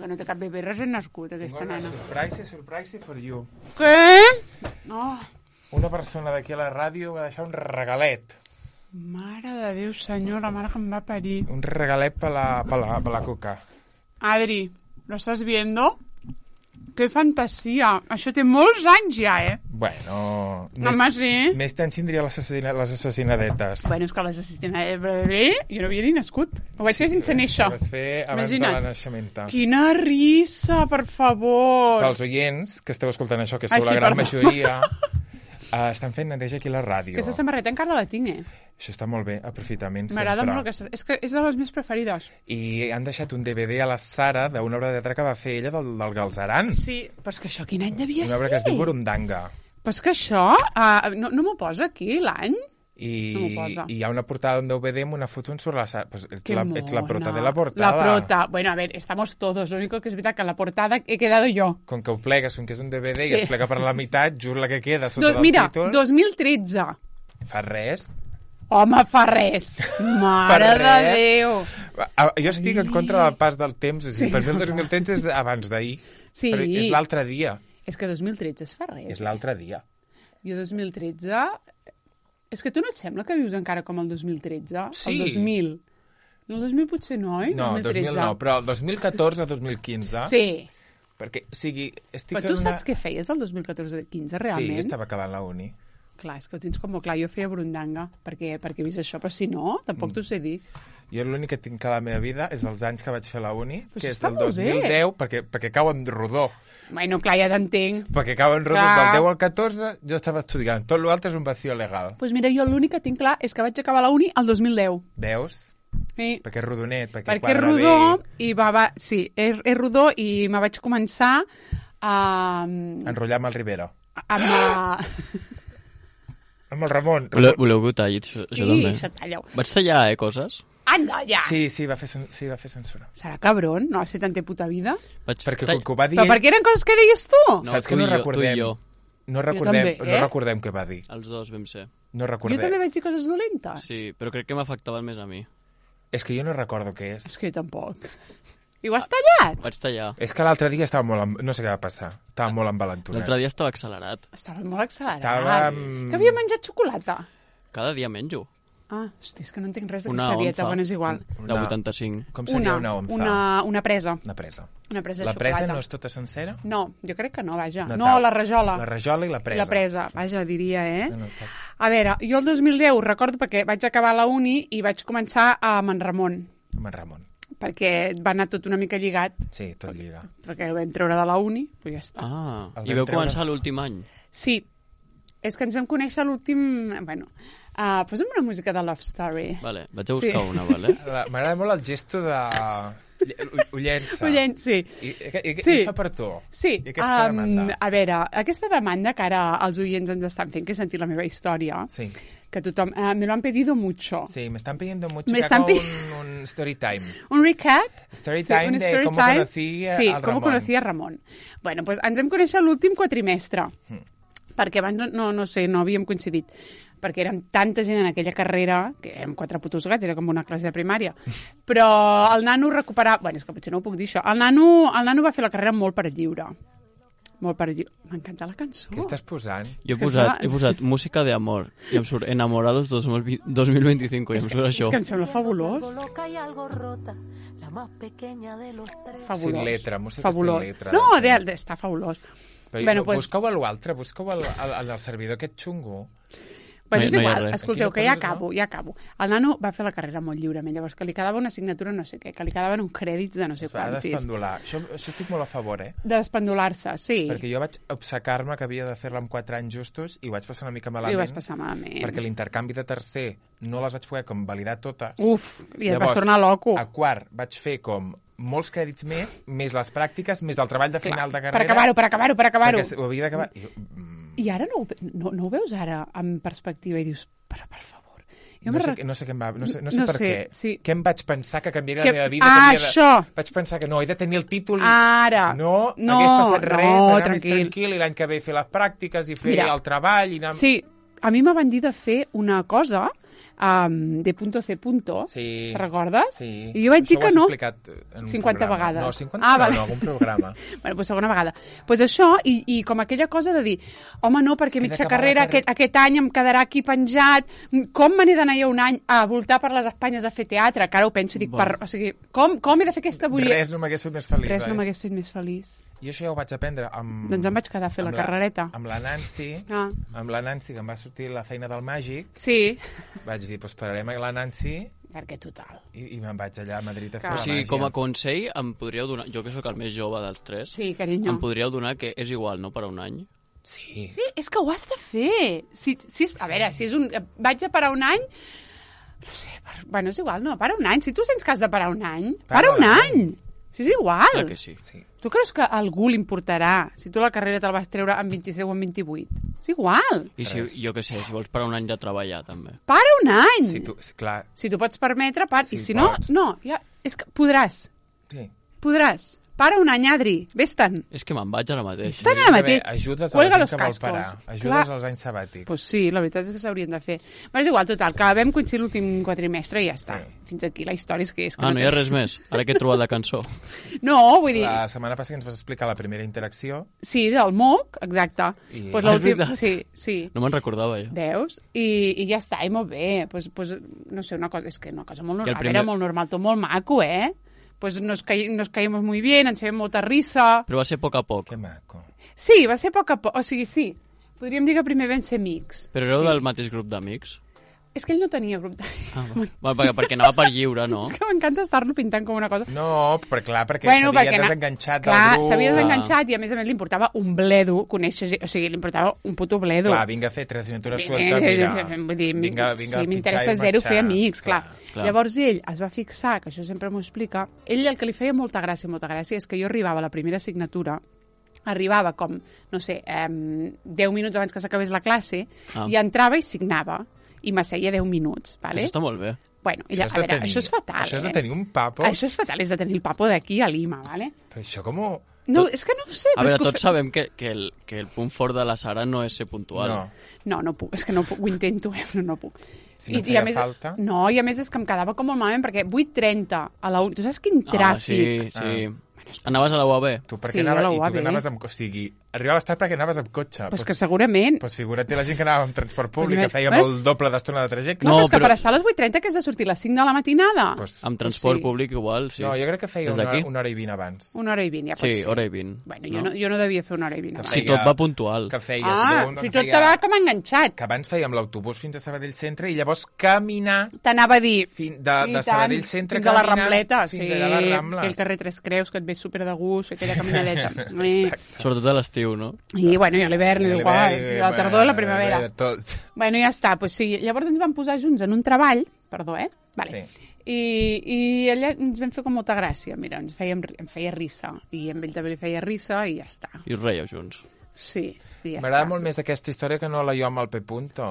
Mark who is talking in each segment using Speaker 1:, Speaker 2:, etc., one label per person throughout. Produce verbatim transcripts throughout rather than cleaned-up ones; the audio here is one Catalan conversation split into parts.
Speaker 1: que no té cap bebè recent nascut, aquesta
Speaker 2: Tinc una
Speaker 1: nena.
Speaker 2: surprise, surprise for you.
Speaker 1: Què? Oh,
Speaker 2: Una persona d'aquí a la ràdio va deixar un regalet.
Speaker 1: mare de Déu, senyor, la mare que em va parir.
Speaker 2: Un regalet per la, per la, per la Cuca.
Speaker 1: Adri, ¿lo estás viendo? Que fantasia. Això té molts anys ja, eh?
Speaker 2: Bueno...
Speaker 1: Home, sí.
Speaker 2: Més temps tindria les, assassina, les assassinadetes.
Speaker 1: Bueno, és que l'assassinat de bebè, jo no havia ni nascut. Ho vaig fer sense néixer.
Speaker 2: Ho vas fer abans
Speaker 1: Imagina't.
Speaker 2: de la naixementa.
Speaker 1: Quina risa, per favor.
Speaker 2: Pels oients que esteu escoltant això, que esteu
Speaker 1: Ai, sí,
Speaker 2: la gran
Speaker 1: perdó.
Speaker 2: majoria, uh, estan fent neteja aquí a la ràdio.
Speaker 1: Aquesta samarreta encara la tinc, eh?
Speaker 2: Això està molt bé, aprofitament sempre.
Speaker 1: M'agrada molt aquesta... És que és de les meves preferides.
Speaker 2: I han deixat un D V D a la Sara d'una obra de teatre que va fer ella del, del Galzeran.
Speaker 1: Sí, però és que això quin any devia
Speaker 2: Una obra
Speaker 1: ser?
Speaker 2: que es diu Burundanga.
Speaker 1: Però és que això... Uh, no no m'ho posa aquí, l'any?
Speaker 2: I,
Speaker 1: No m'ho posa.
Speaker 2: I hi ha una portada d'un D V D amb una foto en sobre la Sara. Pues ets,
Speaker 1: Qué
Speaker 2: la, ets la
Speaker 1: mona.
Speaker 2: prota de la portada.
Speaker 1: La prota. Bueno, a ver, estamos todos. Lo único que es verdad que en la portada he quedado yo.
Speaker 2: Com que ho plegues, com que és un D V D
Speaker 1: Sí.
Speaker 2: i es plega per la meitat, just la que queda sota
Speaker 1: Do,
Speaker 2: del
Speaker 1: mira,
Speaker 2: títol...
Speaker 1: dos mil tretze.
Speaker 2: Fa res.
Speaker 1: Home, fa res. Mare
Speaker 2: Per
Speaker 1: de
Speaker 2: res.
Speaker 1: Déu.
Speaker 2: Ah, Jo estic en contra del pas del temps. O sigui,
Speaker 1: Sí.
Speaker 2: per mi el dos mil tretze és abans d'ahir.
Speaker 1: Sí.
Speaker 2: Però és l'altre dia.
Speaker 1: És que dos mil tretze es fa res.
Speaker 2: És l'altre dia.
Speaker 1: Jo dos mil tretze... És que tu no et sembla que vius encara com el dos mil tretze?
Speaker 2: Sí.
Speaker 1: El dos mil. No, el dos mil potser no, oi?
Speaker 2: No,
Speaker 1: dos mil
Speaker 2: dos
Speaker 1: tretze.
Speaker 2: mil nou, però el dos mil catorze dos mil quinze...
Speaker 1: Sí.
Speaker 2: Perquè, o sigui, estic
Speaker 1: Però tu
Speaker 2: en una...
Speaker 1: saps què feies el dos mil catorze quinze, realment?
Speaker 2: Sí, estava acabant la uni.
Speaker 1: Clar, és que ho tens com molt clar. Jo feia Burundanga, perquè, perquè he vist això, però si no, tampoc mm. t'ho sé dir.
Speaker 2: Jo l'únic que tinc a la meva vida és els anys que vaig fer la uni,
Speaker 1: Però
Speaker 2: que
Speaker 1: això
Speaker 2: és
Speaker 1: està
Speaker 2: del
Speaker 1: molt
Speaker 2: dos mil deu, perquè, perquè cau en rodó.
Speaker 1: Bueno, clar, ja t'entenc.
Speaker 2: Perquè cau en rodó
Speaker 1: Clar.
Speaker 2: del deu al catorze, jo estava estudiant. Tot l'altre és un vacío legal.
Speaker 1: Doncs pues mira, jo l'únic que tinc clar és que vaig acabar la uni el dos mil deu.
Speaker 2: Veus?
Speaker 1: Sí.
Speaker 2: Perquè és rodonet, perquè,
Speaker 1: Perquè és
Speaker 2: quadra
Speaker 1: rodó,
Speaker 2: bé.
Speaker 1: i va, va, sí, és, és rodó, i me vaig començar a...
Speaker 2: Enrotllar amb el Rivera.
Speaker 1: amb la...
Speaker 2: Amb el Ramon.
Speaker 3: Voleu, voleu que ho talli, això,
Speaker 1: Sí,
Speaker 3: això també?
Speaker 1: això talla-ho.
Speaker 3: Vaig tallar, eh, coses?
Speaker 1: Anda, ja!
Speaker 2: Sí, sí, va fer, cen- sí, va fer censura.
Speaker 1: Serà cabron, no has fet tanta puta vida?
Speaker 3: Vaig
Speaker 2: Perquè
Speaker 3: tall-
Speaker 2: com que ho va dir...
Speaker 1: Però per què eren coses que deies tu?
Speaker 3: No,
Speaker 2: Saps
Speaker 3: tu
Speaker 2: que no
Speaker 3: i jo,
Speaker 2: recordem?
Speaker 3: tu i jo.
Speaker 2: No recordem,
Speaker 1: també,
Speaker 2: no
Speaker 1: eh?
Speaker 2: recordem què va dir.
Speaker 3: Els dos vam ser.
Speaker 2: No
Speaker 1: Jo
Speaker 2: recordem.
Speaker 1: també vaig dir coses dolentes?
Speaker 3: Sí, però crec que m'afectaven més a mi.
Speaker 2: És que jo no recordo què és.
Speaker 1: És que jo tampoc. I ho has tallat?
Speaker 3: Vaig tallar.
Speaker 2: És que l'altre dia estava molt... Amb... No sé què va passar. Estava molt envalentonat.
Speaker 3: L'altre dia estava accelerat.
Speaker 1: Estava molt accelerat.
Speaker 2: Estava-
Speaker 1: Que havia menjat xocolata.
Speaker 3: Cada dia menjo.
Speaker 1: Ah, hosti, és que no entenc res
Speaker 3: Una
Speaker 1: d'aquesta dieta,
Speaker 3: onza.
Speaker 1: bueno, és igual.
Speaker 3: De vuitanta-cinc.
Speaker 2: Com seria una,
Speaker 1: una,
Speaker 2: onza?
Speaker 1: una, una presa.
Speaker 2: Una presa.
Speaker 1: Una presa de
Speaker 2: La presa
Speaker 1: xocolata.
Speaker 2: no és tota sencera?
Speaker 1: No, jo crec que no, vaja.
Speaker 2: No,
Speaker 1: No,
Speaker 2: tal.
Speaker 1: la rajola.
Speaker 2: La rajola i la presa.
Speaker 1: La presa, vaja, diria, eh?
Speaker 2: No, no, tal.
Speaker 1: A veure, jo el dos mil deu recordo perquè vaig acabar la uni i vaig començar a Manramon,
Speaker 2: Amb en Ramon.
Speaker 1: perquè va anar tot una mica lligat,
Speaker 2: Sí, tot lliga.
Speaker 1: perquè el vam treure de la uni, però ja està.
Speaker 3: Ah,
Speaker 2: El
Speaker 3: i
Speaker 2: vam
Speaker 3: veu
Speaker 2: treure-
Speaker 3: començar l'últim any.
Speaker 1: Sí, és que ens vam conèixer a l'últim... Bueno, uh, posa'm una música de Love Story.
Speaker 3: Vale, vaig a buscar
Speaker 1: Sí.
Speaker 3: una, vale?
Speaker 2: La- M'agrada molt el gesto de... Ho, ho llença.
Speaker 1: Ho llen- sí.
Speaker 2: I, i, i,
Speaker 1: Sí.
Speaker 2: i això per tu.
Speaker 1: Sí,
Speaker 2: I aquesta
Speaker 1: um,
Speaker 2: demanda.
Speaker 1: a veure, aquesta demanda que ara els oients ens estan fent, que he sentit la meva història,
Speaker 2: Sí.
Speaker 1: que tothom... Uh, me lo han pedido mucho.
Speaker 2: Sí, me están pidiendo mucho
Speaker 1: Me
Speaker 2: que
Speaker 1: están
Speaker 2: haga
Speaker 1: pi-
Speaker 2: un, un story time.
Speaker 1: Un recap?
Speaker 2: Story
Speaker 1: Sí,
Speaker 2: time
Speaker 1: un
Speaker 2: de
Speaker 1: story
Speaker 2: cómo
Speaker 1: time.
Speaker 2: conocí a-
Speaker 1: Sí,
Speaker 2: al
Speaker 1: com
Speaker 2: Ramon.
Speaker 1: conocí a Ramon. Bueno, pues ens vam conèixer l'últim quatrimestre,
Speaker 2: Mm.
Speaker 1: perquè abans no, no, no sé, no havíem coincidit, perquè érem tanta gent en aquella carrera, que érem quatre putos gats, era com una classe de primària, però el nano recuperava... Bueno, és que potser no ho puc dir això. El nano, el nano va fer la carrera molt per lliure. Molt per lliure. M'encanta la cançó.
Speaker 2: Què estàs posant?
Speaker 3: Jo he
Speaker 1: És que
Speaker 3: posat,
Speaker 1: clar-
Speaker 3: he posat música de amor i em surt Enamorados dos mil veinticinc i em surt
Speaker 1: És
Speaker 3: això.
Speaker 1: que em sembla fabulós.
Speaker 4: Loca y algo rota, la más pequeña de los tres.
Speaker 1: Fabulós.
Speaker 2: Sin letra, música
Speaker 1: fabulós.
Speaker 2: sin letra.
Speaker 1: No,
Speaker 2: Sí.
Speaker 1: de, de, està fabulós.
Speaker 2: Però
Speaker 1: Bueno,
Speaker 2: no,
Speaker 1: pues-
Speaker 2: busca-ho a l'altre, busca-ho al, al, al, al servidor aquest xungo.
Speaker 1: Bueno,
Speaker 3: No hi-
Speaker 1: és
Speaker 3: no hi ha
Speaker 1: igual,
Speaker 3: res.
Speaker 1: escolteu,
Speaker 2: Aquí no
Speaker 1: que ja
Speaker 2: poses, no?
Speaker 1: acabo, ja acabo. El nano va fer la carrera molt lliurement, llavors que li quedava una assignatura no sé què, que li quedaven uns crèdits de no sé
Speaker 2: Es va
Speaker 1: quantis.
Speaker 2: despendular. Això, això estic molt a favor, eh?
Speaker 1: De despendular-se, sí.
Speaker 2: Perquè jo vaig obcecar-me que havia de fer-la amb quatre anys justos i ho vaig passar una mica
Speaker 1: I
Speaker 2: malament.
Speaker 1: ho vas passar malament.
Speaker 2: Perquè l'intercanvi de tercer no les vaig poder com validar totes.
Speaker 1: Uf, i et vas tornar loco.
Speaker 2: A quart vaig fer com molts crèdits més, més les pràctiques, més el treball de final de
Speaker 1: Per
Speaker 2: carrera.
Speaker 1: acabar-ho, per acabar-ho, per acabar-ho.
Speaker 2: Perquè ho havia d'acabar. I jo, mm,
Speaker 1: I ara no, ho- no, no ho veus ara en perspectiva i dius, però per favor. Jo
Speaker 2: no,
Speaker 1: me'n
Speaker 2: sé,
Speaker 1: rec-
Speaker 2: no sé què em va... No sé, no sé
Speaker 1: No
Speaker 2: per
Speaker 1: sé,
Speaker 2: què.
Speaker 1: sí.
Speaker 2: Què em vaig pensar que canviaria
Speaker 1: Que-
Speaker 2: la meva vida?
Speaker 1: Ah,
Speaker 2: que havia de...
Speaker 1: això!
Speaker 2: Vaig pensar que no, he de tenir el títol...
Speaker 1: Ara.
Speaker 2: No,
Speaker 1: No,
Speaker 2: hagués passat res,
Speaker 1: no,
Speaker 2: anar
Speaker 1: tranquil.
Speaker 2: més tranquil, i l'any que ve fer les pràctiques i fer
Speaker 1: Mira.
Speaker 2: el treball i anar...
Speaker 1: Sí, a mi me van dir de fer una cosa um, de punto C punto,
Speaker 2: Sí.
Speaker 1: te'n recordes?
Speaker 2: Sí.
Speaker 1: I jo vaig dir
Speaker 2: Això
Speaker 1: que
Speaker 2: ho has
Speaker 1: no.
Speaker 2: explicat en un
Speaker 1: cinquanta
Speaker 2: programa.
Speaker 1: vegades.
Speaker 2: No, cinquanta
Speaker 1: Ah,
Speaker 2: no,
Speaker 1: vale.
Speaker 2: no, algun programa.
Speaker 1: Bueno, doncs segona vegada. Doncs pues això, i, i com aquella cosa de dir, home, no, perquè
Speaker 2: que
Speaker 1: mitja
Speaker 2: d'acabar
Speaker 1: carrera,
Speaker 2: la carrera-
Speaker 1: aquest, aquest any em quedarà aquí penjat, com me n'he d'anar jo un any a voltar per les Espanyes a fer teatre? Que ara ho penso i dic,
Speaker 3: Bueno.
Speaker 1: per, o sigui, com, com he de fer aquesta bullia?
Speaker 2: Res no m'hagués fet més feliç.
Speaker 1: Res no
Speaker 2: eh?
Speaker 1: m'hagués fet més feliç.
Speaker 2: I això ja ho vaig aprendre amb...
Speaker 1: Doncs em vaig quedar a fer la
Speaker 2: amb
Speaker 1: carrereta.
Speaker 2: Amb la Nancy,
Speaker 1: Ah.
Speaker 2: amb la Nancy, que em va sortir la feina del màgic,
Speaker 1: Sí,
Speaker 2: vaig dir, doncs esperarem a la Nancy
Speaker 1: perquè total.
Speaker 2: i, i me'n vaig allà a Madrid a fer
Speaker 1: Clar.
Speaker 2: la
Speaker 3: O sigui,
Speaker 2: màgia.
Speaker 3: com a consell, em podríeu donar... Jo que sóc el més jove dels tres,
Speaker 1: Sí, carinyo.
Speaker 3: em podríeu donar que és igual, no?, per a un any.
Speaker 2: Sí.
Speaker 1: Sí, és que ho has de fer. Si, si és, a veure, si és un... Vaig a parar un any... No sé, per, bueno, és igual, no, para un any. Si tu sents que has de parar un any, para,
Speaker 2: Para
Speaker 1: un
Speaker 2: un
Speaker 1: any. Si és igual.
Speaker 3: Clar que sí.
Speaker 2: Sí.
Speaker 1: Tu creus que a algú li importarà si tu la carrera te'l vas treure en vint-i-set o en vint-i-vuit? És igual.
Speaker 3: I si,
Speaker 2: Res.
Speaker 3: jo què sé, si vols per a un any de treballar, també.
Speaker 1: Para un any.
Speaker 2: Si tu, sí, clar,
Speaker 1: Si t'ho pots permetre, par...
Speaker 2: Si
Speaker 1: I si no,
Speaker 2: pots.
Speaker 1: no, ja... És que podràs.
Speaker 2: sí.
Speaker 1: Podràs. Para un any, Adri. Vés-te'n.
Speaker 3: És que me'n vaig ara mateix.
Speaker 1: Estan
Speaker 2: Hauries
Speaker 1: ara
Speaker 2: d'haver-
Speaker 1: mateix.
Speaker 2: Ajudes a
Speaker 1: Cuelga
Speaker 2: la
Speaker 1: los
Speaker 2: gent que vol
Speaker 1: cascos.
Speaker 2: parar. Ajudes
Speaker 1: Clar.
Speaker 2: als anys sabàtics.
Speaker 1: Pues sí, la veritat és que s'haurien de fer. Però és igual, total, que vam coincidir l'últim quadrimestre i ja està.
Speaker 2: Sí.
Speaker 1: Fins aquí la història és que és que
Speaker 3: Ah, no hi ha
Speaker 1: té-
Speaker 3: res més. Ara que he trobat la cançó.
Speaker 1: No, vull dir...
Speaker 2: La setmana passada ens vas explicar la primera interacció.
Speaker 1: Sí, del M O C, exacte.
Speaker 2: I-
Speaker 1: Pues
Speaker 3: Ah, és
Speaker 1: l'últim...
Speaker 3: veritat.
Speaker 1: Sí, sí.
Speaker 3: No me'n recordava, jo.
Speaker 1: Veus? I, I ja està, i molt bé. Pues, pues, no sé, una cosa, és que una cosa molt
Speaker 3: Que el
Speaker 1: normal.
Speaker 3: primer-
Speaker 1: Era molt normal, tot molt maco, eh? Pues nos, caí, nos caímos muy bien, ens fèiem molta risa.
Speaker 3: Però va ser a poc a poc.
Speaker 2: Que maco.
Speaker 1: Sí, va ser a poc a poc. O sigui, sí. Podríem dir que primer vam ser amics.
Speaker 3: Però éreu
Speaker 1: sí.
Speaker 3: del mateix grup d'amics?
Speaker 1: És que ell no tenia grup de...
Speaker 3: Ah, va. Bueno, perquè, perquè anava per lliure, no?
Speaker 1: És que m'encanta estar-lo pintant com una cosa.
Speaker 2: No, però clar, perquè
Speaker 1: Bueno,
Speaker 2: s'havia
Speaker 1: perquè na-
Speaker 2: desenganxat
Speaker 1: Clar,
Speaker 2: del grup.
Speaker 1: s'havia
Speaker 3: Ah.
Speaker 1: desenganxat i a més a més li importava un bledo conèixer... gent- O sigui, li importava un puto bledo.
Speaker 2: Clar, vinga a fer tres aventuras
Speaker 1: Eh,
Speaker 2: sueltes, mira.
Speaker 1: Vull dir,
Speaker 2: vinga, vinga,
Speaker 1: sí,
Speaker 2: a
Speaker 1: m'interessa
Speaker 2: fitxar i
Speaker 1: zero
Speaker 2: marxar.
Speaker 1: fer amics, clar.
Speaker 3: clar.
Speaker 1: Llavors ell es va fixar, que això sempre m'ho explica, ell el que li feia molta gràcia, molta gràcia, és que jo arribava a la primera assignatura, arribava com, no sé, eh, deu minuts abans que s'acabés la classe,
Speaker 3: Ah.
Speaker 1: i entrava i signava, i m'asseia deu minuts, vale?
Speaker 3: Això està molt bé.
Speaker 1: Bueno,
Speaker 2: Això
Speaker 1: ella,
Speaker 2: és
Speaker 1: a
Speaker 2: de
Speaker 1: veure,
Speaker 2: tenir-
Speaker 1: això és fatal,
Speaker 2: Això és de
Speaker 1: eh?
Speaker 2: tenir un papo.
Speaker 1: Això és fatal, és de tenir el papo d'aquí a Lima, vale?
Speaker 2: Però això com...
Speaker 1: No,
Speaker 3: Tot-
Speaker 1: és que no ho sé.
Speaker 3: A
Speaker 1: però és
Speaker 3: veure,
Speaker 1: que ho
Speaker 3: tots
Speaker 1: fe-
Speaker 3: sabem que, que, el, que el punt fort de la Sara no és ser puntual.
Speaker 2: No.
Speaker 1: No, no puc, és que no puc, ho intento, eh, però no puc.
Speaker 2: Si no feia
Speaker 1: a més,
Speaker 2: falta.
Speaker 1: No, i a més és que em quedava com molt malament, perquè vuit trenta a la U... Tu saps quin
Speaker 3: Ah,
Speaker 1: tràfic?
Speaker 3: sí, sí. Anaves a la U A B?
Speaker 2: Tu per
Speaker 1: Sí,
Speaker 2: què
Speaker 1: a la
Speaker 2: anaves... I
Speaker 1: U A B.
Speaker 2: tu que anaves amb... O sigui, arribaves tard perquè anaves amb cotxe.
Speaker 1: Pues que segurament...
Speaker 2: Pues figura't la gent que anava amb transport públic,
Speaker 1: Pues
Speaker 2: que fèiem
Speaker 1: eh?
Speaker 2: el doble d'estona de trajecte.
Speaker 1: No,
Speaker 3: No,
Speaker 1: però és que
Speaker 3: però-
Speaker 1: per estar a les vuit trenta que has de sortir a les cinc de la matinada.
Speaker 2: Pues,
Speaker 3: Amb transport
Speaker 1: Sí.
Speaker 3: públic igual, sí.
Speaker 2: No, jo crec que feia
Speaker 3: Des
Speaker 2: una,
Speaker 3: d'aquí?
Speaker 2: una hora i vint abans.
Speaker 1: Una hora i vint, ja pot
Speaker 3: Sí,
Speaker 1: ser.
Speaker 3: hora i vint.
Speaker 1: Bueno, jo no, jo no devia fer una hora i vint.
Speaker 2: Que
Speaker 1: abans.
Speaker 3: Si
Speaker 2: feia-
Speaker 3: tot va puntual.
Speaker 2: Que feies...
Speaker 1: Ah,
Speaker 2: d'un-
Speaker 1: si
Speaker 2: que
Speaker 1: tot
Speaker 2: feia-
Speaker 1: te va com enganxat.
Speaker 2: Que abans fèiem l'autobús fins a Sabadell Centre i llavors caminar
Speaker 1: T'anava a dir...
Speaker 2: fin, de,
Speaker 1: I
Speaker 2: de
Speaker 1: tant,
Speaker 2: Sabadell Centre
Speaker 1: fins a la
Speaker 2: caminar
Speaker 1: Rambleta,
Speaker 2: fins
Speaker 1: sí,
Speaker 2: allà a la Rambla.
Speaker 1: aquell carrer Tres Creus que et ve super de gust, aquella caminadeta. eh.
Speaker 3: Sobretot a l'estiu, no?
Speaker 1: I bueno, i a l'hivern,
Speaker 2: I
Speaker 1: igual,
Speaker 2: l'hivern,
Speaker 1: i la tardor i la primavera.
Speaker 2: eh, Tot.
Speaker 1: Bueno, ja està, pues sí. Llavors ens vam posar junts en un treball, perdó, eh? Vale.
Speaker 2: Sí.
Speaker 1: I, I allà ens vam fer com molta gràcia, mira, ens fèiem, em feia risa, i amb ell també li feia risa, i ja està.
Speaker 3: I us reieu junts.
Speaker 1: Sí, i ja
Speaker 2: M'agrada
Speaker 1: està.
Speaker 2: molt més aquesta història que no la jo amb el P. Punto.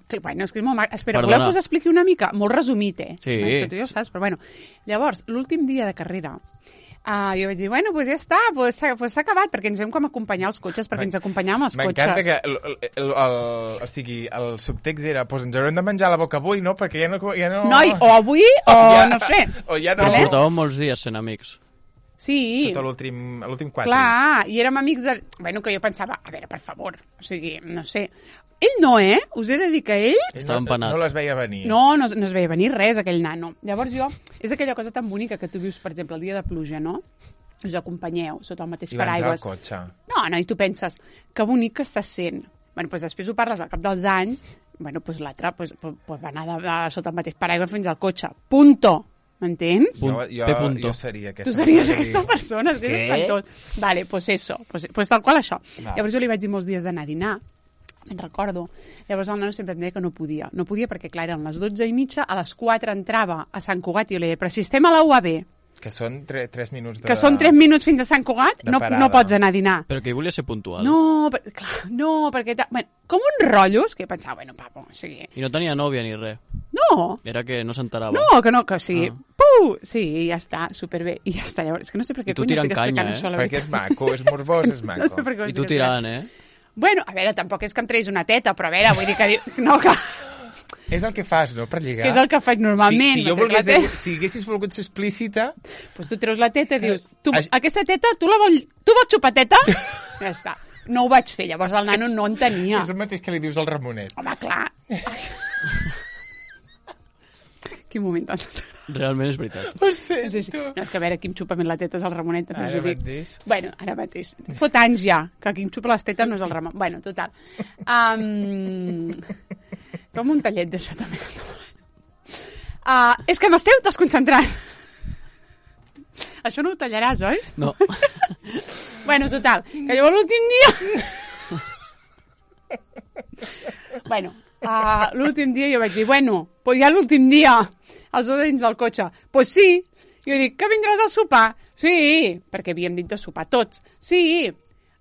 Speaker 1: Que, bueno, és que és molt maco. Espera,
Speaker 3: Perdona.
Speaker 1: voleu que us expliqui una mica? Molt resumit, eh?
Speaker 3: Sí.
Speaker 1: És que tu ja ho saps, però bueno. Llavors, l'últim dia de carrera, uh, jo vaig dir, bueno, pues ja està, pues s'ha pues acabat, perquè ens vam com acompanyar els cotxes, perquè ens acompanyàvem els cotxes.
Speaker 2: M'encanta que el, el, el, el, o sigui, el subtext era pues ens haurem de menjar la boca avui, no? Perquè ja no... Ja no...
Speaker 1: Noi, o avui, o
Speaker 2: Ja-
Speaker 1: no sé.
Speaker 2: O ja no...
Speaker 3: Però
Speaker 1: Vale.
Speaker 3: portàveu molts dies sent amics.
Speaker 1: Sí.
Speaker 2: Tot l'últim l'últim quatre.
Speaker 1: Clar, i érem amics de... Bueno, que jo pensava, a veure, per favor, o sigui, no sé... Ell no, eh? Us he de dir que ell...
Speaker 2: Ell
Speaker 3: Estava
Speaker 2: no,
Speaker 3: empanat.
Speaker 2: no les veia venir.
Speaker 1: No, no, no es veia venir res, aquell nano. Llavors jo... És aquella cosa tan bonica que tu vius, per exemple, el dia de pluja, no? Us acompanyeu sota el mateix
Speaker 2: I va entrar al
Speaker 1: paraigües.
Speaker 2: cotxe.
Speaker 1: No, no, i tu penses, que bonic que estàs sent. Bueno, doncs després ho parles al cap dels anys, bueno, doncs l'altre pues, pues, pues va anar de, de, sota el mateix paraigua fins al cotxe. Punto. M'entens?
Speaker 3: Punt-
Speaker 2: Jo, jo,
Speaker 3: P. punto.
Speaker 2: jo seria aquesta
Speaker 1: Tu series
Speaker 2: persona.
Speaker 1: aquesta persona, és que és
Speaker 2: Què?
Speaker 1: espantós. Vale, pues eso, pues, pues tal qual això.
Speaker 2: Va.
Speaker 1: Llavors jo li vaig dir molts dies d'anar a dinar, me'n recordo. Llavors el nano sempre em deia que no podia. No podia perquè, clar, eren les dotze i mitja, a les quatre entrava a Sant Cugat i jo li deia, però si estem a la U A B,
Speaker 2: Que són tre, tres minuts de...
Speaker 1: que són tres minuts fins a Sant Cugat,
Speaker 2: de
Speaker 1: no,
Speaker 2: parada.
Speaker 1: no pots anar a dinar.
Speaker 3: Però que ell volia ser puntual.
Speaker 1: No, per, clar, no, perquè... ta- Bueno, com uns rotllos que pensava, bueno, papo, o sigui...
Speaker 3: I no tenia nòvia ni res.
Speaker 1: No,
Speaker 3: Era que no s'enterava.
Speaker 1: no, que no, que o sigui...
Speaker 3: Ah.
Speaker 1: Puh! Sí, ja està, superbé. I ja està, llavors, és que no sé per què
Speaker 3: I tu
Speaker 1: cony
Speaker 3: tirant
Speaker 1: estic explicant
Speaker 3: canya, eh?
Speaker 1: això, la
Speaker 2: Perquè és
Speaker 1: veritat.
Speaker 2: maco, és morbós, és maco.
Speaker 1: No sé per què ho
Speaker 3: I
Speaker 1: estic
Speaker 3: tu
Speaker 1: explicant.
Speaker 3: tirant, eh?
Speaker 1: Bueno, a veure, tampoc és que em treguis una teta, però a veure, vull dir que... diu- No, que...
Speaker 2: És el que fas, no?, per lligar.
Speaker 1: Que és el que faig normalment.
Speaker 2: Si, si, jo
Speaker 1: no
Speaker 2: volgués,
Speaker 1: trec la
Speaker 2: si haguessis volgut ser explícita...
Speaker 1: Pues tu treus la teta i dius, tu,
Speaker 2: Ai.
Speaker 1: aquesta teta, tu la vol, tu vols xupar teta? Ja està. No ho vaig fer, llavors el nano no entenia.
Speaker 2: És el mateix que li dius al Ramonet.
Speaker 1: Home, clar. Quin moment tan desagradable.
Speaker 3: Realment és veritat.
Speaker 2: Ho sé,
Speaker 1: Sí, sí.
Speaker 2: tu.
Speaker 1: No, és que a veure, qui em xupa més la teta és el Ramonet, també us
Speaker 2: Ara
Speaker 1: ho dic.
Speaker 2: mateix.
Speaker 1: Bueno, ara mateix. Fot anys ja, que qui em xupa les tetes no és el Ramon. Bueno, total. Um... Com un tallet d'això també. Uh, és que m'esteu desconcentrant. Això no ho tallaràs, oi?
Speaker 3: No.
Speaker 1: Bueno, total, que llavors l'últim dia... bueno, uh, l'últim dia jo vaig dir, bueno, pues ja l'últim dia, els dos dins del cotxe. Pues sí. Jo dic, que vindràs a sopar? Sí, perquè havíem dit de sopar tots. Sí.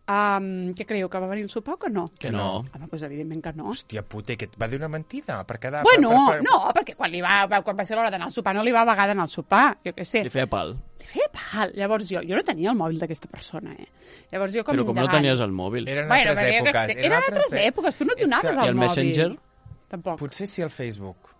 Speaker 1: Um, què creieu, que va venir el sopar o que no?
Speaker 3: Que no.
Speaker 1: Home, doncs evidentment que no.
Speaker 2: Hòstia puta, que et va dir una mentida per quedar...
Speaker 1: Bueno,
Speaker 2: per, per, per...
Speaker 1: no, perquè quan, li va, quan va ser l'hora d'anar al sopar no li va vagar d'anar al sopar, jo què sé.
Speaker 3: Li feia pal.
Speaker 1: Li feia pal. Llavors jo, jo no tenia el mòbil d'aquesta persona, eh? Llavors jo com
Speaker 3: Però com no
Speaker 1: indagant.
Speaker 3: tenies el mòbil.
Speaker 2: Eren
Speaker 1: Bueno,
Speaker 2: altres
Speaker 1: perquè jo què
Speaker 2: èpoques.
Speaker 1: sé, eren altres èpoques, tu no et
Speaker 2: És
Speaker 1: donaves
Speaker 2: que-
Speaker 1: el
Speaker 3: I el
Speaker 1: mòbil.
Speaker 3: Messenger?
Speaker 1: Tampoc.
Speaker 2: Potser sí el Facebook.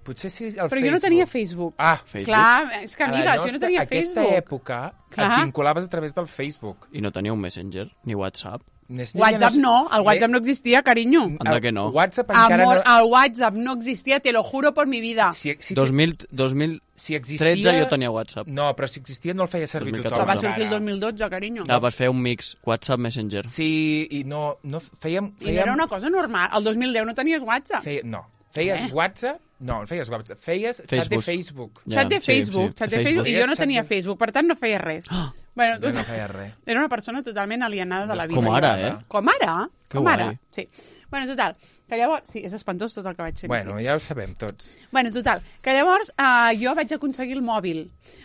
Speaker 2: Potser sí el
Speaker 1: Però
Speaker 2: Facebook.
Speaker 1: jo no tenia Facebook.
Speaker 2: Ah,
Speaker 3: Facebook.
Speaker 1: Clar, és que
Speaker 2: a la
Speaker 1: mira, si jo
Speaker 2: nostra-
Speaker 1: no tenia
Speaker 2: aquesta
Speaker 1: Facebook.
Speaker 2: època
Speaker 1: Clar.
Speaker 2: et vinculaves a través del Facebook.
Speaker 3: I no tenia un Messenger, ni WhatsApp.
Speaker 2: N'és-
Speaker 1: WhatsApp no, el WhatsApp no existia, carinyo.
Speaker 3: Anda que no.
Speaker 2: WhatsApp encara
Speaker 1: Amor,
Speaker 2: no...
Speaker 1: el WhatsApp no existia, te lo juro por mi vida.
Speaker 2: Si, si,
Speaker 3: dos mil, dos mil
Speaker 2: si existia...
Speaker 3: tretze jo tenia WhatsApp.
Speaker 2: No, però si existia no el feia servir
Speaker 3: dos mil
Speaker 2: tothom.
Speaker 1: Però va
Speaker 3: catorze.
Speaker 1: sortir el
Speaker 2: encara.
Speaker 1: dos mil dotze, carinyo.
Speaker 3: Clar, vas fer un mix WhatsApp Messenger.
Speaker 2: Sí, i no... no fèiem,
Speaker 1: I
Speaker 2: fèiem,
Speaker 1: era una cosa normal. El dos mil deu no tenies WhatsApp.
Speaker 2: feia, no, feies
Speaker 1: Eh?
Speaker 2: WhatsApp... No, no feies WhatsApp. Feies xat de
Speaker 3: Facebook.
Speaker 2: Facebook.
Speaker 3: Ja,
Speaker 1: Xat de
Speaker 3: sí,
Speaker 1: Facebook,
Speaker 3: sí,
Speaker 1: xat de
Speaker 3: Facebook.
Speaker 1: Facebook. I jo no
Speaker 2: Xat
Speaker 1: tenia
Speaker 2: de-
Speaker 1: Facebook, per tant no feia res. Bueno,
Speaker 2: Jo no feia res.
Speaker 1: era una persona totalment alienada de la vida.
Speaker 3: Com ara, eh?
Speaker 1: Com ara?
Speaker 3: Que
Speaker 1: Com
Speaker 3: guai.
Speaker 1: ara, sí. Bueno, total, que llavors... Sí, és espantós tot el que vaig fer.
Speaker 2: Bueno, ja ho sabem tots.
Speaker 1: Bueno, total, que llavors uh, jo vaig aconseguir el mòbil.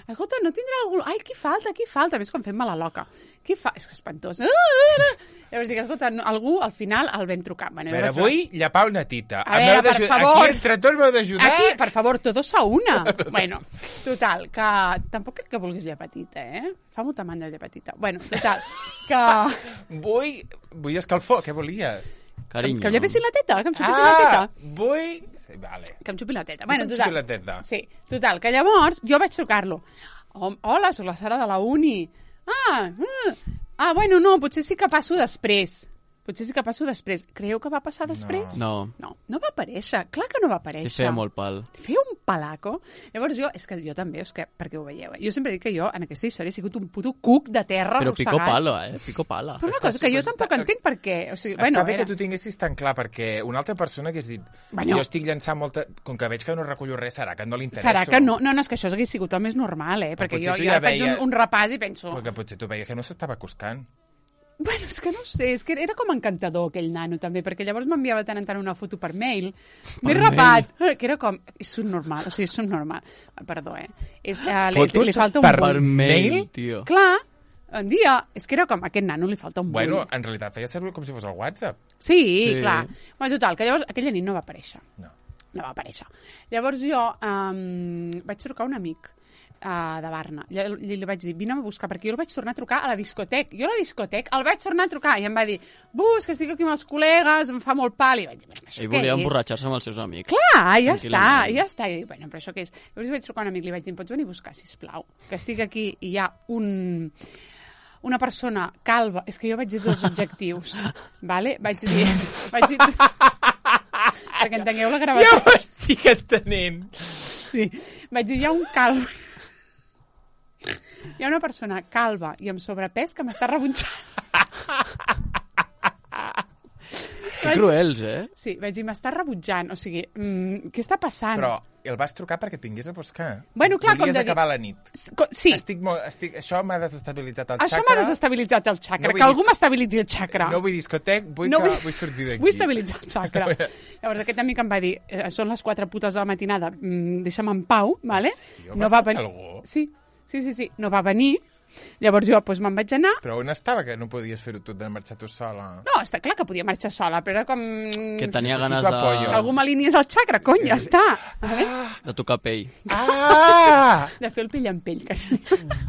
Speaker 1: Escolta, no tindrà algú... Ai, qui falta, qui falta? Ves com fem-me la loca. Qui fa... És que espantós. Llavors dic, escolta, no, algú al final el vam trucar. Bueno,
Speaker 2: A veure,
Speaker 1: llavors-
Speaker 2: vull llapar una tita.
Speaker 1: A
Speaker 2: Em
Speaker 1: veure,
Speaker 2: heu
Speaker 1: per
Speaker 2: d'ajudar.
Speaker 1: favor.
Speaker 2: Aquí entre tots m'heu d'ajudar.
Speaker 1: Aquí, per favor, todos a una. Bueno, total, que tampoc crec que vulguis llepatita, eh? Fa molta mandra llepatita. Bueno, total, que...
Speaker 2: Vull, vull escalfor. Què volies?
Speaker 3: Carinyo.
Speaker 1: Que em llepessin la teta, que em xupessin la
Speaker 2: Ah,
Speaker 1: teta.
Speaker 2: vull... Sí, vale.
Speaker 1: Que em xupi la teta.
Speaker 2: Que
Speaker 1: Bueno,
Speaker 2: em
Speaker 1: total.
Speaker 2: xupi la teta.
Speaker 1: Sí, total, que llavors jo vaig trucar-lo. Hom- Hola, soc la Sara de la uni. Ah, ah, ah, bueno, no, potser sí que passo després. Potser sí que passo després. Creieu que va passar després?
Speaker 3: No.
Speaker 1: No, no va aparèixer. Clar que no va aparèixer.
Speaker 3: Li feia molt pal.
Speaker 1: Feia un palaco. Llavors jo, és que jo també, és que, perquè ho veieu, eh? Jo sempre dic que jo en aquesta història he sigut un puto cuc de terra
Speaker 3: Però pico
Speaker 1: arrossegat.
Speaker 3: palo, eh? Pico pala.
Speaker 1: Però una
Speaker 2: Està-
Speaker 1: cosa que jo
Speaker 2: està-
Speaker 1: tampoc entenc per què. O sigui,
Speaker 2: Està
Speaker 1: bueno,
Speaker 2: bé
Speaker 1: era...
Speaker 2: que tu tinguessis tan clar, perquè una altra persona hagués dit
Speaker 1: Bueno.
Speaker 2: jo estic llançant molta... Com que veig que no recullo res, serà que no li interessa.
Speaker 1: Serà que no? No, no, és que això hagués sigut el més normal, eh? Perquè
Speaker 2: potser
Speaker 1: jo,
Speaker 2: tu
Speaker 1: jo
Speaker 2: ja
Speaker 1: faig un,
Speaker 2: veia-
Speaker 1: un repàs i penso...
Speaker 2: Perquè potser tu veies que no s'estava acostant.
Speaker 1: Bueno, és que no sé, és que era com encantador aquell nano també, perquè llavors m'enviava tant en tant una foto per mail. M'he
Speaker 3: Per
Speaker 1: rapat, que era com... És subnormal, o sigui, és subnormal. Perdó, eh? És, uh, li,
Speaker 2: Fotos
Speaker 1: li falta un
Speaker 2: per
Speaker 1: bull.
Speaker 3: Per mail,
Speaker 2: mail?
Speaker 3: tio.
Speaker 1: Clar, un dia, és que era com aquest nano li falta un bull.
Speaker 2: Bueno, en realitat feia servir com si fos el WhatsApp.
Speaker 1: Sí,
Speaker 3: Sí.
Speaker 1: clar. Bueno, total, que llavors aquella nit no va aparèixer.
Speaker 2: No.
Speaker 1: No va aparèixer. Llavors jo um, vaig trucar a un amic uh, de Barna. Li, li, li vaig dir, vine a buscar, perquè jo el vaig tornar a trucar a la discoteca. Jo a la discoteca el vaig tornar a trucar i em va dir, bus, que estic aquí amb els col·legues, em fa molt pal. I vaig dir, bueno, això
Speaker 3: Ell
Speaker 1: què
Speaker 3: volia
Speaker 1: és?
Speaker 3: emborratxar-se amb els seus amics.
Speaker 1: Clar, ja està,
Speaker 3: Tranquil·lament.
Speaker 1: ja està. I dic, bueno, però això què és? Llavors vaig trucar a un amic, li vaig dir, em pots venir a buscar, sisplau? Que estic aquí i hi ha un... una persona calva, és que jo vaig dir dos adjectius, vale? Vaig dir... Vaig dir... perquè entengueu la gravació.
Speaker 2: Ja ho estic entenent.
Speaker 1: Sí, vaig dir, hi ha un calvo... Hi ha una persona calva i amb sobrepès que m'està rebutjant.
Speaker 3: Que cruels, eh?
Speaker 1: Sí, vaig dir, m'està rebutjant. O sigui, mm, què està passant?
Speaker 2: Però el vas trucar perquè et vingués a buscar.
Speaker 1: Bueno, clar, com
Speaker 2: Volies
Speaker 1: de dir-
Speaker 2: acabar la nit.
Speaker 1: S- co- Sí,
Speaker 2: Estic molt, estic, això m'ha desestabilitzat el
Speaker 1: això
Speaker 2: xacra.
Speaker 1: m'ha desestabilitzat el xacra.
Speaker 2: No vull
Speaker 1: que algú
Speaker 2: dis-
Speaker 1: m'estabilitzi el xacra.
Speaker 2: No vull discotec, vull,
Speaker 1: No
Speaker 2: que,
Speaker 1: vull-
Speaker 2: vull sortir d'aquí.
Speaker 1: Vull estabilitzar el xacra. Llavors aquest amic em va dir, eh, són les quatre putes de la matinada, mm, deixa'm en pau, vale?
Speaker 2: Sí,
Speaker 1: no va
Speaker 2: vas
Speaker 1: venir.
Speaker 2: trucar algú?
Speaker 1: Sí, sí, sí, sí, no va venir. Llavors jo doncs, me'n vaig anar.
Speaker 2: Però on estava que no podies fer-ho tot de marxar tu sola?
Speaker 1: No, està clar que podia marxar sola, però era com...
Speaker 3: Que tenia
Speaker 2: Necessito
Speaker 3: ganes
Speaker 2: apoyo.
Speaker 1: Que
Speaker 3: de,
Speaker 1: algú m'alineés el xacra, cony, ja està. Vale?
Speaker 3: de tocar pell.
Speaker 2: Ah!
Speaker 1: De fer el pell en pell. Que...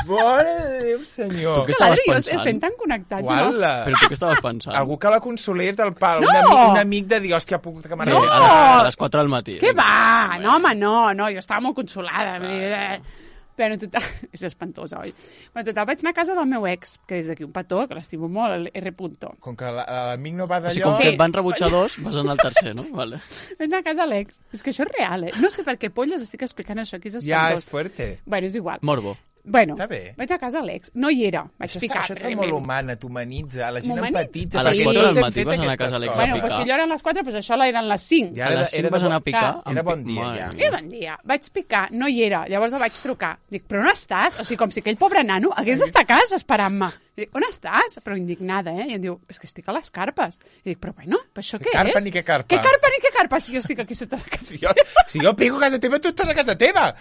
Speaker 2: Mare de Déu, senyor!
Speaker 3: Tu què
Speaker 1: L'Adri
Speaker 3: estaves
Speaker 1: i jo
Speaker 3: pensant?
Speaker 1: estem tan connectats, no?
Speaker 2: Uala!
Speaker 3: Però tu què estaves pensant?
Speaker 2: Algú que la consolés del pal.
Speaker 1: No!
Speaker 2: Un, amic, un amic de dir, hòstia, puc que
Speaker 3: Sí,
Speaker 2: m'arribi.
Speaker 1: No!
Speaker 3: a, les, a les quatre del matí.
Speaker 1: Què va? No, home, no, no, jo estava molt consolada. Vull dir, eh, però en total... És espantosa, oi? Però en total vaig anar a casa del meu ex, que és d'aquí un petó, que l'estimo molt, el R. Punto.
Speaker 2: Com que la- l'amic no va
Speaker 3: O sigui,
Speaker 2: d'allò...
Speaker 3: com
Speaker 1: Sí.
Speaker 3: que et van rebutjar dos, vas anar al tercer, no? Vale.
Speaker 1: Vaig anar a casa de l'ex. És que això és real, eh? No sé per què polles estic explicant això, que és
Speaker 2: Ja,
Speaker 1: espantós.
Speaker 2: és fuerte.
Speaker 1: Bueno, és igual.
Speaker 3: Morbo.
Speaker 1: Bueno,
Speaker 2: Està bé.
Speaker 1: vaig a casa de l'ex. No hi era, vaig
Speaker 2: Això,
Speaker 1: picar.
Speaker 2: està, això et fa
Speaker 1: evidentment.
Speaker 2: molt humana, t'humanitza, la gent
Speaker 1: M'humanitza.
Speaker 2: empatitza.
Speaker 3: A les
Speaker 2: perquè
Speaker 3: quatre
Speaker 2: tots
Speaker 3: del
Speaker 2: hem
Speaker 3: matí
Speaker 2: fet
Speaker 3: vas anar a
Speaker 2: aquestes
Speaker 3: casa de l'ex.
Speaker 2: coses.
Speaker 1: Bueno,
Speaker 3: picar.
Speaker 1: pues si allò eren les quatre, pues això eren les cinc.
Speaker 2: Ja
Speaker 3: A
Speaker 2: era,
Speaker 3: les
Speaker 2: de-
Speaker 3: cinc
Speaker 2: era
Speaker 3: vas
Speaker 2: de
Speaker 3: anar a
Speaker 2: bon-
Speaker 3: picar.
Speaker 1: Clar.
Speaker 2: Era
Speaker 3: amb
Speaker 2: bon
Speaker 3: pi-
Speaker 2: dia,
Speaker 3: Mare
Speaker 2: ja.
Speaker 3: mia.
Speaker 1: Era bon dia. Vaig picar, no hi era. Llavors el vaig trucar. Dic, però on estàs? O sigui, com si aquell pobre nano hagués d'estar a casa esperant-me. Dic, on estàs? Però indignada, eh? I em diu, és que estic a les carpes. I dic, però bueno, però això què,
Speaker 2: carpa
Speaker 1: és?
Speaker 2: ni què carpa?
Speaker 1: Què carpa ni què carpa? Si jo estic aquí sota de casa.
Speaker 2: Si jo, si jo pico a casa teva, tu estàs a casa teva.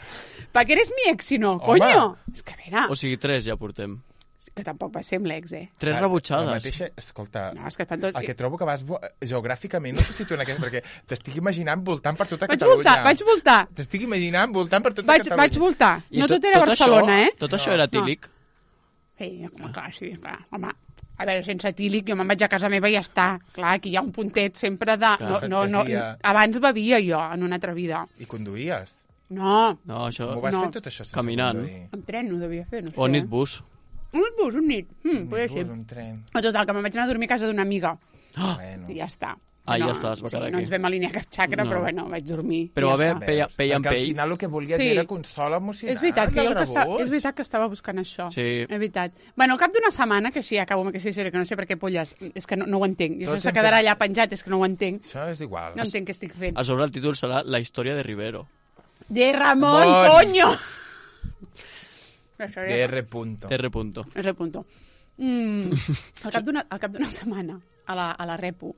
Speaker 1: Per què eres mi ex, si no?
Speaker 2: Home.
Speaker 1: Conyo! És que a veure,
Speaker 3: O sigui, tres ja portem.
Speaker 1: que tampoc va ser amb l'ex, eh?
Speaker 3: Tres
Speaker 2: La
Speaker 3: rebutjades.
Speaker 2: mateixa, escolta,
Speaker 1: No, és que fan tots...
Speaker 2: el que trobo que vas vo- geogràficament, no sé si tu en aquest, perquè t'estic imaginant voltant per tota
Speaker 1: Vaig
Speaker 2: Catalunya.
Speaker 1: voltar, vaig voltar.
Speaker 2: T'estic imaginant voltant per tota
Speaker 1: Vaig,
Speaker 2: Catalunya.
Speaker 1: vaig voltar.
Speaker 3: I
Speaker 1: No
Speaker 3: tot-
Speaker 1: tot era
Speaker 3: tot
Speaker 1: Barcelona,
Speaker 3: això,
Speaker 1: eh?
Speaker 3: Tot això era tílic.
Speaker 1: Sí, home, clar, sí, clar. Home, a veure, sense tílic, jo me'n vaig a casa meva i ja està. Clar, aquí hi ha un puntet sempre de... No, no, no,
Speaker 2: fantasia.
Speaker 1: abans bevia jo, en una altra vida.
Speaker 2: I conduïes.
Speaker 1: No,
Speaker 3: No, això...
Speaker 2: Com ho vas
Speaker 1: No.
Speaker 2: fer tot això sense
Speaker 3: Caminant.
Speaker 2: conduir?
Speaker 1: amb tren no devia fer, no sé.
Speaker 3: O nit bus.
Speaker 1: Un bus, un nit. Mm,
Speaker 2: Un
Speaker 1: podria
Speaker 2: bus,
Speaker 1: ser.
Speaker 2: un tren.
Speaker 1: O total, que me'n vaig anar a dormir a casa d'una amiga.
Speaker 2: Bueno.
Speaker 1: I ja està.
Speaker 3: Ah,
Speaker 1: no,
Speaker 3: ja està, es va
Speaker 1: sí,
Speaker 3: quedar
Speaker 1: no
Speaker 3: aquí.
Speaker 1: ens vam alinear cap xacra,
Speaker 3: No.
Speaker 1: però bueno, vaig dormir.
Speaker 3: Però
Speaker 1: i
Speaker 3: va
Speaker 1: ja
Speaker 3: haver
Speaker 1: està.
Speaker 3: pell, pell en
Speaker 2: Perquè al
Speaker 3: pell.
Speaker 2: final el que volies
Speaker 1: Sí.
Speaker 2: era consol emocional.
Speaker 1: És veritat, que jo el que està,
Speaker 2: rebuig.
Speaker 1: és veritat que estava buscant això.
Speaker 3: Sí.
Speaker 1: És veritat. Bueno, al cap d'una setmana, que així acabo amb aquesta història, que no sé per què polles, és que no, no ho entenc. I això
Speaker 2: Tots
Speaker 1: se
Speaker 2: hem
Speaker 1: quedarà
Speaker 2: fet-
Speaker 1: allà penjat, és que no ho entenc.
Speaker 2: Això és igual.
Speaker 1: No entenc què estic fent.
Speaker 3: A sobre el títol serà La història de Rivero.
Speaker 1: De Ramon,
Speaker 2: Bon.
Speaker 1: coño! Això
Speaker 2: De
Speaker 1: era...
Speaker 2: R. Punto.
Speaker 3: R. punto.
Speaker 1: És el punto. Mm, al cap d'una al cap d'una setmana, a la, a la repo,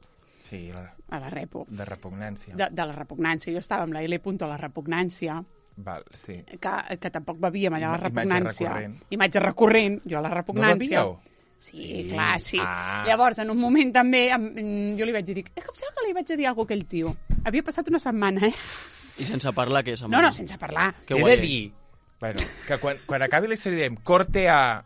Speaker 2: Sí, la-
Speaker 1: a la repo,
Speaker 2: de repugnància.
Speaker 1: de, de la repugnància, jo estava amb la L. punto a la repugnància,
Speaker 2: Val, sí.
Speaker 1: que, que tampoc bevíem allà a la
Speaker 2: Ima- imatge
Speaker 1: repugnància.
Speaker 2: recurrent.
Speaker 1: Imatge recurrent, jo a la repugnància.
Speaker 2: No bevíeu?
Speaker 1: Sí,
Speaker 2: Sí.
Speaker 1: clar, sí.
Speaker 2: Ah.
Speaker 1: Llavors, en un moment també, em, em, jo li vaig dir, dic, eh, com serà que li vaig dir alguna cosa a aquell tio? Havia passat una setmana, eh?
Speaker 3: I sense parlar, què és?
Speaker 1: No, no, sense parlar.
Speaker 3: Que
Speaker 2: He
Speaker 3: guai.
Speaker 2: de dir, bueno, que quan, quan acabi la història diem corte a...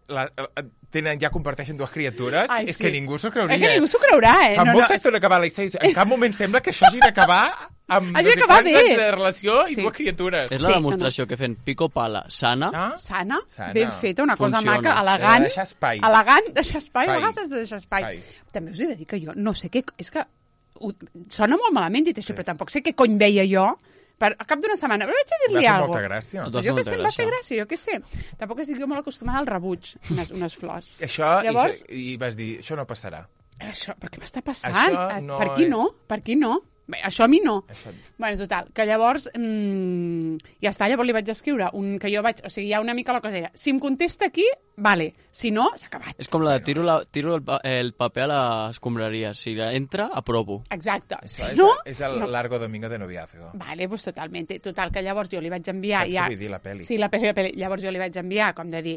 Speaker 2: La, a tenen, ja comparteixen dues criatures,
Speaker 1: Ai,
Speaker 2: és
Speaker 1: sí.
Speaker 2: que ningú s'ho creuria.
Speaker 1: És que ningú s'ho creurà, eh?
Speaker 2: Fa
Speaker 1: No,
Speaker 2: molta
Speaker 1: no,
Speaker 2: estona que va la història. En cap moment sembla que això hagi d'acabar amb
Speaker 1: Hagi
Speaker 2: no sé
Speaker 1: d'acabar
Speaker 2: quants
Speaker 1: bé.
Speaker 2: anys de relació i
Speaker 1: Sí.
Speaker 2: dues criatures.
Speaker 3: És la
Speaker 1: Sí,
Speaker 3: demostració que fent pico pala sana,
Speaker 2: Ah?
Speaker 1: sana,
Speaker 2: Sana.
Speaker 1: ben feta, una cosa
Speaker 3: Funciona.
Speaker 1: maca,
Speaker 2: He
Speaker 1: elegant.
Speaker 2: de deixar espai.
Speaker 1: Elegant, deixar espai,
Speaker 2: Espai.
Speaker 1: a vegades has de deixar espai.
Speaker 2: Espai.
Speaker 1: També us he de dir que jo no sé què... És que ho, sona molt malament dit això, però tampoc sé què cony veia jo per, a cap d'una setmana. Però vaig a
Speaker 2: Va
Speaker 1: dir-li
Speaker 2: fer
Speaker 1: alguna
Speaker 2: molta
Speaker 1: cosa.
Speaker 2: gràcia.
Speaker 3: No,
Speaker 1: Pues jo què
Speaker 3: molta
Speaker 1: sé, em va fer
Speaker 3: gràcia.
Speaker 1: gràcia, jo què sé. Tampoc estic jo molt acostumada al rebuig, unes, unes flors.
Speaker 2: Això,
Speaker 1: Llavors-
Speaker 2: i, i vas dir, això no passarà.
Speaker 1: Això, però què m'està passant?
Speaker 2: Això
Speaker 1: Eh,
Speaker 2: no
Speaker 1: per qui
Speaker 2: és-
Speaker 1: no? Per qui no? Bé, això a mi no.
Speaker 2: Això...
Speaker 1: Bueno, total, que llavors mmm, ja està, llavors li vaig escriure un, que jo vaig, o sigui, ja una mica la cosa era, si em contesta aquí, vale, si no, s'ha acabat.
Speaker 3: és com la de tiro, la, tiro el, pa- el paper a l'escombraria. Si entra, aprovo.
Speaker 1: Exacte,
Speaker 2: Això
Speaker 1: si
Speaker 2: és,
Speaker 1: no...
Speaker 2: és el
Speaker 1: no.
Speaker 2: largo domingo de noviazgo.
Speaker 1: Vale, pues totalmente. Total, que llavors jo li vaig enviar...
Speaker 2: Saps
Speaker 1: ja...
Speaker 2: què vull dir, la peli?
Speaker 1: Sí, la peli, la peli. Llavors jo li vaig enviar, com de dir,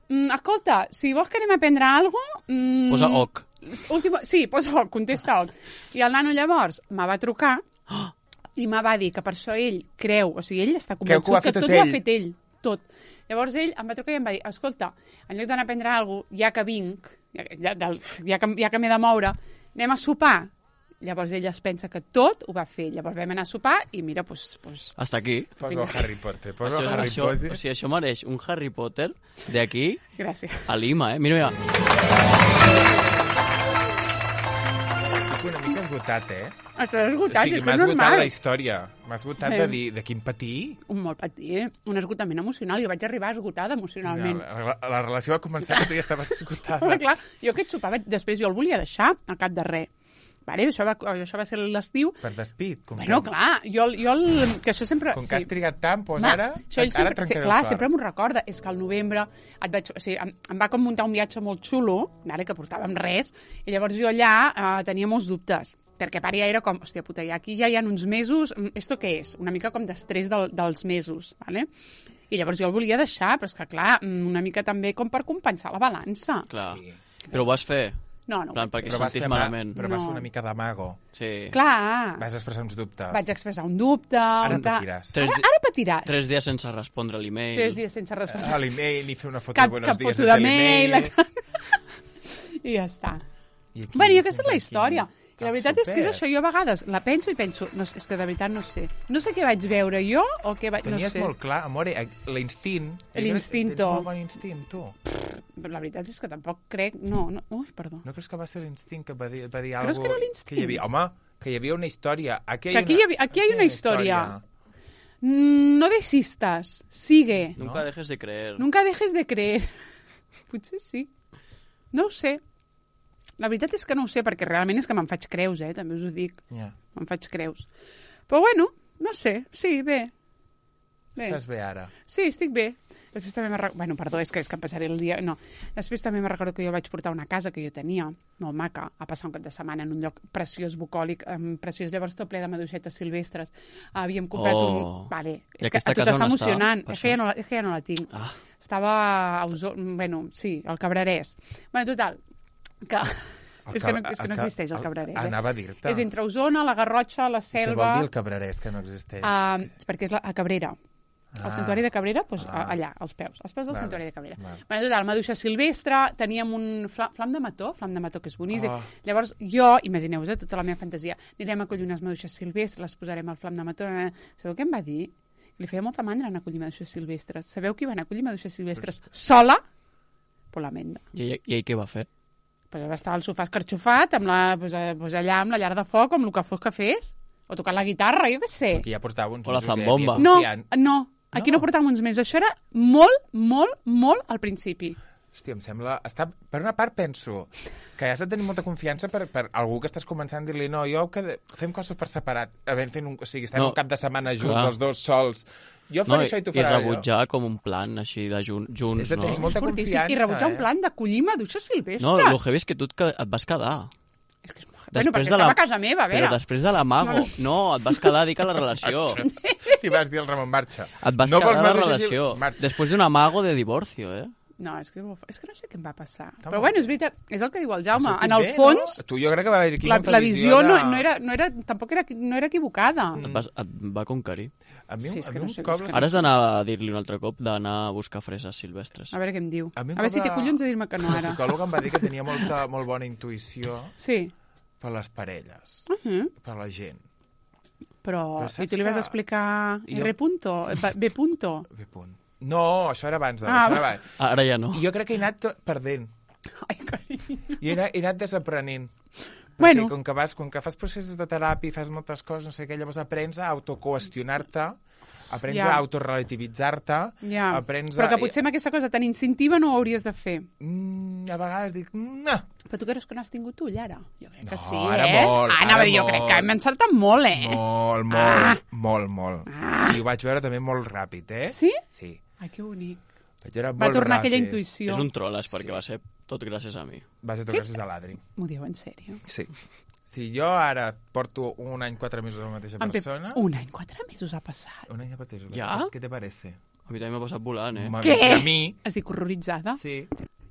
Speaker 1: mm, escolta, si vols que anem a prendre alguna cosa... Mm,
Speaker 3: Posa oc.
Speaker 1: Última... Sí, posa oc, contesta oc. I el nano llavors me va trucar i me va dir que per això ell creu, o sigui, ell està
Speaker 2: Creu que ho
Speaker 1: convençut
Speaker 2: ha
Speaker 1: que
Speaker 2: fet
Speaker 1: tot
Speaker 2: tot
Speaker 1: ho ha
Speaker 2: ell.
Speaker 1: fet ell, tot. Llavors ell em va trucar i em va dir, escolta, en lloc d'anar a prendre alguna cosa, ja que vinc, ja, ja, del- ja que, ja que m'he de moure, anem a sopar. Llavors ell es pensa que tot ho va fer. Llavors vam anar a sopar i mira, doncs... Pues,
Speaker 3: Hasta aquí.
Speaker 2: Posa el Harry Potter. Posa
Speaker 3: Això,
Speaker 2: el
Speaker 3: és-
Speaker 2: Harry
Speaker 3: això,
Speaker 2: Potter.
Speaker 3: o sigui, això mereix un Harry Potter d'aquí
Speaker 1: gràcies.
Speaker 3: a Lima, eh? Mira, mira.
Speaker 2: Estic una mica esgotat, eh?
Speaker 1: Estàs
Speaker 2: O
Speaker 1: esgotat,
Speaker 2: sigui,
Speaker 1: és que
Speaker 2: m'ha
Speaker 1: és
Speaker 2: esgotat
Speaker 1: normal.
Speaker 2: la història. M'ha esgotat
Speaker 1: Bé.
Speaker 2: de dir de quin patir.
Speaker 1: Un molt patir, eh? Un esgotament emocional. Jo vaig arribar esgotada emocionalment.
Speaker 2: La, la, la relació va començar que tu ja estaves esgotada.
Speaker 1: Però clar, jo aquest sopar, vaig- després jo el volia deixar al cap de res. Vale? Això, va, això va ser l'estiu.
Speaker 2: Per despit. Com
Speaker 1: Bueno,
Speaker 2: que,
Speaker 1: clar, jo, jo el, que això sempre...
Speaker 2: com que has trigat tant, doncs
Speaker 1: Va,
Speaker 2: ara,
Speaker 1: això ell
Speaker 2: ara
Speaker 1: sempre, sí,
Speaker 2: trencaré
Speaker 1: clar,
Speaker 2: el cor.
Speaker 1: sempre m'ho recorda. És que al novembre et vaig, o sigui, em, em va com muntar un viatge molt xulo, vale, que portàvem res, i llavors jo allà eh, tenia molts dubtes. Perquè a part ja era com, hòstia puta, ja aquí ja hi ha uns mesos, mm, esto què és? Una mica com d'estrès del, dels mesos, vale? I llavors jo el volia deixar, però és que, clar, una mica també com per compensar la balança.
Speaker 3: Clar.
Speaker 2: Sí.
Speaker 3: Però ho vas fer?
Speaker 1: No, no ho
Speaker 3: Plan,
Speaker 1: vaig
Speaker 3: perquè
Speaker 1: fer.
Speaker 2: Però vas,
Speaker 3: sentis
Speaker 2: fer ma-
Speaker 3: malament.
Speaker 2: però vas
Speaker 1: No.
Speaker 2: fer una mica d'amago.
Speaker 3: Sí.
Speaker 1: Clar,
Speaker 2: Vas expressar uns dubtes.
Speaker 1: vaig expressar un dubte...
Speaker 2: Ara
Speaker 1: un ta-
Speaker 2: patiràs.
Speaker 3: Tres
Speaker 1: Ara,
Speaker 3: di-
Speaker 1: ara patiràs.
Speaker 3: Tres dies sense respondre a l'email.
Speaker 1: Tres dies sense respondre.
Speaker 2: A l'email, i fer una foto
Speaker 1: Cap,
Speaker 2: de buenos
Speaker 1: cap
Speaker 2: días
Speaker 1: foto
Speaker 2: desde
Speaker 1: de mail.
Speaker 2: l'email.
Speaker 1: exacte. I ja està.
Speaker 2: I aquí,
Speaker 1: Bueno, i aquesta és la
Speaker 2: aquí,
Speaker 1: història. I la
Speaker 2: Ah,
Speaker 1: veritat és que és
Speaker 2: super.
Speaker 1: això, jo a vegades la penso i penso, no, és que de veritat no sé. No sé què vaig veure jo o què vaig... No
Speaker 2: Tenies
Speaker 1: sé.
Speaker 2: molt clar, amore, eh, l'instint...
Speaker 1: L'instinto.
Speaker 2: Tens molt bon instint, tu.
Speaker 1: Però la veritat és que tampoc crec... No, no... Ui, perdó.
Speaker 2: No creus que va ser l'instint que va dir, va dir
Speaker 1: Creus
Speaker 2: algo...
Speaker 1: que era l'instint?
Speaker 2: Que hi havia, home, que hi havia una història. Aquí
Speaker 1: Que aquí hi havia- aquí hi ha una història. Mm, no desistas, sigue.
Speaker 3: Nunca
Speaker 2: No.
Speaker 3: dejes de creer.
Speaker 1: Nunca dejes de creer. Potser sí. No ho sé. La veritat és que no ho sé, perquè realment és que me'n faig creus, eh? També us ho dic.
Speaker 2: Ja.
Speaker 1: Me'n faig creus. Però bueno, no sé. Sí, bé. Bé.
Speaker 2: Estàs bé ara.
Speaker 1: Sí, estic bé. Després també me'n recordo... Bueno, perdó, és que, és que em passaré el dia... No. Després també me'n recordo que jo vaig portar una casa que jo tenia, molt maca, a passar un cap de setmana en un lloc preciós, bucòlic, um, preciós, llavors tot ple de maduixetes silvestres. Havíem comprat
Speaker 3: Oh.
Speaker 1: un... Vale,
Speaker 3: I
Speaker 1: és que
Speaker 3: aquesta
Speaker 1: a tu
Speaker 3: casa
Speaker 1: t'està
Speaker 3: on està,
Speaker 1: emocionant.
Speaker 3: per
Speaker 1: És que, ja
Speaker 3: això?
Speaker 1: no la, és que ja no la tinc.
Speaker 3: Ah.
Speaker 1: Estava a Osona... Bueno, sí, al Cabrerès. Bueno, total, que...
Speaker 2: El
Speaker 1: és que no,
Speaker 2: ca-
Speaker 1: és que no
Speaker 2: el ca-
Speaker 1: existeix el
Speaker 2: el-
Speaker 1: Cabrerès. Eh?
Speaker 2: Anava a dir-te.
Speaker 1: És entre Osona, la Garrotxa, la
Speaker 2: Què
Speaker 1: Selva...
Speaker 2: vol dir el cabrerès, que no existeix?
Speaker 1: Uh, perquè és la, a Cabrera.
Speaker 2: Ah.
Speaker 1: El santuari de Cabrera, doncs,
Speaker 2: Ah.
Speaker 1: ah. allà, als peus. Als peus del
Speaker 2: Vale,
Speaker 1: santuari de Cabrera.
Speaker 2: vale.
Speaker 1: Bueno, total, maduixa silvestre, teníem un flam, flam de mató, flam de mató que és boníssim.
Speaker 2: Oh.
Speaker 1: Llavors, jo, imagineu-vos, eh, tota la meva fantasia, anirem a collir unes maduixes silvestres, les posarem al flam de mató. Eh. Sabeu què em va dir? Li feia molta mandra anar a collir maduixes silvestres. Sabeu qui va anar a collir maduixes silvestres sola? Por la menda.
Speaker 3: I ell, i ell què va fer?
Speaker 1: Pues va estar al sofà escarxofat, amb la, pues, eh, pues allà amb la llar de foc, amb el que fos que fes, o tocant la guitarra, jo què sé.
Speaker 2: Que ja portava uns
Speaker 3: O la
Speaker 2: mesos, ja
Speaker 3: zambomba.
Speaker 2: havia
Speaker 1: No,
Speaker 2: confiant.
Speaker 1: no, aquí
Speaker 2: No.
Speaker 1: no, portàvem uns mesos. Això era molt, molt, molt al principi.
Speaker 2: Hòstia, em sembla... Està... Per una part penso que has de tenir molta confiança per, per algú que estàs començant a dir-li no, jo que de... fem coses per separat, havent fet un... o sigui, estem
Speaker 3: No,
Speaker 2: un cap de setmana junts,
Speaker 3: clar.
Speaker 2: els dos sols. Jo
Speaker 3: No,
Speaker 2: faré
Speaker 3: i,
Speaker 2: això i tu
Speaker 3: I
Speaker 2: faràs allò.
Speaker 3: rebutjar com un plan així de jun, junts,
Speaker 2: És de tenir
Speaker 3: no?
Speaker 2: molta
Speaker 1: Fortíssim.
Speaker 2: confiança,
Speaker 1: I rebutjar
Speaker 2: eh?
Speaker 1: un plan de collir maduixes silvestres.
Speaker 3: No, el heavy és que tu et, que- et vas quedar.
Speaker 1: És que és molt... Bueno, perquè estava a casa meva, a veure.
Speaker 3: Però després de l'amago. No, et vas quedar, dic, a la relació.
Speaker 2: I vas dir al Ramon, marxa.
Speaker 3: Et vas
Speaker 2: no
Speaker 3: quedar
Speaker 2: vols
Speaker 3: a la
Speaker 2: maduixes i-
Speaker 3: relació.
Speaker 2: Marxa.
Speaker 3: Després d'un amago de divorcio, eh?
Speaker 1: No, és que, és que no sé què em va passar.
Speaker 2: Està
Speaker 1: Però
Speaker 2: molt
Speaker 1: bueno, és veritat, és el que diu el Jaume.
Speaker 2: Ha sortit
Speaker 1: En el
Speaker 2: bé,
Speaker 1: fons,
Speaker 2: No? Tu jo crec que va haver aquí
Speaker 1: la,
Speaker 2: molta
Speaker 1: la visió
Speaker 2: de...
Speaker 1: no, no, era, no era, tampoc era, no era equivocada.
Speaker 3: Et, vas, et va conquerir.
Speaker 2: A mi,
Speaker 1: Sí, és
Speaker 2: a
Speaker 1: que
Speaker 2: mi
Speaker 1: no
Speaker 2: un
Speaker 1: sé,
Speaker 2: cop...
Speaker 1: és que-
Speaker 3: Ara has d'anar a dir-li un altre cop d'anar a buscar freses silvestres.
Speaker 1: A veure què em diu.
Speaker 2: A
Speaker 1: A,
Speaker 2: mi un
Speaker 1: veure si
Speaker 2: cop
Speaker 1: té
Speaker 2: la-
Speaker 1: collons de dir-me que no
Speaker 2: El
Speaker 1: ara.
Speaker 2: psicòleg em va dir que tenia molta, molt bona intuïció
Speaker 1: Sí.
Speaker 2: per les parelles,
Speaker 1: Uh -huh.
Speaker 2: per la gent.
Speaker 1: Però,
Speaker 2: Però
Speaker 1: i
Speaker 2: saps
Speaker 1: tu li vas
Speaker 2: que-
Speaker 1: explicar
Speaker 2: Jo-
Speaker 1: R punto, B punto.
Speaker 2: Bé, punt. No, això era abans de...
Speaker 1: Ah,
Speaker 2: això era abans.
Speaker 3: Ara ja no.
Speaker 2: I jo crec que he anat to- perdent.
Speaker 1: Ai, carinyo.
Speaker 2: I he anat, he anat desaprenent.
Speaker 1: Bueno.
Speaker 2: Perquè com que, vas, com que fas processos de teràpia i fas moltes coses, no sé què, llavors aprens a autoqüestionar-te, aprens
Speaker 1: Ja.
Speaker 2: a autorelativitzar-te,
Speaker 1: Ja.
Speaker 2: aprens
Speaker 1: Però
Speaker 2: a...
Speaker 1: que potser amb aquesta cosa tan instintiva no ho hauries de fer.
Speaker 2: Mm, a vegades dic... No.
Speaker 1: Però tu creus que no has tingut ull, ara? Jo crec que
Speaker 2: No,
Speaker 1: sí,
Speaker 2: ara
Speaker 1: eh?
Speaker 2: molt,
Speaker 1: ah, anava
Speaker 2: ara
Speaker 1: a dir, jo
Speaker 2: molt.
Speaker 1: crec que hem encertat molt, eh?
Speaker 2: Molt, molt,
Speaker 1: Ah.
Speaker 2: molt, molt.
Speaker 1: Ah.
Speaker 2: I ho vaig veure també molt ràpid, eh?
Speaker 1: Sí?
Speaker 2: Sí.
Speaker 1: Ai, que bonic.
Speaker 2: Vaig veure
Speaker 1: Va
Speaker 2: molt
Speaker 1: tornar
Speaker 2: ràpid.
Speaker 1: aquella intuïció.
Speaker 3: És un troles, perquè
Speaker 2: Sí.
Speaker 3: va ser tot gràcies a mi.
Speaker 2: Va ser tot gràcies a l'Adri.
Speaker 1: M'ho diu en sèrio?
Speaker 2: Sí. Si jo ara porto un any, quatre mesos amb la mateixa
Speaker 1: En Pep,
Speaker 2: persona...
Speaker 1: un any, quatre mesos ha passat.
Speaker 2: Un any de pateix.
Speaker 3: Ja?
Speaker 2: Què te parece?
Speaker 3: A mi també m'ha passat volant, eh?
Speaker 2: M'ha
Speaker 1: Què?
Speaker 2: dit A mi,
Speaker 1: Estic horroritzada.
Speaker 2: sí.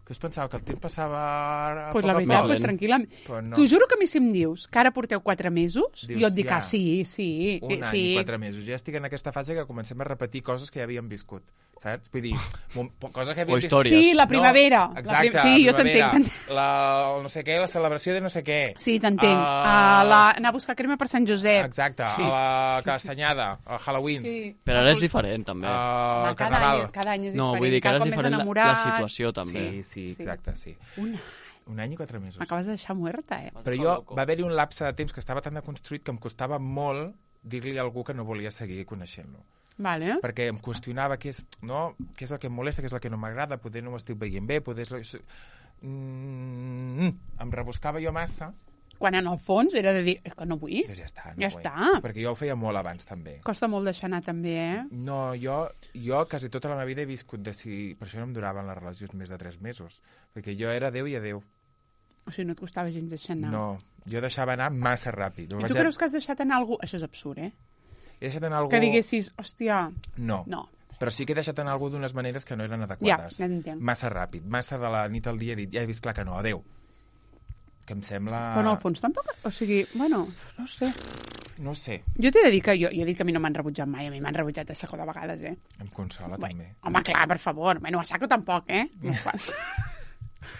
Speaker 2: Que us pensava que el temps passava... a
Speaker 1: Pues
Speaker 2: poc
Speaker 1: la
Speaker 2: a
Speaker 1: veritat,
Speaker 2: poc?
Speaker 1: pues tranquil·lament.
Speaker 2: Però no.
Speaker 1: T'ho juro que a mi si em dius que ara porteu quatre mesos,
Speaker 2: Dius,
Speaker 1: jo et dic,
Speaker 2: ja.
Speaker 1: ah, sí, sí.
Speaker 2: Un
Speaker 1: eh,
Speaker 2: any
Speaker 1: sí.
Speaker 2: i quatre mesos. Ja estic en aquesta fase que comencem a repetir coses que ja havíem viscut, saps? Vull dir, mo- coses que havíem
Speaker 3: O històries.
Speaker 1: Sí, la primavera.
Speaker 2: No,
Speaker 1: La
Speaker 2: exacte,
Speaker 1: prim- sí,
Speaker 2: la
Speaker 1: jo t'entenc,
Speaker 2: primavera.
Speaker 1: t'entenc.
Speaker 2: La, el no sé què, la celebració de no sé què.
Speaker 1: Sí, t'entenc.
Speaker 2: Ah.
Speaker 1: Uh, la... Anar a buscar crema per Sant Josep.
Speaker 2: Exacte,
Speaker 1: Sí.
Speaker 2: a la castanyada, a Halloween,
Speaker 1: Sí.
Speaker 3: Però ara és diferent, també.
Speaker 2: al
Speaker 1: Home, cada,
Speaker 2: Carnaval.
Speaker 1: any, cada any és
Speaker 3: No,
Speaker 1: diferent.
Speaker 3: vull dir que
Speaker 1: cada
Speaker 3: ara és
Speaker 1: cop més
Speaker 3: diferent la,
Speaker 1: enamorat.
Speaker 3: la situació, també.
Speaker 2: Sí, sí, exacte, sí.
Speaker 1: Un any.
Speaker 2: Un any i quatre mesos.
Speaker 1: M'acabes de deixar muerta, eh?
Speaker 2: Però jo va haver-hi un lapse de temps que estava tan deconstruït que em costava molt dir-li a algú que no volia seguir coneixent-lo.
Speaker 1: Vale.
Speaker 2: Perquè em qüestionava què és, no? Què és el que em molesta, què és el que no m'agrada, poder no ho estic veient bé, poder... És... Mm, em rebuscava jo massa,
Speaker 1: Quan en el fons era de dir, és que no vull.
Speaker 2: doncs ja està. No
Speaker 1: Ja
Speaker 2: vull.
Speaker 1: està.
Speaker 2: Perquè jo ho feia molt abans, també.
Speaker 1: Costa molt deixar anar, també, eh?
Speaker 2: No, jo, jo quasi tota la meva vida he viscut de si... Per això no em duraven les relacions més de tres mesos. Perquè jo era adéu i adéu.
Speaker 1: O sigui, no et costava gens deixar anar.
Speaker 2: No, jo deixava anar massa ràpid.
Speaker 1: I tu creus que has deixat anar algú... Això és absurd, eh?
Speaker 2: He deixat anar algú...
Speaker 1: Que diguessis, hòstia,
Speaker 2: No.
Speaker 1: no.
Speaker 2: Però sí que he deixat anar algú d'unes maneres que no eren
Speaker 1: Ja,
Speaker 2: adequades.
Speaker 1: ja t'entenc.
Speaker 2: Massa ràpid, massa de la nit al dia he dit, ja he vist clar que no, adeu. Que em sembla...
Speaker 1: Però en el fons tampoc... O sigui, bueno, no sé.
Speaker 2: No sé,
Speaker 1: Jo t'he de dir que jo, jo he dit que a mi no m'han rebutjat mai. A mi m'han rebutjat a saco de vegades, eh?
Speaker 2: em consola
Speaker 1: Bueno,
Speaker 2: també.
Speaker 1: home, clar, per favor. Bueno, a saco tampoc, eh? Unes quantes.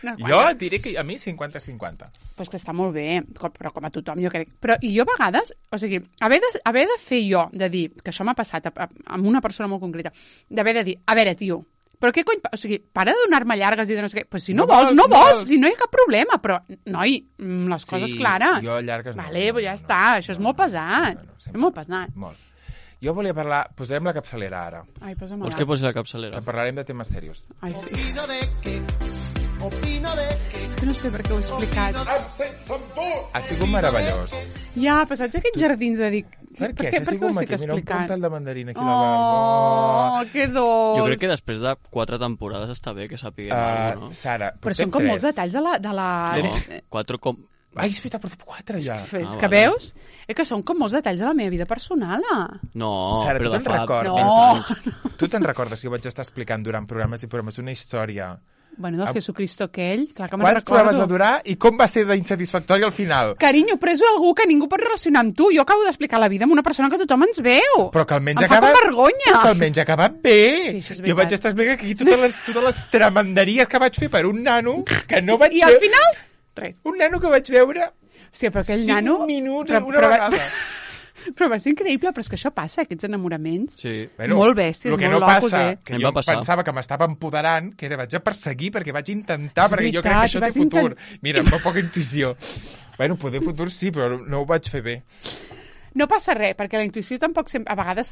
Speaker 1: Unes
Speaker 2: Jo
Speaker 1: quantes.
Speaker 2: et diré que a mi cinquanta cinquanta.
Speaker 1: Pues que està molt bé, com- però com a tothom, jo crec. Però, i jo a vegades, o sigui, haver de, haver de fer jo, de dir, que això m'ha passat a, a, amb una persona molt concreta, d'haver de dir, a veure, tio, però què cony... pa- O sigui, para de donar-me llargues i de no sé què. Pues si no,
Speaker 2: No
Speaker 1: vols,
Speaker 2: vols,
Speaker 1: no
Speaker 2: no
Speaker 1: vols,
Speaker 2: vols.
Speaker 1: si no hi ha cap problema. Però, noi, mm, les coses
Speaker 2: Sí,
Speaker 1: clares.
Speaker 2: jo llargues no,
Speaker 1: Vale,
Speaker 2: no,
Speaker 1: pues ja
Speaker 2: no,
Speaker 1: està,
Speaker 2: no,
Speaker 1: això és
Speaker 2: no,
Speaker 1: molt
Speaker 2: no,
Speaker 1: pesat.
Speaker 2: no, no,
Speaker 1: és
Speaker 2: sempre.
Speaker 1: molt pesat.
Speaker 2: Molt. Jo volia parlar... Posarem la capçalera ara.
Speaker 1: Ai, posa'm
Speaker 3: Vols
Speaker 1: la...
Speaker 3: que posi la
Speaker 2: Que
Speaker 3: capçalera?
Speaker 2: parlarem de temes serios.
Speaker 1: Ai, sí.
Speaker 4: Opino de que, opino de que,
Speaker 1: És que no sé per què ho he explicat.
Speaker 2: Ha sigut meravellós.
Speaker 1: Ja, però saps aquests jardins de dir...
Speaker 2: Per què?
Speaker 1: Per
Speaker 2: Si
Speaker 1: què,
Speaker 2: ha
Speaker 1: per què
Speaker 2: sigut
Speaker 1: ho estic
Speaker 2: maco. Mira, un
Speaker 1: explicant?
Speaker 2: pèl de mandarina aquí a la barba.
Speaker 1: Oh, que dolç.
Speaker 3: Jo crec que després de quatre temporades està bé que sapiguem
Speaker 2: Uh,
Speaker 3: alguna cosa,
Speaker 2: Sara,
Speaker 1: Però
Speaker 2: portem
Speaker 1: són com
Speaker 2: tres.
Speaker 1: molts detalls de la... De la...
Speaker 3: no? No, quatre com...
Speaker 2: Ai, és veritat, portem quatre ja.
Speaker 1: És
Speaker 3: Ah,
Speaker 1: que
Speaker 3: vale.
Speaker 1: veus? És que són com molts detalls de la meva vida personal. ah.
Speaker 3: No,
Speaker 2: Sara,
Speaker 3: però
Speaker 2: tu
Speaker 3: de
Speaker 2: te'n
Speaker 3: fa...
Speaker 2: recordes?
Speaker 1: No.
Speaker 2: Tu te'n recordes que jo vaig estar explicant durant programes i programes una història?
Speaker 1: Bueno, del
Speaker 2: Am-
Speaker 1: Jesucristo aquell, clar que me'n
Speaker 2: Quants programes va
Speaker 1: recordo.
Speaker 2: durar i com va ser d'insatisfactori al final?
Speaker 1: Carinyo, però és algú que ningú pot relacionar amb tu. Jo acabo d'explicar la vida amb una persona que tothom ens veu.
Speaker 2: Però que almenys
Speaker 1: Em fa
Speaker 2: acaba...
Speaker 1: com vergonya.
Speaker 2: Però que almenys ha acabat bé.
Speaker 1: Sí, això és
Speaker 2: jo
Speaker 1: veritat.
Speaker 2: vaig estar explicant aquí totes les, totes les tremenderies que vaig fer per un nano que no vaig
Speaker 1: I al
Speaker 2: veure...
Speaker 1: final... Res.
Speaker 2: Un nano que vaig veure
Speaker 1: Sí, però aquell
Speaker 2: cinc
Speaker 1: nano...
Speaker 2: minuts
Speaker 1: però,
Speaker 2: una
Speaker 1: però, va-
Speaker 2: vegada.
Speaker 1: Però va ser increïble, però és que això passa, aquests enamoraments.
Speaker 3: Sí.
Speaker 1: Molt bèsties,
Speaker 2: el que
Speaker 1: molt
Speaker 2: no
Speaker 1: locos,
Speaker 2: passa,
Speaker 1: eh?
Speaker 2: que
Speaker 3: Em
Speaker 2: jo
Speaker 3: va passar.
Speaker 2: pensava que m'estava empoderant, que era vaig a perseguir perquè vaig intentar,
Speaker 1: És
Speaker 2: perquè jo crec
Speaker 1: veritat,
Speaker 2: que això té
Speaker 1: vas
Speaker 2: futur.
Speaker 1: intent-
Speaker 2: Mira, amb poca intuïció. Bueno, poder futur sí, però no ho vaig fer bé.
Speaker 1: No passa res, perquè la intuïció tampoc sempre... A vegades...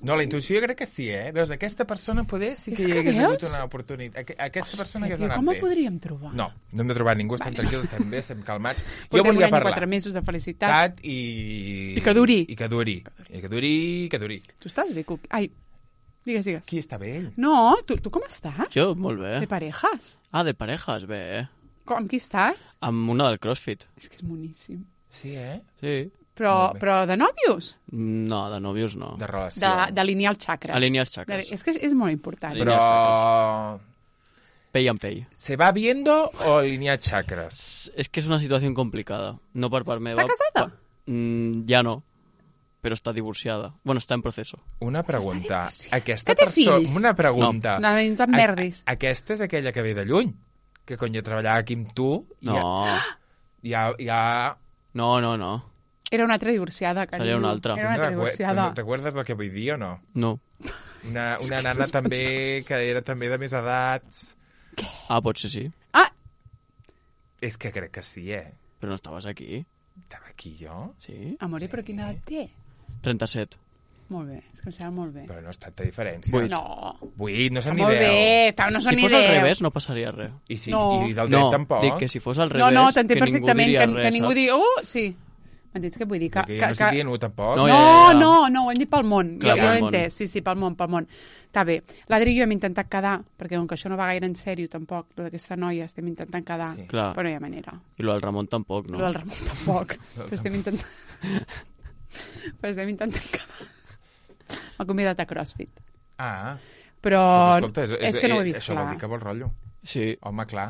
Speaker 2: No, la intuïció jo crec que sí, eh? Veus, aquesta persona poder sí que
Speaker 1: És
Speaker 2: hi
Speaker 1: que
Speaker 2: hagués
Speaker 1: veus?
Speaker 2: hagut una oportunitat. Aqu- Aquesta persona
Speaker 1: Hòstia,
Speaker 2: hagués
Speaker 1: tio,
Speaker 2: anat
Speaker 1: com
Speaker 2: bé.
Speaker 1: ho podríem trobar?
Speaker 2: No, no hem de trobar ningú, estem tranquils, estem bé, estem calmats. Jo
Speaker 1: Portem un
Speaker 2: volia
Speaker 1: any i
Speaker 2: parlar.
Speaker 1: quatre mesos de felicitat.
Speaker 2: Tat i...
Speaker 1: I que duri.
Speaker 2: I que duri. I que duri, i que duri.
Speaker 1: Tu estàs bé, Cuc? Ai, digues, digues.
Speaker 2: Qui està bé ell?
Speaker 1: No, tu, tu com estàs?
Speaker 3: Jo, molt bé.
Speaker 1: De parejas?
Speaker 3: Ah, de parejas, bé, eh?
Speaker 1: Com, amb qui estàs?
Speaker 3: Amb una del CrossFit.
Speaker 1: És que és moníssim.
Speaker 2: Sí, eh?
Speaker 3: Sí.
Speaker 1: Però,
Speaker 2: Molt bé.
Speaker 1: però de nòvios?
Speaker 3: No, de nòvios no.
Speaker 2: De relació.
Speaker 1: De- D'alinear els xacres.
Speaker 3: Alinear els xacres.
Speaker 1: De- És que és molt important.
Speaker 3: Alinear
Speaker 2: Però...
Speaker 3: Pell amb pell.
Speaker 2: ¿Se va viendo o alinear chakras?
Speaker 3: Es que és una situació complicada. No per part meva.
Speaker 1: Està casada?
Speaker 3: Pa- Mm, ja no. Però està divorciada. Bueno, està en proceso.
Speaker 2: Una pregunta.
Speaker 1: divorciant.
Speaker 2: Aquesta
Speaker 1: Que té
Speaker 2: persona...
Speaker 1: fills?
Speaker 2: Una pregunta.
Speaker 1: No, no te'n perdis.
Speaker 2: A, aquesta és aquella que ve de lluny. Que quan jo treballava aquí amb tu...
Speaker 3: No.
Speaker 2: Ja, ja, ja...
Speaker 3: No, no, no.
Speaker 1: Era una altra divorciada, carinyo.
Speaker 3: Seria una altra.
Speaker 1: Era una altra divorciada.
Speaker 2: ¿Te acuerdas del que vull dir o no?
Speaker 3: No.
Speaker 2: Una, una nana també que era també de més edats.
Speaker 3: Ah, potser sí.
Speaker 1: Ah,
Speaker 2: És que crec que sí, eh?
Speaker 3: Però no estaves aquí.
Speaker 2: Estava aquí jo?
Speaker 3: Sí?
Speaker 1: amore, però quina edat té?
Speaker 3: trenta-set.
Speaker 1: Molt bé, és que em sembla molt bé.
Speaker 2: Però no ha estat de diferència.
Speaker 3: Vuit.
Speaker 1: No,
Speaker 2: Vuit, no són ni
Speaker 1: molt
Speaker 2: deu.
Speaker 1: bé, ta- no són
Speaker 3: Si
Speaker 1: ni
Speaker 3: fos al
Speaker 1: deu.
Speaker 3: revés, no passaria res.
Speaker 2: I, si,
Speaker 1: No.
Speaker 2: I del dret
Speaker 3: No,
Speaker 2: tampoc.
Speaker 3: dic que si fos al
Speaker 1: No,
Speaker 3: revés,
Speaker 1: no, t'entenc
Speaker 3: que ningú
Speaker 1: perfectament,
Speaker 3: diria
Speaker 1: que,
Speaker 3: res,
Speaker 1: que ningú
Speaker 3: saps?
Speaker 1: digui, oh, sí. M'entens què vull dir? Que,
Speaker 2: Que,
Speaker 1: que,
Speaker 2: jo no estic dient u tampoc.
Speaker 3: No,
Speaker 1: No,
Speaker 3: ja, ja, ja.
Speaker 1: no, no, ho hem dit pel món.
Speaker 3: Clar,
Speaker 1: jo
Speaker 3: pel
Speaker 1: jo l'he
Speaker 3: món.
Speaker 1: entès, sí, sí, pel món, pel món. Està bé. L'Adri i jo hem intentat quedar, perquè com que això no va gaire en sèrio tampoc, lo d'aquesta noia, estem intentant quedar,
Speaker 2: Sí.
Speaker 3: Clar.
Speaker 1: però no hi ha manera.
Speaker 3: I lo del Ramon tampoc, no?
Speaker 1: No. Lo del Ramon tampoc, però estem intentant... però estem intentant quedar. M'ha convidat a CrossFit.
Speaker 2: Ah,
Speaker 1: Però
Speaker 2: doncs escolta, és, és,
Speaker 1: és que no ho he
Speaker 2: és,
Speaker 1: vist
Speaker 2: això
Speaker 1: clar.
Speaker 2: vol dir que vol rotllo.
Speaker 3: Sí.
Speaker 2: Home, clar.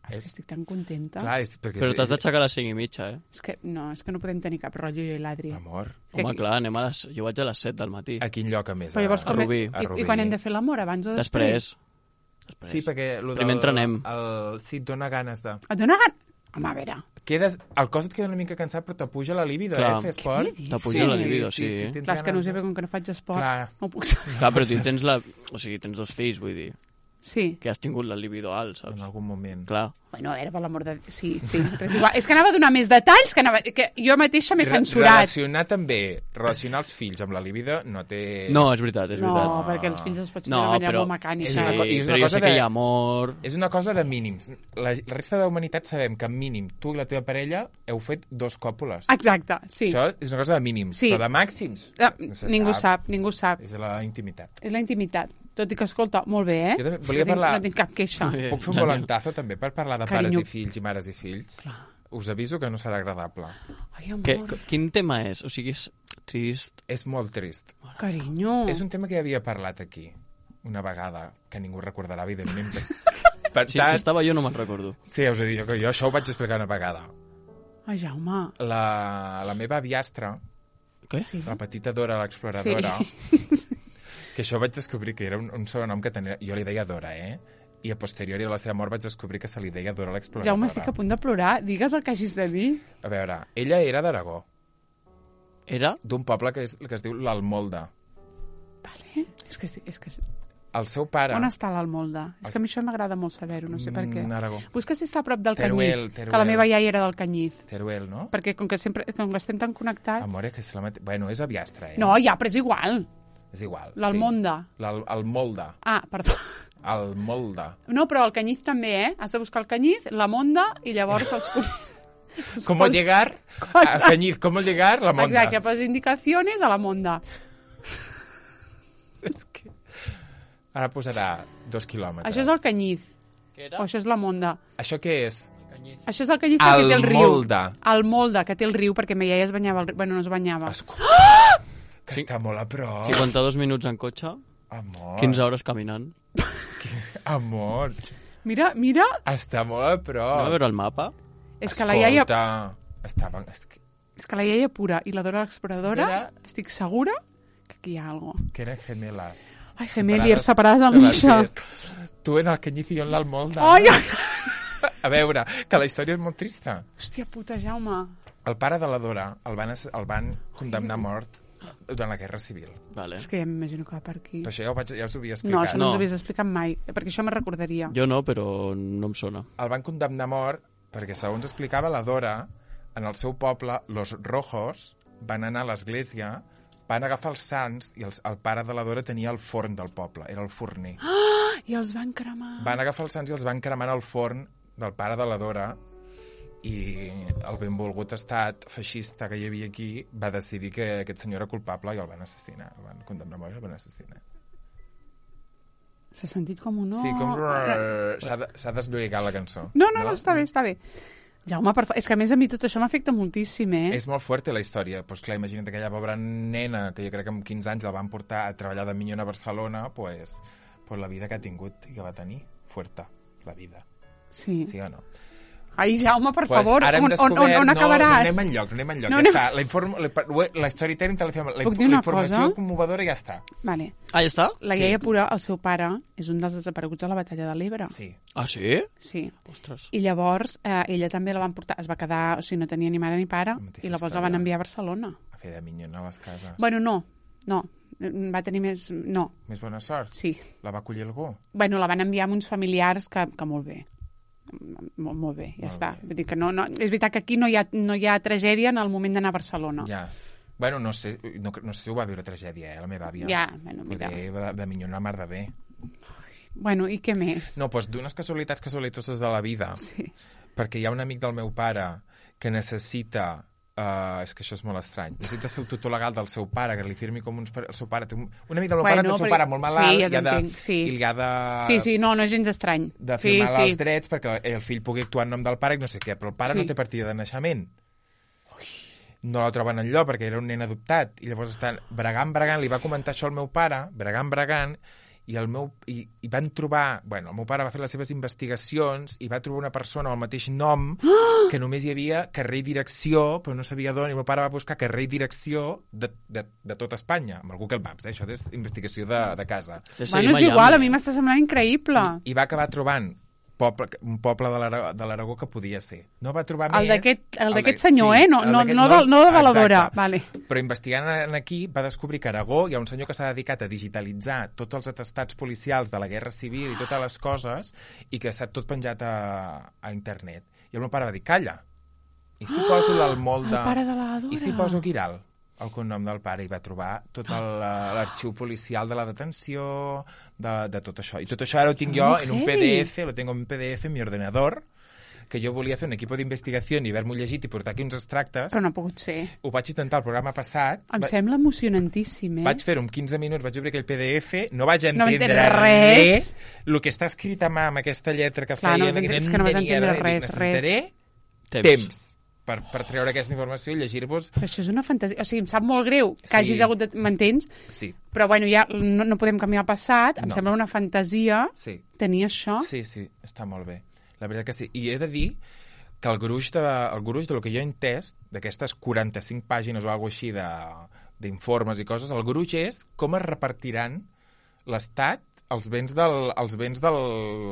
Speaker 1: És que estic tan contenta.
Speaker 2: Clar, és perquè...
Speaker 3: Però t'has d'aixecar a les cinc i mitja, eh?
Speaker 1: És que no, és que no podem tenir cap rotllo jo i l'Adri.
Speaker 2: Amor,
Speaker 1: Que
Speaker 3: Home,
Speaker 1: aquí-
Speaker 3: clar, anem a les... jo vaig a les set del matí.
Speaker 2: a quin lloc a més?
Speaker 1: Però llavors
Speaker 3: a
Speaker 1: com...
Speaker 3: Rubí.
Speaker 2: A
Speaker 1: I,
Speaker 2: Rubí.
Speaker 1: I quan hem de fer l'amor, abans o després?
Speaker 3: Després. Després.
Speaker 2: Sí, perquè... Lo del,
Speaker 3: Primer entrenem.
Speaker 2: El, sí, et dona ganes de...
Speaker 1: Et dona gan... Home, a veure,
Speaker 2: Quedes, el cos et queda una mica cansat, però t'apuja la libido,
Speaker 3: Clar.
Speaker 2: eh, fer esport.
Speaker 1: dius?
Speaker 3: T'apuja la libido, sí.
Speaker 2: tens
Speaker 1: clar, és que no sé,
Speaker 2: ganes de-
Speaker 1: perquè com que no faig esport,
Speaker 2: Clar.
Speaker 1: no ho puc saber.
Speaker 3: Clar, però tu tens la... O sigui, tens dos fills, vull dir.
Speaker 1: Sí.
Speaker 3: Que has tingut la libido alt,
Speaker 2: En
Speaker 3: saps?
Speaker 2: algun moment.
Speaker 3: Clar.
Speaker 1: Bueno, era per l'amor de... Sí, sí, però és igual. És que anava a donar més detalls, que, anava... que jo mateixa m'he
Speaker 2: Re-
Speaker 1: censurat.
Speaker 2: Relacionar també, relacionar els fills amb la libido no té...
Speaker 3: No, és veritat, és
Speaker 1: No,
Speaker 3: veritat.
Speaker 1: perquè els fills els pots fer
Speaker 3: No,
Speaker 1: de manera
Speaker 3: però-
Speaker 1: molt mecànica.
Speaker 2: És una co- i és
Speaker 3: però
Speaker 2: una
Speaker 3: jo
Speaker 2: cosa
Speaker 3: sé que
Speaker 2: de-
Speaker 3: hi ha amor...
Speaker 2: És una cosa de mínims. La, la resta de la humanitat sabem que mínim tu i la teva parella heu fet dos còpules.
Speaker 1: Exacte, sí.
Speaker 2: Això és una cosa de mínims.
Speaker 1: Sí.
Speaker 2: Però de màxims
Speaker 1: Ah,
Speaker 2: no se
Speaker 1: ningú sap, ningú sap.
Speaker 2: És la intimitat.
Speaker 1: És la intimitat. Tot i que, escolta, molt bé, eh?
Speaker 2: Jo també volia
Speaker 1: no tinc,
Speaker 2: parlar-
Speaker 1: No tinc cap queixa.
Speaker 3: Bé,
Speaker 2: Puc fer un
Speaker 3: genial.
Speaker 2: volantazo també per parlar de
Speaker 1: Carinyo.
Speaker 2: pares i fills i mares i fills? Us aviso que no serà agradable.
Speaker 1: Ai, amor.
Speaker 3: Que, quin tema és? O sigui, és trist.
Speaker 2: És molt trist.
Speaker 1: Carinyo.
Speaker 2: És un tema que ja havia parlat aquí una vegada, que ningú recordarà, evidentment. Per
Speaker 3: Si,
Speaker 2: tant,
Speaker 3: si estava jo no me'n recordo.
Speaker 2: sí, ja us he dit que jo això ho vaig explicar una vegada.
Speaker 1: Ai, Jaume.
Speaker 2: La, la meva aviastra,
Speaker 3: Què?
Speaker 1: Sí.
Speaker 2: la petita Dora l'exploradora,
Speaker 1: Sí.
Speaker 2: que això vaig descobrir que era un, un sobrenom que tenia... Jo li deia Dora, eh? I a posteriori de la seva mort vaig descobrir que se li deia Dora l'exploradora.
Speaker 1: Jaume, estic a punt de plorar. Digues el que hagis de dir.
Speaker 2: A veure, ella era d'Aragó,
Speaker 3: Era?
Speaker 2: d'un poble que es, que es diu l'Almolda.
Speaker 1: Vale. És que... És que...
Speaker 2: El seu pare...
Speaker 1: On està l'Almolda? És que a mi això m'agrada molt saber-ho, no sé per què.
Speaker 2: Mm, Aragó.
Speaker 1: Busca si està a prop del
Speaker 2: Teruel,
Speaker 1: Canyís,
Speaker 2: Teruel.
Speaker 1: que la meva iaia era del Canyís.
Speaker 2: Teruel, no?
Speaker 1: Perquè com que sempre com que estem tan connectats...
Speaker 2: Amore, que és la mate... Bueno, és aviastra, eh?
Speaker 1: No, ja, però és igual.
Speaker 2: És igual.
Speaker 1: L'Almonda.
Speaker 2: Sí. L'al- El Molda.
Speaker 1: Ah, perdó.
Speaker 2: El Molda.
Speaker 1: No, però el Canyís també, eh? Has de buscar el Canyís, la Monda i llavors els...
Speaker 2: ¿Cómo llegar a Cañiz? ¿Cómo llegar? La Monda.
Speaker 1: Exacte, pues indicaciones a la Monda.
Speaker 2: És que... Ara posarà dos quilòmetres.
Speaker 1: Això és el Canyís.
Speaker 3: Què
Speaker 1: O això és la Monda.
Speaker 2: Això què és?
Speaker 1: Això és el Canyís que té el riu.
Speaker 2: Almolda.
Speaker 1: El Molda, que té el riu, perquè ma iaia es banyava al riu. Bueno, no es banyava.
Speaker 2: Escolta, que està molt a prop.
Speaker 3: cinquanta-dos minuts en cotxe,
Speaker 2: Amor.
Speaker 3: quinze hores caminant.
Speaker 2: Amor.
Speaker 1: Mira, mira,
Speaker 2: Està molt a prop.
Speaker 3: Anem a veure el mapa.
Speaker 1: és que la iaia...
Speaker 2: Escolta, estava... És que,
Speaker 1: És que la iaia pura i la Dora l'exploradora,
Speaker 2: Era-
Speaker 1: estic segura que aquí hi ha alguna cosa.
Speaker 2: que eren gemelas.
Speaker 1: Ai, gemeliers, separades del Misha.
Speaker 2: Tu en el Cañiz i jo en l'Almolda.
Speaker 1: Ai, ai,
Speaker 2: A veure, que la història és molt trista.
Speaker 1: hòstia puta, Jaume.
Speaker 2: El pare de la Dora el van, ass- el van condemnar a mort durant la Guerra Civil.
Speaker 3: Vale.
Speaker 1: És que ja m'imagino que va per aquí.
Speaker 2: Però això ja, ho vaig, ja us ho havia
Speaker 1: No,
Speaker 2: explicat.
Speaker 1: això no,
Speaker 3: No.
Speaker 1: ens ho havies explicat mai, perquè això me recordaria.
Speaker 3: Jo no, però no em sona.
Speaker 2: El van condemnar a mort perquè, segons explicava la Dora, en el seu poble, los rojos van anar a l'església, van agafar els sants i els, el pare de la Dora tenia el forn del poble, era el forner.
Speaker 1: I els van cremar.
Speaker 2: Van agafar els sants i els van cremar al forn del pare de la Dora i el benvolgut estat feixista que hi havia aquí va decidir que aquest senyor era culpable i el van assassinar, el van condemnar a mort i el van assassinar.
Speaker 1: S'ha sentit com un no.
Speaker 2: Sí, com... S'ha de, s'ha desllorigat la cançó.
Speaker 1: No, no, no, està bé, està bé. Jaume, per fa... és que a més a mi tot això m'afecta moltíssim, eh?
Speaker 2: És molt fuerte la història. Pues clar, imagina't aquella pobra nena que jo crec que amb quinze anys la van portar a treballar de minyona a Barcelona, pues, pues la vida que ha tingut i que va tenir. Fuerta, la vida.
Speaker 1: Sí.
Speaker 2: Sí o no?
Speaker 1: Ai, Jaume, per
Speaker 2: Pues
Speaker 1: favor,
Speaker 2: ara hem
Speaker 1: on, on,
Speaker 2: descobert...
Speaker 1: on, on
Speaker 2: no,
Speaker 1: acabaràs?
Speaker 2: No anem enlloc, no anem enlloc,
Speaker 1: No
Speaker 2: ja
Speaker 1: anem-
Speaker 2: està. La, inform... la, la storytelling te la fem... La,
Speaker 1: Puc
Speaker 2: inf-
Speaker 1: dir
Speaker 2: la
Speaker 1: una
Speaker 2: informació
Speaker 1: cosa?
Speaker 2: commovedora ja està.
Speaker 1: Vale.
Speaker 3: Ah, ja està?
Speaker 1: La iaia pura, el seu pare, és un dels desapareguts de la batalla de l'Ebre.
Speaker 2: Sí.
Speaker 3: Ah, sí?
Speaker 1: Sí.
Speaker 3: Ostres.
Speaker 1: I llavors eh, ella també la van portar, es va quedar, o sigui, no tenia ni mare ni pare,
Speaker 2: La mateixa
Speaker 1: i llavors la
Speaker 2: història.
Speaker 1: van enviar a Barcelona.
Speaker 2: A fer de minyona a les cases.
Speaker 1: Bueno, no, no, va tenir més... No,
Speaker 2: Més bona sort.
Speaker 1: sí.
Speaker 2: La va acollir algú?
Speaker 1: Bueno, la van enviar amb uns familiars que, que molt bé. Molt, molt bé, ja
Speaker 2: Molt
Speaker 1: està.
Speaker 2: bé.
Speaker 1: Vull dir que no, no, és veritat que aquí no hi ha, no hi ha tragèdia en el moment d'anar a Barcelona.
Speaker 2: Ja. Bueno, no sé, no, no sé si ho va viure tragèdia, eh, la meva àvia.
Speaker 1: Ja, bueno, mira.
Speaker 2: Poder de, de minyona mar de bé.
Speaker 1: Bueno, i què més?
Speaker 2: No, doncs d'unes casualitats casualitoses de la vida.
Speaker 1: Sí.
Speaker 2: Perquè hi ha un amic del meu pare que necessita... Uh, és que això és molt estrany. Necessita ser el tutor legal del seu pare, que li firmi com uns... El seu pare té un, un amic del meu
Speaker 1: Bueno,
Speaker 2: pare té el seu
Speaker 1: però-
Speaker 2: pare molt malalt
Speaker 1: sí, ja
Speaker 2: i, ha de,
Speaker 1: t'entenc, sí.
Speaker 2: i li ha de...
Speaker 1: Sí, sí, no, no és gens estrany.
Speaker 2: de
Speaker 1: sí,
Speaker 2: firmar
Speaker 1: sí.
Speaker 2: els drets perquè el fill pugui actuar en nom del pare i no sé què, però el pare
Speaker 1: Sí.
Speaker 2: no té partida de naixement. No la troben enlloc perquè era un nen adoptat i llavors estan bregant, bregant, li va comentar això al meu pare, bregant, bregant, i, el meu, i, i van trobar... Bueno, el meu pare va fer les seves investigacions i va trobar una persona amb el mateix nom que només hi havia carrer i direcció, però no sabia d'on, i el meu pare va buscar carrer i direcció de, de, de tot Espanya, amb el Google Maps, eh? Això és investigació de, de casa.
Speaker 1: Bueno, és igual, a mi m'està semblant increïble.
Speaker 2: I va acabar trobant poble, un poble de l'Ara- de l'Aragó que podia ser. No va trobar
Speaker 1: El
Speaker 2: més...
Speaker 1: d'aquest el d'aquest
Speaker 2: de-
Speaker 1: senyor,
Speaker 2: sí,
Speaker 1: eh? No,
Speaker 2: el
Speaker 1: no,
Speaker 2: d'aquest
Speaker 1: no, de, no de Baladora.
Speaker 2: Exacte.
Speaker 1: Vale.
Speaker 2: Però investigant en aquí va descobrir que a Aragó hi ha un senyor que s'ha dedicat a digitalitzar tots els atestats policials de la Guerra Civil i totes les coses i que està tot penjat a, a internet. I el meu pare va dir, calla, i si poso l'Almolda...
Speaker 1: El pare de la Dora.
Speaker 2: I si poso Giral, el cognom del pare, i va trobar tot el- l'arxiu policial de la detenció, de, de tot això. I tot això ara ho tinc jo
Speaker 1: Oh,
Speaker 2: en un
Speaker 1: heavy.
Speaker 2: P D F, lo tengo en P D F en mi ordenador, que jo volia fer un equip d'investigació i haver-m'ho llegit i portar aquí uns extractes.
Speaker 1: Però no ha pogut ser.
Speaker 2: Ho vaig intentar el programa passat.
Speaker 1: Em
Speaker 2: Va-
Speaker 1: sembla emocionantíssim, eh?
Speaker 2: Vaig fer-ho en quinze minuts, vaig obrir aquell P D F, no vaig
Speaker 1: No
Speaker 2: entendre
Speaker 1: entendre
Speaker 2: res.
Speaker 1: res.
Speaker 2: El que està escrit a mà amb aquesta lletra que
Speaker 1: Clar, no
Speaker 2: feien...
Speaker 1: vas
Speaker 2: i
Speaker 1: entendre- és que no vas
Speaker 2: entenia
Speaker 1: entendre
Speaker 2: res.
Speaker 1: res,
Speaker 2: Necessitaré
Speaker 3: Temps.
Speaker 2: temps. per, per treure aquesta informació i llegir-vos...
Speaker 1: Però això és una fantasia. O sigui, em sap molt greu que
Speaker 2: Sí.
Speaker 1: hagis hagut de... M'entens?
Speaker 2: Sí,
Speaker 1: Però, bueno, ja no, no podem canviar el passat. Em
Speaker 2: No.
Speaker 1: sembla una fantasia
Speaker 2: sí,
Speaker 1: tenir això.
Speaker 2: sí, sí, està molt bé. La veritat que sí. I he de dir que el gruix de, el gruix del que jo he entès, d'aquestes quaranta-cinc pàgines o alguna així de, d'informes i coses, el gruix és com es repartiran l'Estat els béns del... Els béns del,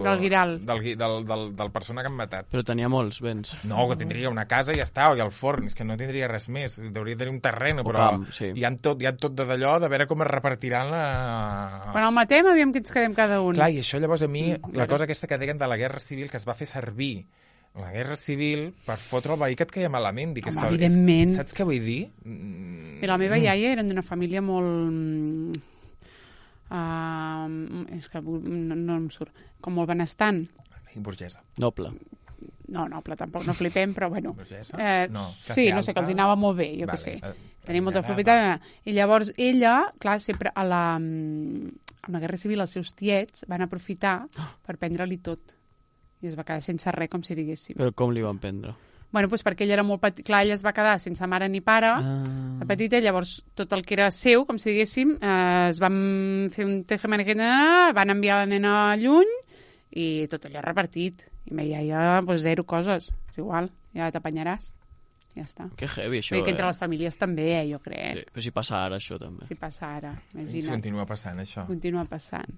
Speaker 1: Del Guiral.
Speaker 2: Del, gui- del, del, del persona que han matat.
Speaker 3: Però tenia molts béns.
Speaker 2: No, que tindria una casa i ja està, i el forn, és que no tindria res més. Hauria de tenir un terreny,
Speaker 3: O
Speaker 2: però
Speaker 3: camp, sí.
Speaker 2: hi ha tot, hi ha tot de d'allò de veure com es repartiran la...
Speaker 1: Quan el matem, aviam que ens quedem cada un.
Speaker 2: Clar, i això llavors a mi,
Speaker 1: Mm,
Speaker 2: la
Speaker 1: veure.
Speaker 2: cosa aquesta que deien de la Guerra Civil, que es va fer servir la Guerra Civil per fotre el veí que et queia malament. Dic, és
Speaker 1: Home,
Speaker 2: que,
Speaker 1: evidentment.
Speaker 2: És, saps què vull dir? Mm,
Speaker 1: I la meva iaia eren d'una família molt... Uh, és que no, no em surt. Com molt benestant.
Speaker 2: I burgesa.
Speaker 3: Noble.
Speaker 1: No, noble, tampoc no flipem, però bueno.
Speaker 2: Burgesa?
Speaker 1: Eh,
Speaker 2: No,
Speaker 1: sí,
Speaker 2: classe
Speaker 1: no sé, que els hi
Speaker 2: alta.
Speaker 1: anava molt bé, jo
Speaker 2: Vale,
Speaker 1: què sé.
Speaker 2: eh,
Speaker 1: Tenia molta
Speaker 2: anava.
Speaker 1: propietat. I llavors ella, clar, sempre a la, amb la Guerra Civil els seus tiets van aprofitar per prendre-li tot. I es va quedar sense res, com si diguéssim.
Speaker 3: Però com li van prendre?
Speaker 1: Bueno, doncs perquè ella era molt petit. Clar, ella es va quedar sense mare ni pare,
Speaker 3: Ah.
Speaker 1: de petita, llavors tot el que era seu, com si diguéssim, eh, es van fer un tejemanequena, van enviar la nena lluny i tot allò repartit. I me iaia, pues, zero coses. És igual, ja t'apanyaràs. Ja està.
Speaker 3: Que heavy, això,
Speaker 1: Vull dir que entre
Speaker 3: eh?
Speaker 1: les famílies també, eh, jo
Speaker 3: Sí,
Speaker 1: crec.
Speaker 3: però si passa ara, això, també.
Speaker 1: Si passa ara,
Speaker 2: Sí,
Speaker 1: imagina't.
Speaker 2: continua passant, això.
Speaker 1: Continua passant.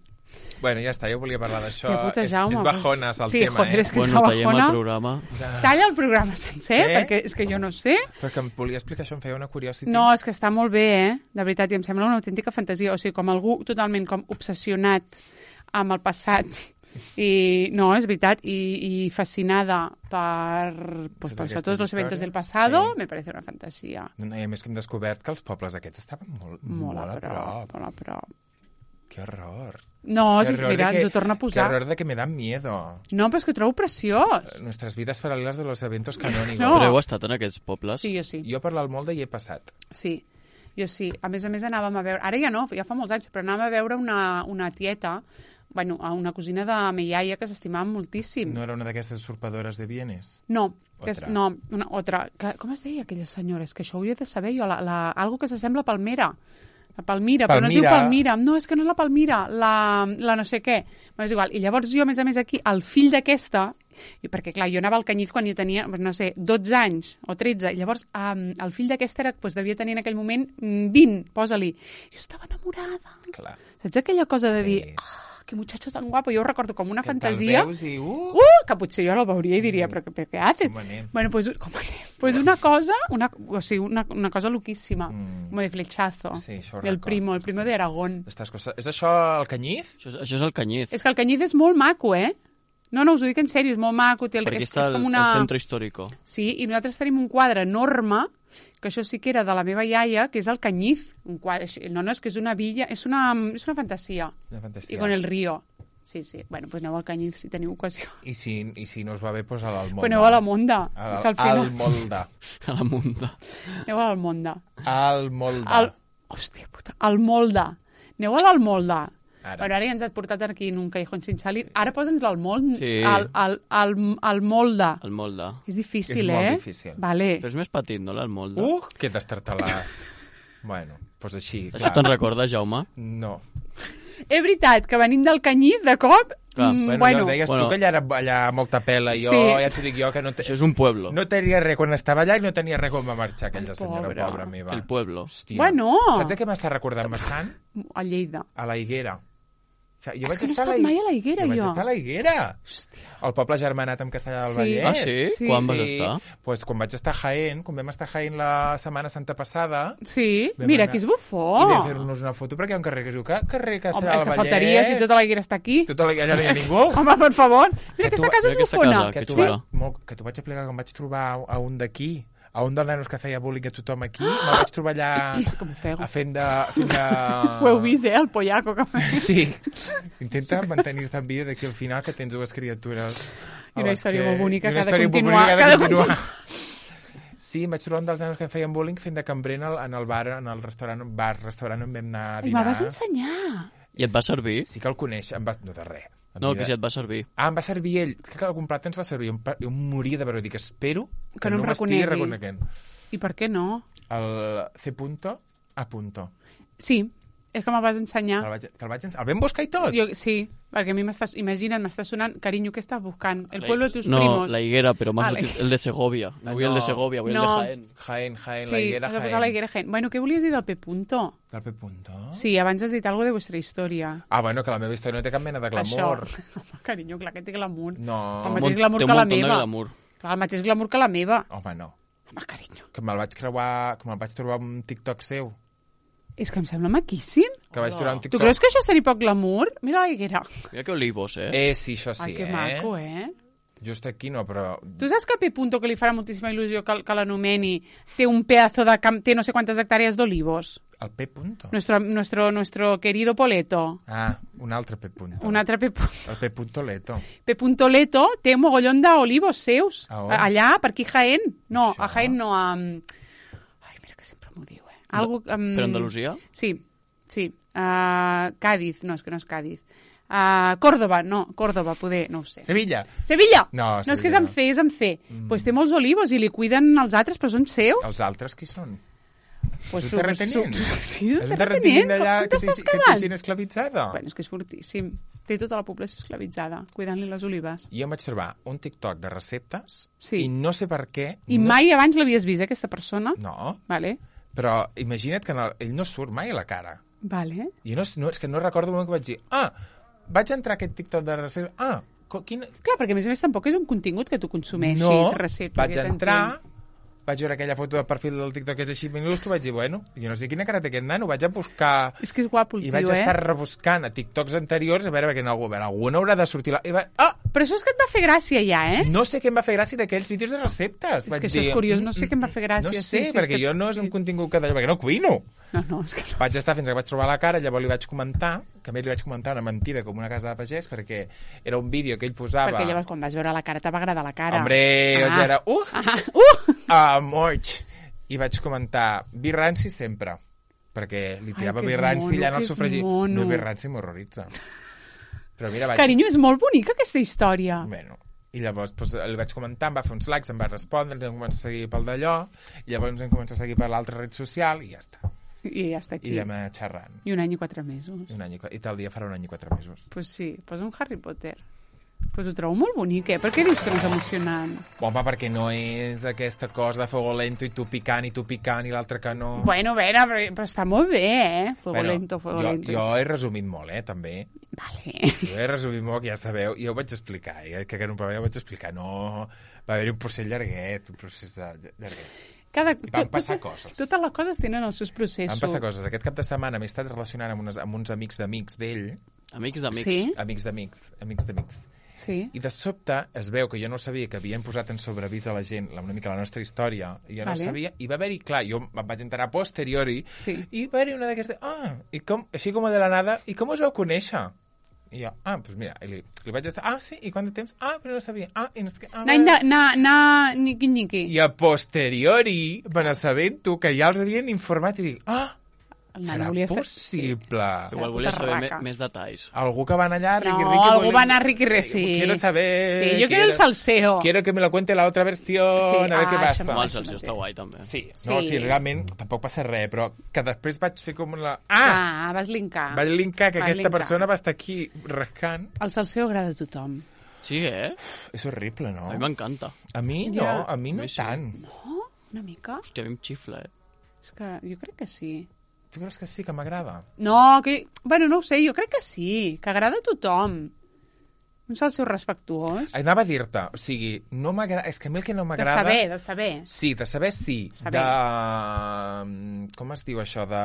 Speaker 2: Bueno, ja està, jo volia parlar d'això.
Speaker 1: Hòstia puta,
Speaker 2: és,
Speaker 1: Jaume,
Speaker 2: és bajones, el
Speaker 1: sí,
Speaker 2: tema,
Speaker 1: joder,
Speaker 2: eh?
Speaker 1: és que
Speaker 3: Bueno,
Speaker 1: és
Speaker 3: tallem
Speaker 1: bajona.
Speaker 3: el programa.
Speaker 1: Talla el programa sencer,
Speaker 2: Què?
Speaker 1: perquè és que jo no sé.
Speaker 2: Però que em volia explicar això, em feia una curiositat.
Speaker 1: No, és que està molt bé, eh? De veritat, i em sembla una autèntica fantasia. O sigui, com algú totalment com obsessionat amb el passat. I no, és veritat, i, i fascinada per, pues,
Speaker 2: Totes
Speaker 1: per tots
Speaker 2: aquestes
Speaker 1: los eventos
Speaker 2: històries.
Speaker 1: del pasado,
Speaker 2: Sí.
Speaker 1: me parece una fantasia.
Speaker 2: No, I a més que hem descobert que els pobles aquests estaven molt,
Speaker 1: Molt,
Speaker 2: molt,
Speaker 1: a
Speaker 2: a
Speaker 1: prop,
Speaker 2: prop.
Speaker 1: molt a prop.
Speaker 2: Que horror.
Speaker 1: No,
Speaker 2: Qué
Speaker 1: si
Speaker 2: horror
Speaker 1: mira,
Speaker 2: de que-
Speaker 1: ens ho torna a
Speaker 2: Qué
Speaker 1: posar.
Speaker 2: horror de que me dan miedo.
Speaker 1: No, però és que ho trobo preciós.
Speaker 2: Nuestras vidas paralelas de los eventos canónicos.
Speaker 1: No.
Speaker 3: Però heu estat en aquests pobles?
Speaker 1: Sí, jo sí.
Speaker 2: Jo per l'Almolde hi he passat.
Speaker 1: Sí, jo sí. A més a més anàvem a veure... Ara ja no, ja fa molts anys, però anàvem a veure una, una tieta, bueno, a una cosina de mi iaia que s'estimava moltíssim.
Speaker 2: No era una d'aquestes usurpadores de bienes?
Speaker 1: No, que és,
Speaker 2: Otra.
Speaker 1: no, una altra. Que, com es deia aquella senyora? És que això ho hauria de saber jo. La, la, algo que s'assembla a Palmera. La Palmira, però no es diu
Speaker 2: Palmira.
Speaker 1: Palmira. No, és que no és la Palmira, la, la no sé què. Bueno, és igual. I llavors jo, a més a més, aquí, el fill d'aquesta, i perquè, clar, jo anava al Canyís quan jo tenia, no sé, dotze anys o tretze, i llavors um, el fill d'aquesta era, doncs, devia tenir en aquell moment mm, vint, posa-li. Jo estava enamorada.
Speaker 2: Clar.
Speaker 1: Saps aquella cosa de
Speaker 2: Sí.
Speaker 1: dir, ah, que muchacho tan guapo, jo ho recordo com una
Speaker 2: Que te'l
Speaker 1: fantasia.
Speaker 2: veus i, uh,
Speaker 1: Uh, que potser jo la veuria i diria, però, però què haces?
Speaker 2: Com anem?
Speaker 1: Bueno, pues, com anem? Pues una cosa, una, o sigui, una, una cosa loquíssima,
Speaker 2: Mm.
Speaker 1: como de flechazo,
Speaker 2: Sí, això ho
Speaker 1: del
Speaker 2: recordo.
Speaker 1: primo, el primo de Aragón.
Speaker 2: Estas coses... És això el Canyís?
Speaker 3: Això, és- això és el Canyís.
Speaker 1: És que el Canyís és molt maco, eh? No, no, us ho dic en sèrio, és molt maco. Té el,
Speaker 3: Per aquí
Speaker 1: és,
Speaker 3: està
Speaker 1: és
Speaker 3: el,
Speaker 1: com una...
Speaker 3: el centro històrico.
Speaker 1: Sí, i nosaltres tenim un quadre enorme, que això sí que era de la meva iaia, que és el Canyís. Un quadre, així- no, no, és que és una villa, és una, és una fantasia.
Speaker 2: Una fantasia.
Speaker 1: I con el río. Sí, sí. Bueno, pues aneu al Canyís si teniu ocasió.
Speaker 2: I si, I si no us va bé, doncs a l'Almolde.
Speaker 1: Pues aneu a la Monda.
Speaker 2: Al,
Speaker 1: que al final...
Speaker 2: al Molde.
Speaker 3: A la Munda.
Speaker 1: Aneu a l'Almonda.
Speaker 2: Al Molde.
Speaker 1: Al... Hòstia puta, al Molda. Aneu a l'Almolda.
Speaker 2: Ara.
Speaker 1: Bueno, ara ja ens has portat aquí en un callejón sin salir. Ara posa'ns l'Almolda.
Speaker 3: Sí.
Speaker 1: Al, al, al, al Molda.
Speaker 3: El Molde.
Speaker 1: És difícil,
Speaker 2: És molt
Speaker 1: eh?
Speaker 2: difícil.
Speaker 1: Vale.
Speaker 3: Però és més petit, no, el Molde?
Speaker 2: Uh, que destartalar. Bueno, doncs així,
Speaker 3: Això
Speaker 2: clar.
Speaker 3: te'n recorda, Jaume?
Speaker 2: No.
Speaker 1: És veritat que venim del Canyís, de cop...
Speaker 3: Clar,
Speaker 1: mm,
Speaker 2: Bueno,
Speaker 1: bueno,
Speaker 2: ja ho deies
Speaker 3: Bueno.
Speaker 2: tu, que allà era allà molta pela. Jo
Speaker 1: Sí.
Speaker 2: ja t'ho dic jo, que no, te...
Speaker 3: Això és un pueblo.
Speaker 2: no tenia res quan estava allà i no tenia res quan va marxar aquella senyora
Speaker 1: Pobre.
Speaker 2: pobra meva.
Speaker 3: El pueblo.
Speaker 2: Hòstia.
Speaker 1: Bueno.
Speaker 2: Saps a què m'està recordant bastant?
Speaker 1: a Lleida.
Speaker 2: A la Higuera. O sigui, jo
Speaker 1: És
Speaker 2: vaig
Speaker 1: que no he
Speaker 2: estar
Speaker 1: estat
Speaker 2: Hi-
Speaker 1: mai a la Higuera,
Speaker 2: jo. vaig
Speaker 1: jo.
Speaker 2: estar a la Higuera.
Speaker 1: Hòstia.
Speaker 2: El poble germanat amb Castellà del
Speaker 1: Sí.
Speaker 2: Vallès.
Speaker 3: Ah, sí?
Speaker 1: Sí,
Speaker 3: Quan
Speaker 1: sí.
Speaker 3: vas estar?
Speaker 2: Pues quan vaig estar a Jaén, quan vam estar a Jaén la Setmana Santa passada,
Speaker 1: Sí,
Speaker 2: Vam
Speaker 1: mira,
Speaker 2: anar-
Speaker 1: que és
Speaker 2: i
Speaker 1: bufó.
Speaker 2: vam fer-nos una foto perquè hi ha un carrer que es diu que carrer
Speaker 1: Home,
Speaker 2: Castellà
Speaker 1: el
Speaker 2: del
Speaker 1: que
Speaker 2: Vallès.
Speaker 1: faltaria si tota la Higuera està aquí.
Speaker 2: Tota la... Allà no hi ha ningú.
Speaker 1: Home, per favor. Mira,
Speaker 2: Que tu-
Speaker 1: aquesta casa és
Speaker 3: mira aquesta
Speaker 1: bufona.
Speaker 3: casa,
Speaker 2: que
Speaker 3: que
Speaker 2: t'ho
Speaker 3: xula.
Speaker 2: va- molt, que t'ho vaig explicar quan vaig trobar a, a un d'aquí, a un dels nanos que feia bullying a tothom aquí, me'l vaig trobar allà
Speaker 1: Com ho feu?
Speaker 2: a fent de... Fent de...
Speaker 1: Ho heu vist, eh, el pollaco que fa.
Speaker 2: Sí. Intenta mantenir-te en vida d'aquí al final que tens dues criatures.
Speaker 1: I una història molt bonica
Speaker 2: I una
Speaker 1: que ha de
Speaker 2: història molt
Speaker 1: continuar,
Speaker 2: bonica
Speaker 1: que ha de
Speaker 2: continuar. Sí, em vaig trobar un dels nanos que em feien bullying fent de cambrer en el, en el bar, en el restaurant, bar, restaurant on vam anar a
Speaker 1: I
Speaker 2: dinar.
Speaker 1: me'l vas ensenyar.
Speaker 3: I et va servir?
Speaker 2: Sí que el coneix, em va... no de res.
Speaker 3: No, que si et va servir.
Speaker 2: Ah, em va servir ell. És que el comprat ens va servir. Jo, jo em moria de veure. Dic, espero que,
Speaker 1: Que no
Speaker 2: no
Speaker 1: em
Speaker 2: m'estigui
Speaker 1: reconegui.
Speaker 2: reconeguent.
Speaker 1: I per què no?
Speaker 2: El C punto A punto.
Speaker 1: Sí, és que me'l vas ensenyar.
Speaker 2: Que el vaig, que el vaig ens... El vam buscar i tot?
Speaker 1: Jo, sí, perquè a mi m'estàs... Imagina't, m'està sonant... Carinyo, què estàs buscant? El
Speaker 3: La-
Speaker 1: pueblo de tus
Speaker 3: no,
Speaker 1: primos.
Speaker 3: la higuera, però más
Speaker 1: Ah, la
Speaker 3: el de Segovia. No vull
Speaker 2: no.
Speaker 3: el de Segovia, vull
Speaker 1: No.
Speaker 3: el de Jaén.
Speaker 2: Jaén, Jaén,
Speaker 1: Sí,
Speaker 2: la higuera
Speaker 1: has de posar
Speaker 2: Jaén.
Speaker 1: la higuera Jaén. Bueno, què volies dir del P punto?
Speaker 2: Del P punto?
Speaker 1: Sí, abans has dit alguna de vuestra història.
Speaker 2: Ah, bueno, que la meva història no té cap mena de glamour.
Speaker 1: Això. Home, carinyo, clar que té glamour.
Speaker 2: No.
Speaker 1: El
Speaker 3: Mon-
Speaker 1: mateix glamour
Speaker 3: té un
Speaker 1: que la
Speaker 3: montón de
Speaker 1: meva.
Speaker 3: glamour.
Speaker 1: Clar, el mateix glamour que la meva.
Speaker 2: Home, no.
Speaker 1: Home, carinyo.
Speaker 2: Que me'l vaig creuar... Que me'l vaig trobar un TikTok seu.
Speaker 1: És que em sembla maquíssim.
Speaker 2: Que vaig trobar un
Speaker 1: Tu
Speaker 2: TikTok...
Speaker 1: creus que això és tenir poc glamour? Mira la higuera.
Speaker 3: Mira que olivos, eh?
Speaker 2: Eh, sí, això sí,
Speaker 1: Ai, que
Speaker 2: eh?
Speaker 1: maco, eh?
Speaker 2: Just aquí no, però...
Speaker 1: Tu saps que P. Punto, que li farà moltíssima il·lusió que, que l'anomeni, té un pedazo de camp, té no sé quantes hectàrees d'olivos?
Speaker 2: El P punto?
Speaker 1: Nuestro, nuestro, nuestro querido Poleto.
Speaker 2: Ah, un altre P punto.
Speaker 1: Un altre P.
Speaker 2: El P punto Leto.
Speaker 1: P. Leto té un mogollón d'olivos seus.
Speaker 2: A on?
Speaker 1: Allà, per aquí Jaén. No,
Speaker 2: Això?
Speaker 1: a Jaén no, a... Ai, mira que sempre m'ho diu, eh? Algo, um...
Speaker 3: Per Andalusia?
Speaker 1: Sí, sí. Uh, Cádiz, no, és que no és Cádiz. Uh, Córdoba, no, Córdoba, poder, no ho sé.
Speaker 2: Sevilla.
Speaker 1: Sevilla!
Speaker 2: No,
Speaker 1: no és que és
Speaker 2: Sevilla
Speaker 1: en
Speaker 2: no.
Speaker 1: fer, és en fer. Doncs mm. pues té molts olivos i li cuiden els altres, però són seus.
Speaker 2: Els altres qui són?
Speaker 1: Pues
Speaker 2: és un terratenent?
Speaker 1: Sí, és
Speaker 2: És
Speaker 1: un
Speaker 2: un terratenent
Speaker 1: terratenent.
Speaker 2: d'allà
Speaker 1: Com
Speaker 2: que té
Speaker 1: t'estàs
Speaker 2: que té
Speaker 1: quedant?
Speaker 2: gent esclavitzada?
Speaker 1: Bueno, és que és fortíssim. Té tota la població esclavitzada, cuidant-li les olives.
Speaker 2: Jo em vaig trobar un TikTok de receptes
Speaker 1: Sí.
Speaker 2: i no sé per què...
Speaker 1: I
Speaker 2: no...
Speaker 1: mai abans l'havies vist, eh, aquesta persona?
Speaker 2: No,
Speaker 1: Vale,
Speaker 2: però imagina't que en el... ell no surt mai a la cara.
Speaker 1: vale.
Speaker 2: I no, no, és que no recordo el moment que vaig dir ah, vaig entrar a aquest TikTok de receptes... Ah, co- quin...
Speaker 1: Clar, perquè a més a més tampoc és un contingut que tu consumeixis,
Speaker 2: No,
Speaker 1: receptes.
Speaker 2: vaig
Speaker 1: ja t'entenc.
Speaker 2: entrar, vaig veure aquella foto de perfil del TikTok que és així minúscul, vaig dir, bueno, jo no sé quina cara té aquest nano, vaig a buscar...
Speaker 1: És que és guapo el
Speaker 2: I
Speaker 1: tio,
Speaker 2: vaig
Speaker 1: eh?
Speaker 2: estar rebuscant a TikToks anteriors a veure perquè en algú, a veure, algú no haurà de sortir... La... I va... Ah,
Speaker 1: Però això és que et va fer gràcia ja, eh?
Speaker 2: no sé què em va fer gràcia d'aquells vídeos de receptes.
Speaker 1: És
Speaker 2: Vaig
Speaker 1: que això és
Speaker 2: dir,
Speaker 1: curiós, no sé què em va fer gràcia.
Speaker 2: No sé,
Speaker 1: Sí, sí, és
Speaker 2: perquè
Speaker 1: que-
Speaker 2: jo no és un
Speaker 1: sí.
Speaker 2: contingut que d'allò, perquè no cuino.
Speaker 1: No, no, és que no.
Speaker 2: Vaig estar fins que vaig trobar la cara, llavors li vaig comentar, que a més li vaig comentar una mentida com una casa de pagès, perquè era un vídeo que ell posava...
Speaker 1: Perquè llavors quan vas veure la cara te va agradar la cara.
Speaker 2: Hombre, ah. jo era... Uh!
Speaker 1: Ah, uh!
Speaker 2: Ah, moig! I vaig comentar, vi ranci sempre, perquè li tirava
Speaker 1: que
Speaker 2: vi
Speaker 1: és
Speaker 2: ranci
Speaker 1: mono,
Speaker 2: allà en el
Speaker 1: que és
Speaker 2: sofregit.
Speaker 1: mono.
Speaker 2: No, vi ranci m'horroritza. Però mira, vaig...
Speaker 1: Carinyo, és molt bonica aquesta història.
Speaker 2: Bueno, i llavors doncs, li vaig comentar, em va fer uns likes, em va respondre, ens vam començar a seguir pel d'allò, i llavors ens vam començar a seguir per l'altra red social, i ja està.
Speaker 1: I ja està aquí.
Speaker 2: I ja m'ha xerrant.
Speaker 1: I un any i quatre mesos.
Speaker 2: I, un any i, qua- I tal dia farà un any i quatre mesos.
Speaker 1: Pues sí, pues un Harry Potter. Pues ho trobo molt bonic, eh? Per què dius que no és emocionant?
Speaker 2: Home, perquè no és aquesta cosa de fuego lento i tu picant i tu picant i l'altre que no...
Speaker 1: Bueno, a veure, però, però està molt bé, eh? Fuego lento, fuego
Speaker 2: jo,
Speaker 1: lento.
Speaker 2: jo he resumit molt, eh, també.
Speaker 1: Vale.
Speaker 2: Jo he resumit molt, que ja sabeu, i jo ho vaig explicar, eh, que en un programa ja ho vaig explicar. No, va haver-hi un procés llarguet, un procés de- llarguet.
Speaker 1: Cada,
Speaker 2: I van
Speaker 1: tot-
Speaker 2: passar
Speaker 1: totes-
Speaker 2: coses.
Speaker 1: Totes les coses tenen els seus processos.
Speaker 2: Van passar coses. Aquest cap de setmana m'he estat relacionant amb, unes, amb uns amics d'amics d'ell,
Speaker 3: Amics d'amics.
Speaker 1: Sí?
Speaker 2: amics d'amics, amics d'amics.
Speaker 1: Sí.
Speaker 2: I de sobte es veu que jo no sabia que havien posat en sobrevís a la gent la- una mica la nostra història, i jo no
Speaker 1: Vale.
Speaker 2: sabia, i va haver-hi, clar, jo em vaig enterar a posteriori,
Speaker 1: Sí.
Speaker 2: i va haver-hi una d'aquestes, ah, i com, així com de la nada, i com us vau conèixer? I jo, ah, doncs mira, i li, li vaig estar, ah, sí, i quant de temps? Ah, però no sabia, ah, i no sé què, ah,
Speaker 1: Na, na, na, na, niqui, niqui.
Speaker 2: I a posteriori, me n'assabento que ja els havien informat i dic, ah,
Speaker 1: El nano
Speaker 2: serà
Speaker 1: volia ser-
Speaker 2: possible.
Speaker 3: Igual volia
Speaker 1: puta
Speaker 3: saber me,
Speaker 1: raca.
Speaker 3: més detalls.
Speaker 2: Algú que van allà, Ricky
Speaker 1: No,
Speaker 2: Ricky.
Speaker 1: algú
Speaker 2: volia-
Speaker 1: va anar a Ricky Ricky, sí.
Speaker 2: Quiero saber...
Speaker 1: Sí, yo quiero el salseo.
Speaker 2: Quiero que me lo cuente la otra versión,
Speaker 1: Sí,
Speaker 2: a ver
Speaker 1: ah,
Speaker 2: què
Speaker 1: això
Speaker 2: passa.
Speaker 3: Home, el
Speaker 1: això
Speaker 3: Celsius
Speaker 1: mateix.
Speaker 3: està guai, també.
Speaker 2: Sí,
Speaker 1: Sí.
Speaker 2: no, sí, realment tampoc passa res, però que després vaig fer com la... Ah!
Speaker 1: Ah, vas linkar.
Speaker 2: Vaig linkar que
Speaker 1: Vas
Speaker 2: aquesta
Speaker 1: linkar.
Speaker 2: persona va estar aquí rascant.
Speaker 1: El salseo agrada a tothom.
Speaker 3: Sí, eh?
Speaker 2: És horrible, no?
Speaker 3: A mi m'encanta.
Speaker 2: A mi no,
Speaker 1: Ja.
Speaker 2: a mi no
Speaker 3: A mi sí.
Speaker 2: tant.
Speaker 1: No? Una mica?
Speaker 3: Hòstia, a mi em xifla, eh?
Speaker 1: És que jo crec que sí.
Speaker 2: Tu creus que sí, que m'agrada?
Speaker 1: No, que... Bueno, no ho sé, jo crec que sí, que agrada a tothom. Un salseo respectuós.
Speaker 2: Anava a dir-te, o sigui, no m'agrada... És que a mi el que no
Speaker 1: De
Speaker 2: m'agrada...
Speaker 1: saber, de saber.
Speaker 2: Sí, de saber sí.
Speaker 1: Saber.
Speaker 2: De... Com es diu això? De...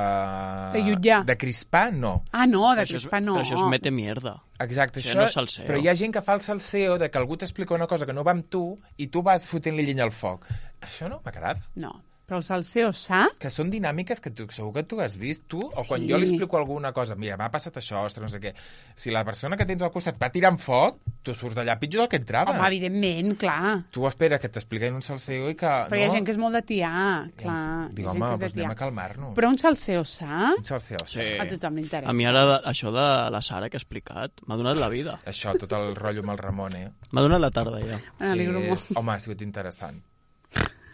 Speaker 1: De jutjar.
Speaker 2: De crispar, no.
Speaker 1: Ah, no, de
Speaker 3: Això és-
Speaker 1: crispar no.
Speaker 3: Però això és mete mierda.
Speaker 2: Exacte,
Speaker 3: Això
Speaker 2: això...
Speaker 3: no és salseo.
Speaker 2: Però hi ha gent que fa el salseo de que algú t'explica una cosa que no va amb tu i tu vas fotent-li llenya al foc. Això no m'agrada.
Speaker 1: No. Però el salseo sa?
Speaker 2: Que són dinàmiques que tu, segur que tu has vist, tu, o quan
Speaker 1: Sí.
Speaker 2: jo li explico alguna cosa, mira, m'ha passat això, ostres, no sé què. Si la persona que tens al costat va tirant foc, tu surts d'allà pitjor del que entraves.
Speaker 1: Home, evidentment, clar.
Speaker 2: Tu espera que t'expliquin un salseo i que...
Speaker 1: Però
Speaker 2: no?
Speaker 1: hi ha gent que és molt de tiar, clar.
Speaker 2: Dic,
Speaker 1: hi ha gent
Speaker 2: home,
Speaker 1: que és de
Speaker 2: doncs anem
Speaker 1: tiar.
Speaker 2: a calmar-nos.
Speaker 1: Però un salseo sa?
Speaker 2: Un salseo, sí.
Speaker 3: Sí.
Speaker 1: A tothom li interessa.
Speaker 3: A mi ara això de la Sara que ha explicat m'ha donat la vida.
Speaker 2: Això, tot el rotllo amb el Ramon, eh?
Speaker 3: M'ha donat la tarda ja.
Speaker 1: M'alegro
Speaker 2: sí,
Speaker 1: molt.
Speaker 2: és- Home, ha sigut interessant.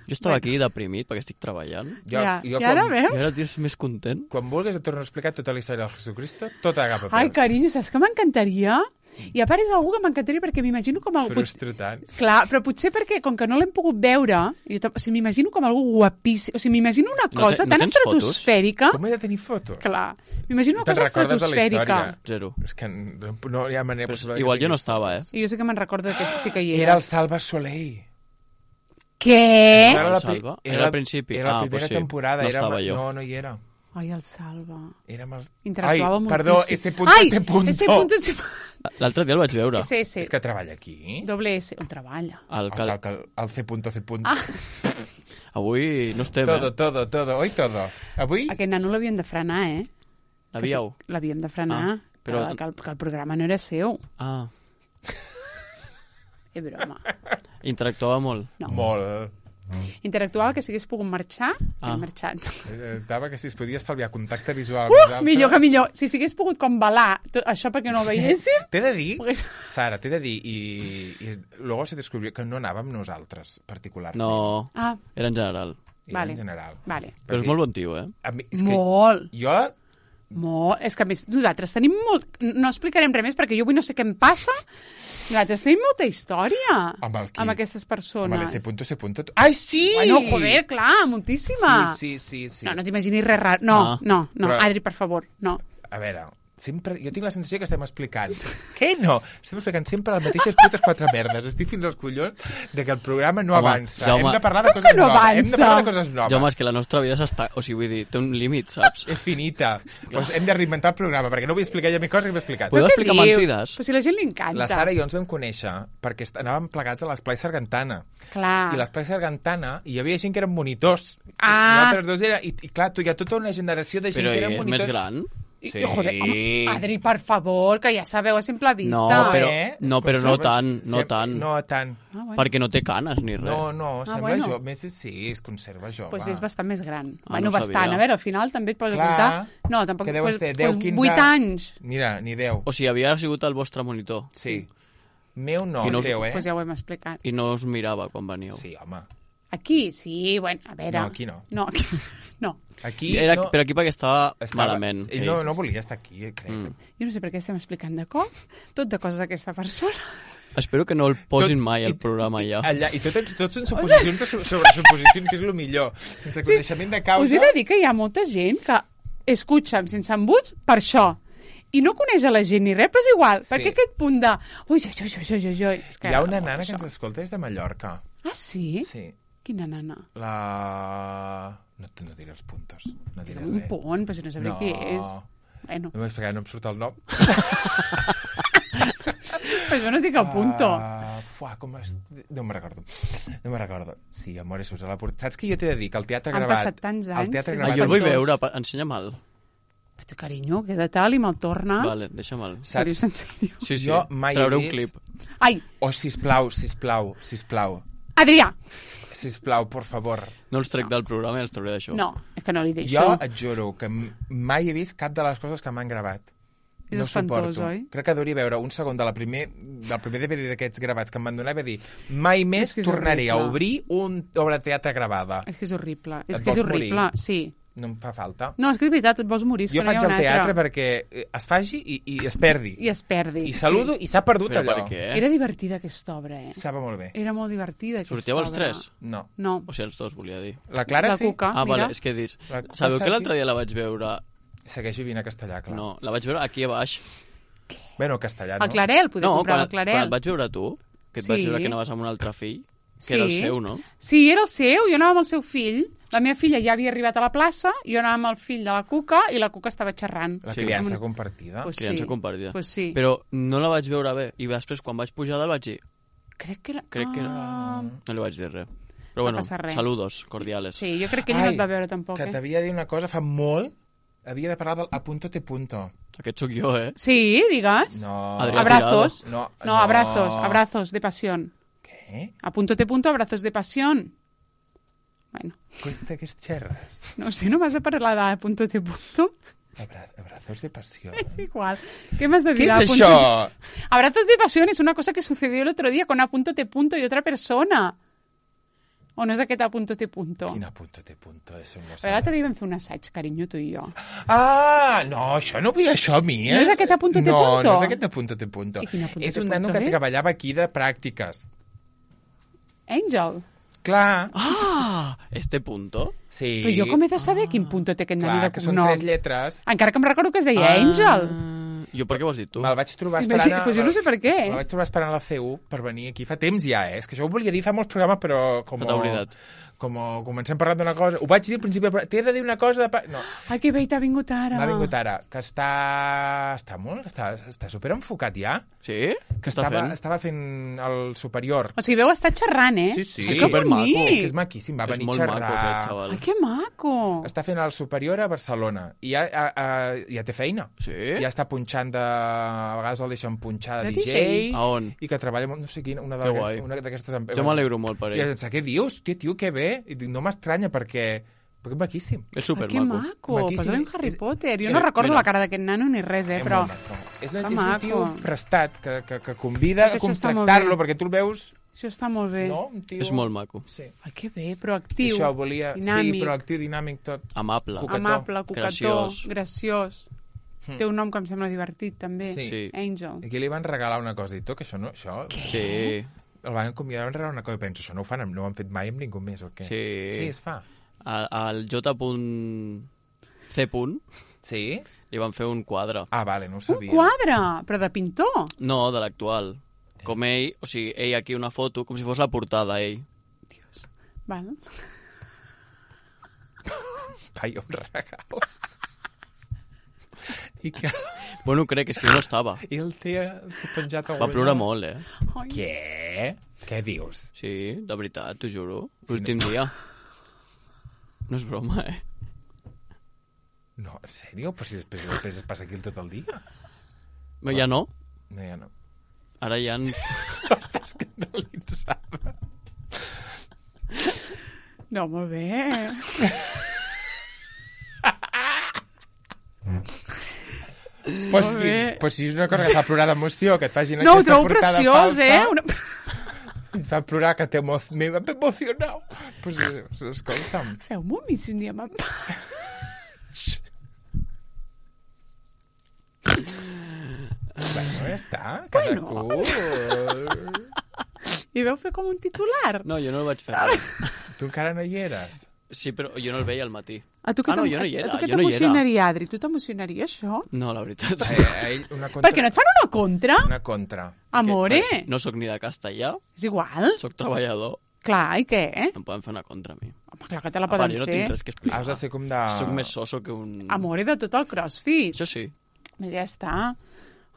Speaker 3: Jo estava
Speaker 1: Bueno.
Speaker 3: aquí deprimit perquè estic treballant.
Speaker 2: Jo,
Speaker 1: Ja,
Speaker 2: jo
Speaker 1: I ara
Speaker 2: quan,
Speaker 3: I
Speaker 1: veus?
Speaker 3: ara tens més content.
Speaker 2: quan vulguis et torno a explicar tota la història del Jesucristo, tot agafa peus.
Speaker 1: Ai, carinyo, saps que m'encantaria? I a part és algú que m'encantaria perquè m'imagino com algú...
Speaker 2: Frustro tant.
Speaker 1: Clar, però potser perquè, com que no l'hem pogut veure, jo tam- o sigui, m'imagino com algú guapíssim. O sigui, m'imagino una
Speaker 3: No
Speaker 1: cosa
Speaker 3: te- no
Speaker 1: tan
Speaker 3: tens fotos?
Speaker 1: estratosfèrica...
Speaker 2: Com he de tenir fotos?
Speaker 1: Clar, m'imagino una
Speaker 2: Te'n
Speaker 1: cosa
Speaker 2: recordes de la
Speaker 1: estratosfèrica.
Speaker 2: història?
Speaker 3: Zero.
Speaker 2: És que no, no hi ha manera
Speaker 3: Però
Speaker 2: possible.
Speaker 3: igual
Speaker 2: que
Speaker 3: jo no
Speaker 2: tinguis
Speaker 3: estava, eh?
Speaker 2: fotos.
Speaker 1: I jo sé que me'n recordo que sí que hi era.
Speaker 2: Era el Salva Soleil.
Speaker 1: Què?
Speaker 3: Era el
Speaker 2: la pri-
Speaker 3: Salva? Era al principi?
Speaker 2: Era la
Speaker 3: Ah,
Speaker 2: primera
Speaker 3: pues sí.
Speaker 2: temporada.
Speaker 3: No
Speaker 2: era
Speaker 3: estava jo.
Speaker 2: No, no hi era.
Speaker 1: Ai, el Salva.
Speaker 2: Érem els...
Speaker 1: Interactuava
Speaker 2: Ai,
Speaker 1: moltíssim.
Speaker 2: perdó, ese punto,
Speaker 1: Ai,
Speaker 2: ese punto.
Speaker 1: ese punto, ese...
Speaker 3: L'altre dia el vaig veure.
Speaker 1: Ese, ese.
Speaker 2: És que treballa aquí.
Speaker 1: Doble S. On treballa?
Speaker 3: El
Speaker 2: El,
Speaker 3: cal...
Speaker 2: el, el C punto, C punto.
Speaker 1: Ah.
Speaker 3: Avui no estem,
Speaker 2: Todo,
Speaker 3: eh?
Speaker 2: todo, todo, hoy todo. Avui...
Speaker 1: Aquest nano l'havien de frenar, eh?
Speaker 3: L'havíeu?
Speaker 1: Que sí, l'havíem de frenar.
Speaker 3: Ah, però-
Speaker 1: Però... Que, el, que el programa no era seu.
Speaker 3: Ah,
Speaker 1: És broma.
Speaker 3: interactuava molt.
Speaker 1: No.
Speaker 2: Molt.
Speaker 1: Interactuava que si hagués pogut marxar, ah.
Speaker 3: Ah.
Speaker 1: hem marxat.
Speaker 2: Eh, Estava que si es podia estalviar contacte visual.
Speaker 1: Uh, millor que millor. Si s'hagués pogut com balar tot això perquè no ho veiéssim,
Speaker 2: T'he de dir,
Speaker 1: Pogués-
Speaker 2: Sara, t'he de dir, i, i luego se descubrió que no anàvem nosaltres, particularment.
Speaker 3: No,
Speaker 1: ah,
Speaker 3: era en general.
Speaker 2: Era
Speaker 1: vale.
Speaker 2: en general.
Speaker 1: vale.
Speaker 3: Però és molt bon tio, eh?
Speaker 2: A mi, és que
Speaker 1: Molt,
Speaker 2: jo...
Speaker 1: molt. És que a més nosaltres tenim molt... No explicarem res més perquè jo avui no sé què em passa. Nosaltres tenim molta història
Speaker 2: Amb el qui?
Speaker 1: amb aquestes
Speaker 2: Amb
Speaker 1: persones.
Speaker 2: el C punto, C punto... Ai, sí!
Speaker 1: Bueno, joder, clar, moltíssima.
Speaker 2: Sí, sí, sí, sí.
Speaker 1: No, no t'imaginis res raro. No,
Speaker 3: Ah.
Speaker 1: no, no.
Speaker 2: Però-
Speaker 1: Adri, per favor, no.
Speaker 2: A veure, sempre... Jo tinc la sensació que estem explicant... Què no? Estem explicant sempre les mateixes putes quatre merdes. Estic fins als collons de que el programa no
Speaker 3: Home,
Speaker 2: avança.
Speaker 3: Jaume-
Speaker 2: Hem de parlar de
Speaker 1: Com
Speaker 2: coses
Speaker 1: que no
Speaker 2: noves. Hem de
Speaker 1: avança?
Speaker 2: parlar de coses noves.
Speaker 3: Jaume, és que la nostra vida s'està... O sigui, vull dir, té un límit, saps?
Speaker 2: És finita. Doncs hem de reinventar el programa, perquè no vull explicar ja més coses que m'he explicat.
Speaker 3: Podeu
Speaker 1: Però què
Speaker 3: explicar
Speaker 1: diu?
Speaker 3: mentides?
Speaker 1: Però si a la gent li encanta.
Speaker 2: La Sara i jo ens vam conèixer perquè est- anàvem plegats a l'Esplai Sargantana.
Speaker 1: Clar.
Speaker 2: I l'Esplai Sargantana hi havia gent que eren monitors.
Speaker 1: Ah.
Speaker 2: Nosaltres dos era... I, I clar, tu hi ha tota una generació de gent
Speaker 3: Però
Speaker 2: que eren
Speaker 3: és
Speaker 2: monitors.
Speaker 3: més gran?
Speaker 1: I-
Speaker 2: Sí.
Speaker 1: Joder, home, Adri, per favor, que ja sabeu a simple vista.
Speaker 3: No, però-
Speaker 2: Eh?
Speaker 3: no,
Speaker 2: Es
Speaker 3: però no
Speaker 2: conserva-
Speaker 3: tant, no
Speaker 2: sem-
Speaker 3: tant.
Speaker 2: No tant.
Speaker 1: Ah, bueno.
Speaker 3: Perquè no té canes ni res.
Speaker 2: No, no, sembla
Speaker 1: bueno.
Speaker 2: jove. Més sí, es conserva jove.
Speaker 1: Pues és bastant més gran.
Speaker 3: Ah,
Speaker 1: bueno,
Speaker 3: no
Speaker 1: bastant.
Speaker 3: sabia.
Speaker 1: A veure, al final també et pots
Speaker 2: Clar.
Speaker 1: comptar... No, tampoc...
Speaker 2: Que deuen
Speaker 1: pues,
Speaker 2: ser deu,
Speaker 1: pues,
Speaker 2: quinze...
Speaker 1: vuit anys.
Speaker 2: Mira, ni deu.
Speaker 3: O sigui, havia sigut el vostre monitor
Speaker 2: Sí. Meu no,
Speaker 3: I no us-
Speaker 2: teu, eh?
Speaker 1: Pues ja ho hem explicat.
Speaker 3: i no us mirava quan veníeu.
Speaker 2: Sí, home.
Speaker 1: Aquí, sí, bueno, a veure...
Speaker 2: No, aquí no.
Speaker 1: No, aquí no.
Speaker 2: Aquí
Speaker 3: Era,
Speaker 2: no...
Speaker 3: Però aquí perquè estava,
Speaker 2: estava-
Speaker 3: malament.
Speaker 2: Ell no, no volia estar aquí, eh, crec.
Speaker 3: Mm.
Speaker 1: Jo no sé per què estem explicant de cop tot de coses d'aquesta persona.
Speaker 3: Espero que no el posin
Speaker 2: Tot-
Speaker 3: mai al
Speaker 2: i-
Speaker 3: programa ja.
Speaker 2: Allà, I tot, tot són suposicions de so- sobre suposicions, que és el millor. Sense coneixement de causa...
Speaker 1: Us he de dir que hi ha molta gent que escucha sense embuts per això. I no coneix a la gent ni res, però és igual.
Speaker 2: Sí.
Speaker 1: Perquè aquest punt de... Ui, ui, ui, ui, ui, ui. És que
Speaker 2: Hi ha una
Speaker 1: oh,
Speaker 2: nana que
Speaker 1: això.
Speaker 2: ens escolta des de Mallorca.
Speaker 1: Ah, sí?
Speaker 2: Sí.
Speaker 1: Quina nana?
Speaker 2: La... No, no diré els puntos. No diré
Speaker 1: Un
Speaker 2: res.
Speaker 1: pont, però si no sabré
Speaker 2: No.
Speaker 1: qui és. Bueno,
Speaker 2: No m'he explicat, no em surt el nom.
Speaker 1: però jo no dic el punto.
Speaker 2: Uh, fuà, com es... No me'n recordo. No me'n recordo. Sí, amor, és a la porta. Saps què jo t'he de dir? Que el teatre
Speaker 1: Han
Speaker 2: gravat...
Speaker 1: passat tants
Speaker 2: El
Speaker 1: anys,
Speaker 2: teatre
Speaker 1: és
Speaker 3: Ah,
Speaker 2: gravat...
Speaker 3: jo el vull
Speaker 1: espantós.
Speaker 3: veure, pa- ensenya'm-el.
Speaker 1: Però, carinyo, queda tal i me'l tornes.
Speaker 3: Vale, deixa'm-el.
Speaker 1: Ho dius en sèrio?
Speaker 3: Sí, sí,
Speaker 2: Jo mai he
Speaker 3: trauré un
Speaker 2: vist-
Speaker 3: clip.
Speaker 1: Ai,
Speaker 2: Oh, sisplau, sisplau, sisplau.
Speaker 1: Adrià!
Speaker 2: Sisplau, por favor.
Speaker 3: No els trec del programa i els trauré d'això.
Speaker 1: No, és que no li deixo.
Speaker 2: Jo et juro que m- mai he vist cap de les coses que m'han gravat.
Speaker 1: És
Speaker 2: No
Speaker 1: espantós,
Speaker 2: suporto.
Speaker 1: oi?
Speaker 2: Crec que hauria veure un segon de la primer, del primer D V D d'aquests gravats que em van donar i va dir mai més
Speaker 1: És que és
Speaker 2: tornaré a
Speaker 1: horrible.
Speaker 2: obrir un obra de teatre gravada.
Speaker 1: És que és horrible. És
Speaker 2: Et
Speaker 1: que és
Speaker 2: vols
Speaker 1: horrible,
Speaker 2: morir?
Speaker 1: sí.
Speaker 2: No em fa falta.
Speaker 1: No, és que és veritat, et vols morir. és
Speaker 2: Jo
Speaker 1: que no hi
Speaker 2: faig
Speaker 1: ha
Speaker 2: el
Speaker 1: un
Speaker 2: teatre
Speaker 1: altre.
Speaker 2: perquè eh, es faci i, i es perdi.
Speaker 1: I es perdi.
Speaker 2: I saludo
Speaker 1: sí.
Speaker 2: i s'ha perdut
Speaker 3: Però
Speaker 2: allò.
Speaker 3: per què?
Speaker 1: Era divertida aquesta obra, eh?
Speaker 2: Estava molt bé.
Speaker 1: Era molt divertida aquesta
Speaker 3: Sortíeu els
Speaker 1: obra.
Speaker 3: tres?
Speaker 2: No.
Speaker 1: No.
Speaker 3: O sigui, els dos, volia dir.
Speaker 2: La Clara
Speaker 1: La
Speaker 2: sí.
Speaker 1: Cuca.
Speaker 3: Ah,
Speaker 1: mira.
Speaker 3: vale, és que he dit...
Speaker 2: La Cuca
Speaker 3: Sabeu
Speaker 2: està
Speaker 3: que
Speaker 2: aquí?
Speaker 3: l'altre dia la vaig veure...
Speaker 2: Segueix vivint a Castellà, clar.
Speaker 3: No, la vaig veure aquí a baix.
Speaker 2: Bueno, Castellà, no?
Speaker 1: El Clarel, podeu
Speaker 3: No,
Speaker 1: comprar
Speaker 3: quan,
Speaker 1: el Clarel.
Speaker 3: quan et vaig veure tu, que et vaig
Speaker 1: Sí.
Speaker 3: veure que anaves amb un altre fill, que
Speaker 1: Sí.
Speaker 3: era el seu, no?
Speaker 1: Sí, era el seu, jo anava amb el seu fill. La meva filla ja havia arribat a la plaça, jo anava amb el fill de la Cuca i la Cuca estava xerrant.
Speaker 2: La
Speaker 3: Sí.
Speaker 2: criança
Speaker 1: Com-
Speaker 2: compartida.
Speaker 1: Pues
Speaker 3: Criança
Speaker 1: sí.
Speaker 3: compartida.
Speaker 1: Pues sí.
Speaker 3: Però no la vaig veure bé. I després, quan vaig pujar dalt, vaig dir...
Speaker 1: Crec que era...
Speaker 3: Crec que era...
Speaker 1: Ah,
Speaker 3: No li vaig dir res. Però bueno,
Speaker 1: no passa res.
Speaker 3: saludos cordiales.
Speaker 1: Sí, jo crec que ell no et va veure tampoc,
Speaker 2: que
Speaker 1: eh?
Speaker 2: t'havia de dir una cosa fa molt. Havia de parlar del a punto te punto.
Speaker 3: Aquest sóc jo, eh?
Speaker 1: Sí, digues.
Speaker 2: No.
Speaker 3: Adrià
Speaker 1: Abrazos.
Speaker 2: No,
Speaker 1: No, abrazos, abrazos de pasión.
Speaker 2: Què?
Speaker 1: A punto te punto, abrazos de pasión. Bueno,
Speaker 2: Cuesta que xerres.
Speaker 1: no sé, no vas a parlar de a punto te punto.
Speaker 2: Abra abrazos de pasión.
Speaker 1: Es igual. ¿Qué más de
Speaker 2: ¿Qué
Speaker 1: dir? A
Speaker 2: es
Speaker 1: punto
Speaker 2: això?
Speaker 1: te- Abrazos de pasión es una cosa que sucedió el otro día con a punto te punto y otra persona. O no és aquest a punto te punto?
Speaker 2: Quin a punto te punto? Eso no
Speaker 1: Però ara
Speaker 2: sé.
Speaker 1: t'hi vam fer un assaig, carinyo, tu i jo.
Speaker 2: Ah, no, això no vull això a mi, eh?
Speaker 1: No és aquest a punto te
Speaker 2: no,
Speaker 1: punto?
Speaker 2: No, és aquest a punto te punto.
Speaker 1: I quin a punto
Speaker 2: És
Speaker 1: te
Speaker 2: un nano
Speaker 1: punto,
Speaker 2: que
Speaker 1: eh?
Speaker 2: treballava aquí de pràctiques.
Speaker 1: Angel.
Speaker 2: Clar.
Speaker 3: Ah, este punto.
Speaker 2: Sí.
Speaker 1: Però jo com he de saber quin punto té aquest nano
Speaker 2: Clar,
Speaker 1: de
Speaker 2: que són
Speaker 1: cognom?
Speaker 2: tres lletres.
Speaker 1: Encara que em recordo que es deia Angel.
Speaker 3: Ah, jo per què ho has dit tu?
Speaker 2: Me'l vaig trobar
Speaker 1: Pues
Speaker 2: esperant...
Speaker 1: pues jo no sé per què.
Speaker 2: Me'l vaig trobar esperant a la C U per venir aquí. Fa temps ja, eh? És que això ho volia dir fa molts programes, però com...
Speaker 3: No t'ha oblidat.
Speaker 2: Com comencem parlant d'una cosa... Ho vaig dir al principi, però t'he de dir una cosa de... pa- No,
Speaker 1: Ai, que bé, t'ha vingut ara.
Speaker 2: m'ha vingut ara. Que està... Està molt... Està, està superenfocat ja.
Speaker 3: Sí?
Speaker 2: Que
Speaker 3: Què està
Speaker 2: estava,
Speaker 3: fent?
Speaker 2: estava fent el superior.
Speaker 1: O sigui, veu estar xerrant, eh?
Speaker 2: Sí, sí.
Speaker 1: Ai,
Speaker 3: És
Speaker 1: que
Speaker 3: supermaco.
Speaker 1: bonic.
Speaker 2: Que és maquíssim, va
Speaker 3: És
Speaker 2: venir a
Speaker 3: molt
Speaker 2: xerrar.
Speaker 3: maco, aquest xaval.
Speaker 1: Ai, que maco.
Speaker 2: Està fent el superior a Barcelona i ja, a, a, ja té feina.
Speaker 3: Sí?
Speaker 2: Ja està punxant de... A vegades el deixen punxar de,
Speaker 1: De
Speaker 2: D J.
Speaker 1: D J?
Speaker 3: A on?
Speaker 2: I que treballa, amb no sé quina, una
Speaker 3: Que guai.
Speaker 2: de- una d'aquestes empreses.
Speaker 3: Jo m'alegro molt per
Speaker 2: I
Speaker 3: ell.
Speaker 2: ens què dius? Tio, tio, que bé. I dic, no m'estranya perquè... Perquè és maquíssim.
Speaker 3: És
Speaker 1: Ai, que
Speaker 3: supermaco.
Speaker 1: maco.
Speaker 2: Maquíssim.
Speaker 1: Posa-li un Harry
Speaker 2: És-
Speaker 1: Potter. Jo
Speaker 2: Sí,
Speaker 1: no recordo
Speaker 3: mira.
Speaker 1: la cara d'aquest nano ni res, eh?
Speaker 2: És
Speaker 1: Però...
Speaker 2: molt maco. És,
Speaker 1: Que
Speaker 2: és un
Speaker 1: maco.
Speaker 2: tio prestat que, que, que convida a
Speaker 1: Això està molt
Speaker 2: contractar-lo
Speaker 1: bé.
Speaker 2: perquè tu el veus...
Speaker 1: Això està molt bé.
Speaker 2: No? Un tio...
Speaker 3: És molt maco.
Speaker 2: Sí.
Speaker 1: Ai, que bé, proactiu.
Speaker 2: Això volia...
Speaker 1: dinàmic.
Speaker 2: Sí, proactiu, dinàmic, tot.
Speaker 3: Amable.
Speaker 2: Cucató.
Speaker 1: Amable, cucató,
Speaker 3: Graciós.
Speaker 1: graciós.
Speaker 2: Hm.
Speaker 1: Té un nom que em sembla divertit, també.
Speaker 2: Sí.
Speaker 3: Sí.
Speaker 1: Angel.
Speaker 2: Aquí li van regalar una cosa i tot, que això no... Això...
Speaker 3: Sí.
Speaker 2: El van convidar a regalar una cosa i penso, això no ho fan, amb- no ho han fet mai amb ningú més, o què?
Speaker 3: Sí.
Speaker 2: Sí, es fa.
Speaker 3: Al, al J. C.
Speaker 2: Sí?
Speaker 3: li van fer un quadre.
Speaker 2: Ah, vale, no ho
Speaker 1: Un
Speaker 2: sabia.
Speaker 1: quadre, però de pintor.
Speaker 3: No, de l'actual. Com ell, o sigui, ell aquí una foto, com si fos la portada, ell.
Speaker 1: Val.
Speaker 2: Ai, un regal. I que...
Speaker 3: Bueno, crec, és que no estava.
Speaker 2: I el té està penjat a
Speaker 3: Va plorar molt, eh?
Speaker 1: Ai.
Speaker 2: Què? Què dius?
Speaker 3: Sí, de veritat, t'ho juro. L'últim dia. No és broma, eh?
Speaker 2: No, en sèrio? Però si després, després es passa aquí tot el dia.
Speaker 3: Però ja no.
Speaker 2: No, ja no.
Speaker 3: Ara ja... En...
Speaker 2: Està escandalitzada.
Speaker 1: No, molt bé.
Speaker 2: Pues,
Speaker 1: Molt bé.
Speaker 2: pues si és una cosa que fa plorar d'emoció, que et facin
Speaker 1: No, ho
Speaker 2: aquesta
Speaker 1: trobo
Speaker 2: portada
Speaker 1: preciós,
Speaker 2: falsa,
Speaker 1: eh? Una...
Speaker 2: et fa plorar que t'emo... m'he emocionat. Pues, pues escolta'm.
Speaker 1: Feu-m'ho a mi si un dia me'n va.
Speaker 2: Bueno, ja està. Cada
Speaker 1: Bueno.
Speaker 2: cu...
Speaker 1: I veu fer com un titular.
Speaker 3: No, jo no el vaig fer.
Speaker 2: Tu encara no hi eres.
Speaker 3: Sí, però jo no el veia al matí.
Speaker 1: A tu que
Speaker 3: Ah, no,
Speaker 1: t'em-
Speaker 3: jo no hi era,
Speaker 1: a tu que
Speaker 3: jo no hi era.
Speaker 1: t'emocionaria, Adri? Tu t'emocionaria, això?
Speaker 3: No, la veritat.
Speaker 2: A, a ell una contra...
Speaker 1: Per què no et fan una contra?
Speaker 2: Una contra.
Speaker 1: Amore?
Speaker 3: No sóc ni de castellà,
Speaker 1: És igual.
Speaker 3: sóc treballador.
Speaker 1: Clar, i què?
Speaker 3: Em poden fer una contra a mi.
Speaker 1: Home, clar que te la
Speaker 3: A part,
Speaker 1: poden
Speaker 3: jo no
Speaker 1: fer.
Speaker 3: tinc res que explicar.
Speaker 2: Has de ser com de...
Speaker 3: Soc més soso que un...
Speaker 1: Amore de tot el crossfit.
Speaker 3: Això sí.
Speaker 1: Ja està.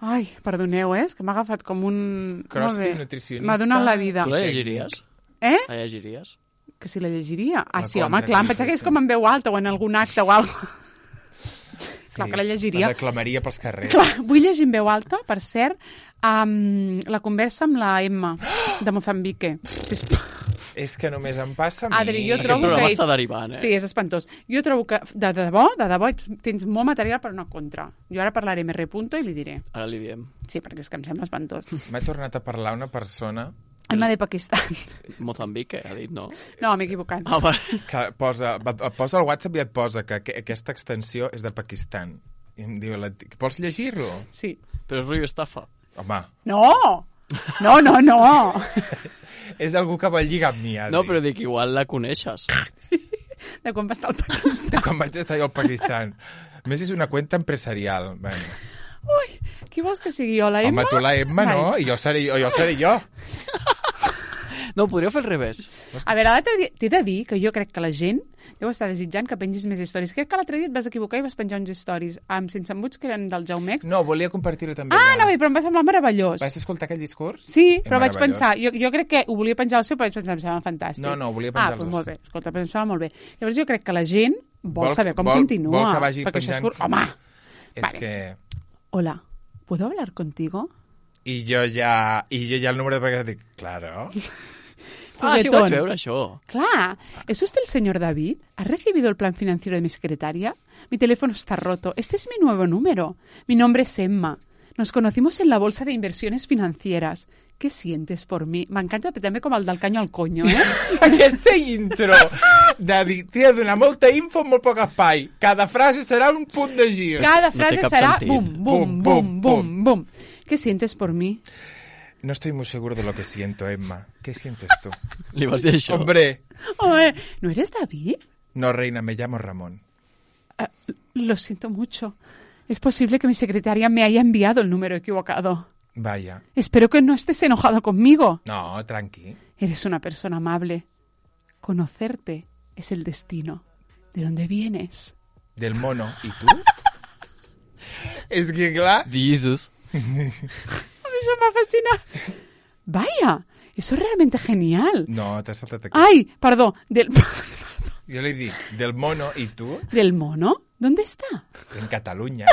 Speaker 1: Ai, perdoneu, eh? És que m'ha agafat com un...
Speaker 2: Crossfit,
Speaker 1: Molt bé.
Speaker 2: nutricionista...
Speaker 1: M'ha donat la vida.
Speaker 3: Tu la llegiries?
Speaker 1: Eh?
Speaker 3: La llegiries?
Speaker 1: Que si la llegiria? Ah,
Speaker 2: La
Speaker 1: sí, home,
Speaker 2: contra,
Speaker 1: clar, em
Speaker 2: que
Speaker 1: pensava que és
Speaker 2: sí.
Speaker 1: com en veu alta o en algun acte o alguna cosa. Clar que la llegiria.
Speaker 2: La declamaria pels carrers.
Speaker 1: Clar, vull llegir en veu alta, per cert, um, la conversa amb la Emma de Mozambique. Sisplau.
Speaker 2: És que només em passa a mi.
Speaker 1: Adri, jo
Speaker 3: Aquest
Speaker 1: trobo
Speaker 3: programa
Speaker 1: que
Speaker 3: està
Speaker 1: ets...
Speaker 3: derivant, eh?
Speaker 1: Sí, és espantós. Jo trobo que, de debò, de debò, ets, tens molt material per una contra. Jo ara parlaré amb R. Punto i li diré.
Speaker 3: Ara li diem.
Speaker 1: Sí, perquè és que em sembla espantós.
Speaker 2: M'ha tornat a parlar una persona
Speaker 1: Emma de Pakistan.
Speaker 3: Mozambique, ha dit, no?
Speaker 1: No, m'he equivocat.
Speaker 3: Ah, vale.
Speaker 2: que posa, et posa al WhatsApp i et posa que aqu- aquesta extensió és de Pakistan. I em diu, la, vols llegir-lo?
Speaker 1: Sí.
Speaker 3: Però és rotllo estafa.
Speaker 2: Home,
Speaker 1: No! No, no, no!
Speaker 2: és algú que vol lligar amb mi, Adri.
Speaker 3: No, però dic, igual la coneixes.
Speaker 1: De quan va estar al Pakistan.
Speaker 2: De quan vaig estar jo al Pakistan. A més, és una cuenta empresarial. Bueno.
Speaker 1: Ui, qui vols que sigui jo, la Emma?
Speaker 2: Home, tu la Emma, no?
Speaker 1: Vai.
Speaker 2: I jo seré jo, jo seré jo.
Speaker 3: No, podria fer al revés.
Speaker 1: A veure, l'altre dia... T'he de dir que jo crec que la gent deu estar desitjant que pengis més històries. Crec que l'altre dia et vas equivocar i vas penjar uns stories amb sense embuts que eren del Jaumex.
Speaker 2: No, volia compartir-ho també.
Speaker 1: Ah,
Speaker 2: allà.
Speaker 1: no, però em va semblar meravellós.
Speaker 2: Vas escoltar aquell discurs?
Speaker 1: Sí,
Speaker 2: És
Speaker 1: però vaig
Speaker 2: meravellós.
Speaker 1: pensar... Jo, jo crec que ho volia penjar al seu, però vaig pensar, em sembla fantàstic.
Speaker 2: No, no, volia penjar
Speaker 1: Ah,
Speaker 2: als
Speaker 1: doncs
Speaker 2: dos.
Speaker 1: molt bé. Escolta, però em sembla molt bé. Llavors jo crec que la gent vol,
Speaker 2: Vol-
Speaker 1: saber com
Speaker 2: vol-
Speaker 1: continua.
Speaker 2: vol que vagi
Speaker 1: perquè això és...
Speaker 2: penjant-
Speaker 1: fur- Home!
Speaker 2: És
Speaker 1: Vale.
Speaker 2: que...
Speaker 1: Hola, ¿puedo hablar contigo?
Speaker 2: I jo ja... I jo ja el número de vegades dic, claro.
Speaker 3: Ah, sí, ho
Speaker 1: Juguetón.
Speaker 3: vaig veure, això.
Speaker 1: Claro, ¿es usted el señor David? ¿Ha recibido el plan financiero de mi secretaria? Mi teléfono está roto. Este es mi nuevo número. Mi nombre es Emma. Nos conocimos en la bolsa de inversiones financieras. ¿Qué sientes por mí? M'encanta també com el del canyo al coño, eh?
Speaker 2: Aquesta intro de dir, tia, donar molta info en molt poc espai. Cada frase serà un punt de gir.
Speaker 1: Cada
Speaker 3: No té
Speaker 1: frase
Speaker 3: cap
Speaker 1: serà
Speaker 3: sentit.
Speaker 1: bum, bum,
Speaker 2: Bum,
Speaker 1: bum,
Speaker 2: bum,
Speaker 1: bum, bum. ¿Qué sientes por mí?
Speaker 2: No estoy muy seguro de lo que siento, Emma. ¿Qué sientes tú?
Speaker 3: Li vas dir això.
Speaker 2: Hombre,
Speaker 1: Hombre, ¿no eres David?
Speaker 2: no, reina, me llamo Ramón.
Speaker 1: Ah, lo siento mucho. Es posible que mi secretaria me haya enviado el número equivocado.
Speaker 2: Vaya.
Speaker 1: Espero que no estés enojado conmigo.
Speaker 2: No, tranqui.
Speaker 1: Eres una persona amable. Conocerte es el destino. ¿De dónde vienes?
Speaker 2: Del mono. ¿Y tú? És que, clar...
Speaker 3: Jesus.
Speaker 1: A mí eso me fascina. Vaya, eso es realmente genial.
Speaker 2: No, t'has saltat aquí.
Speaker 1: Ay, perdón, del,
Speaker 2: Jo li dic, del mono, ¿y tú?
Speaker 1: del mono. ¿Dónde está?
Speaker 2: En Cataluña.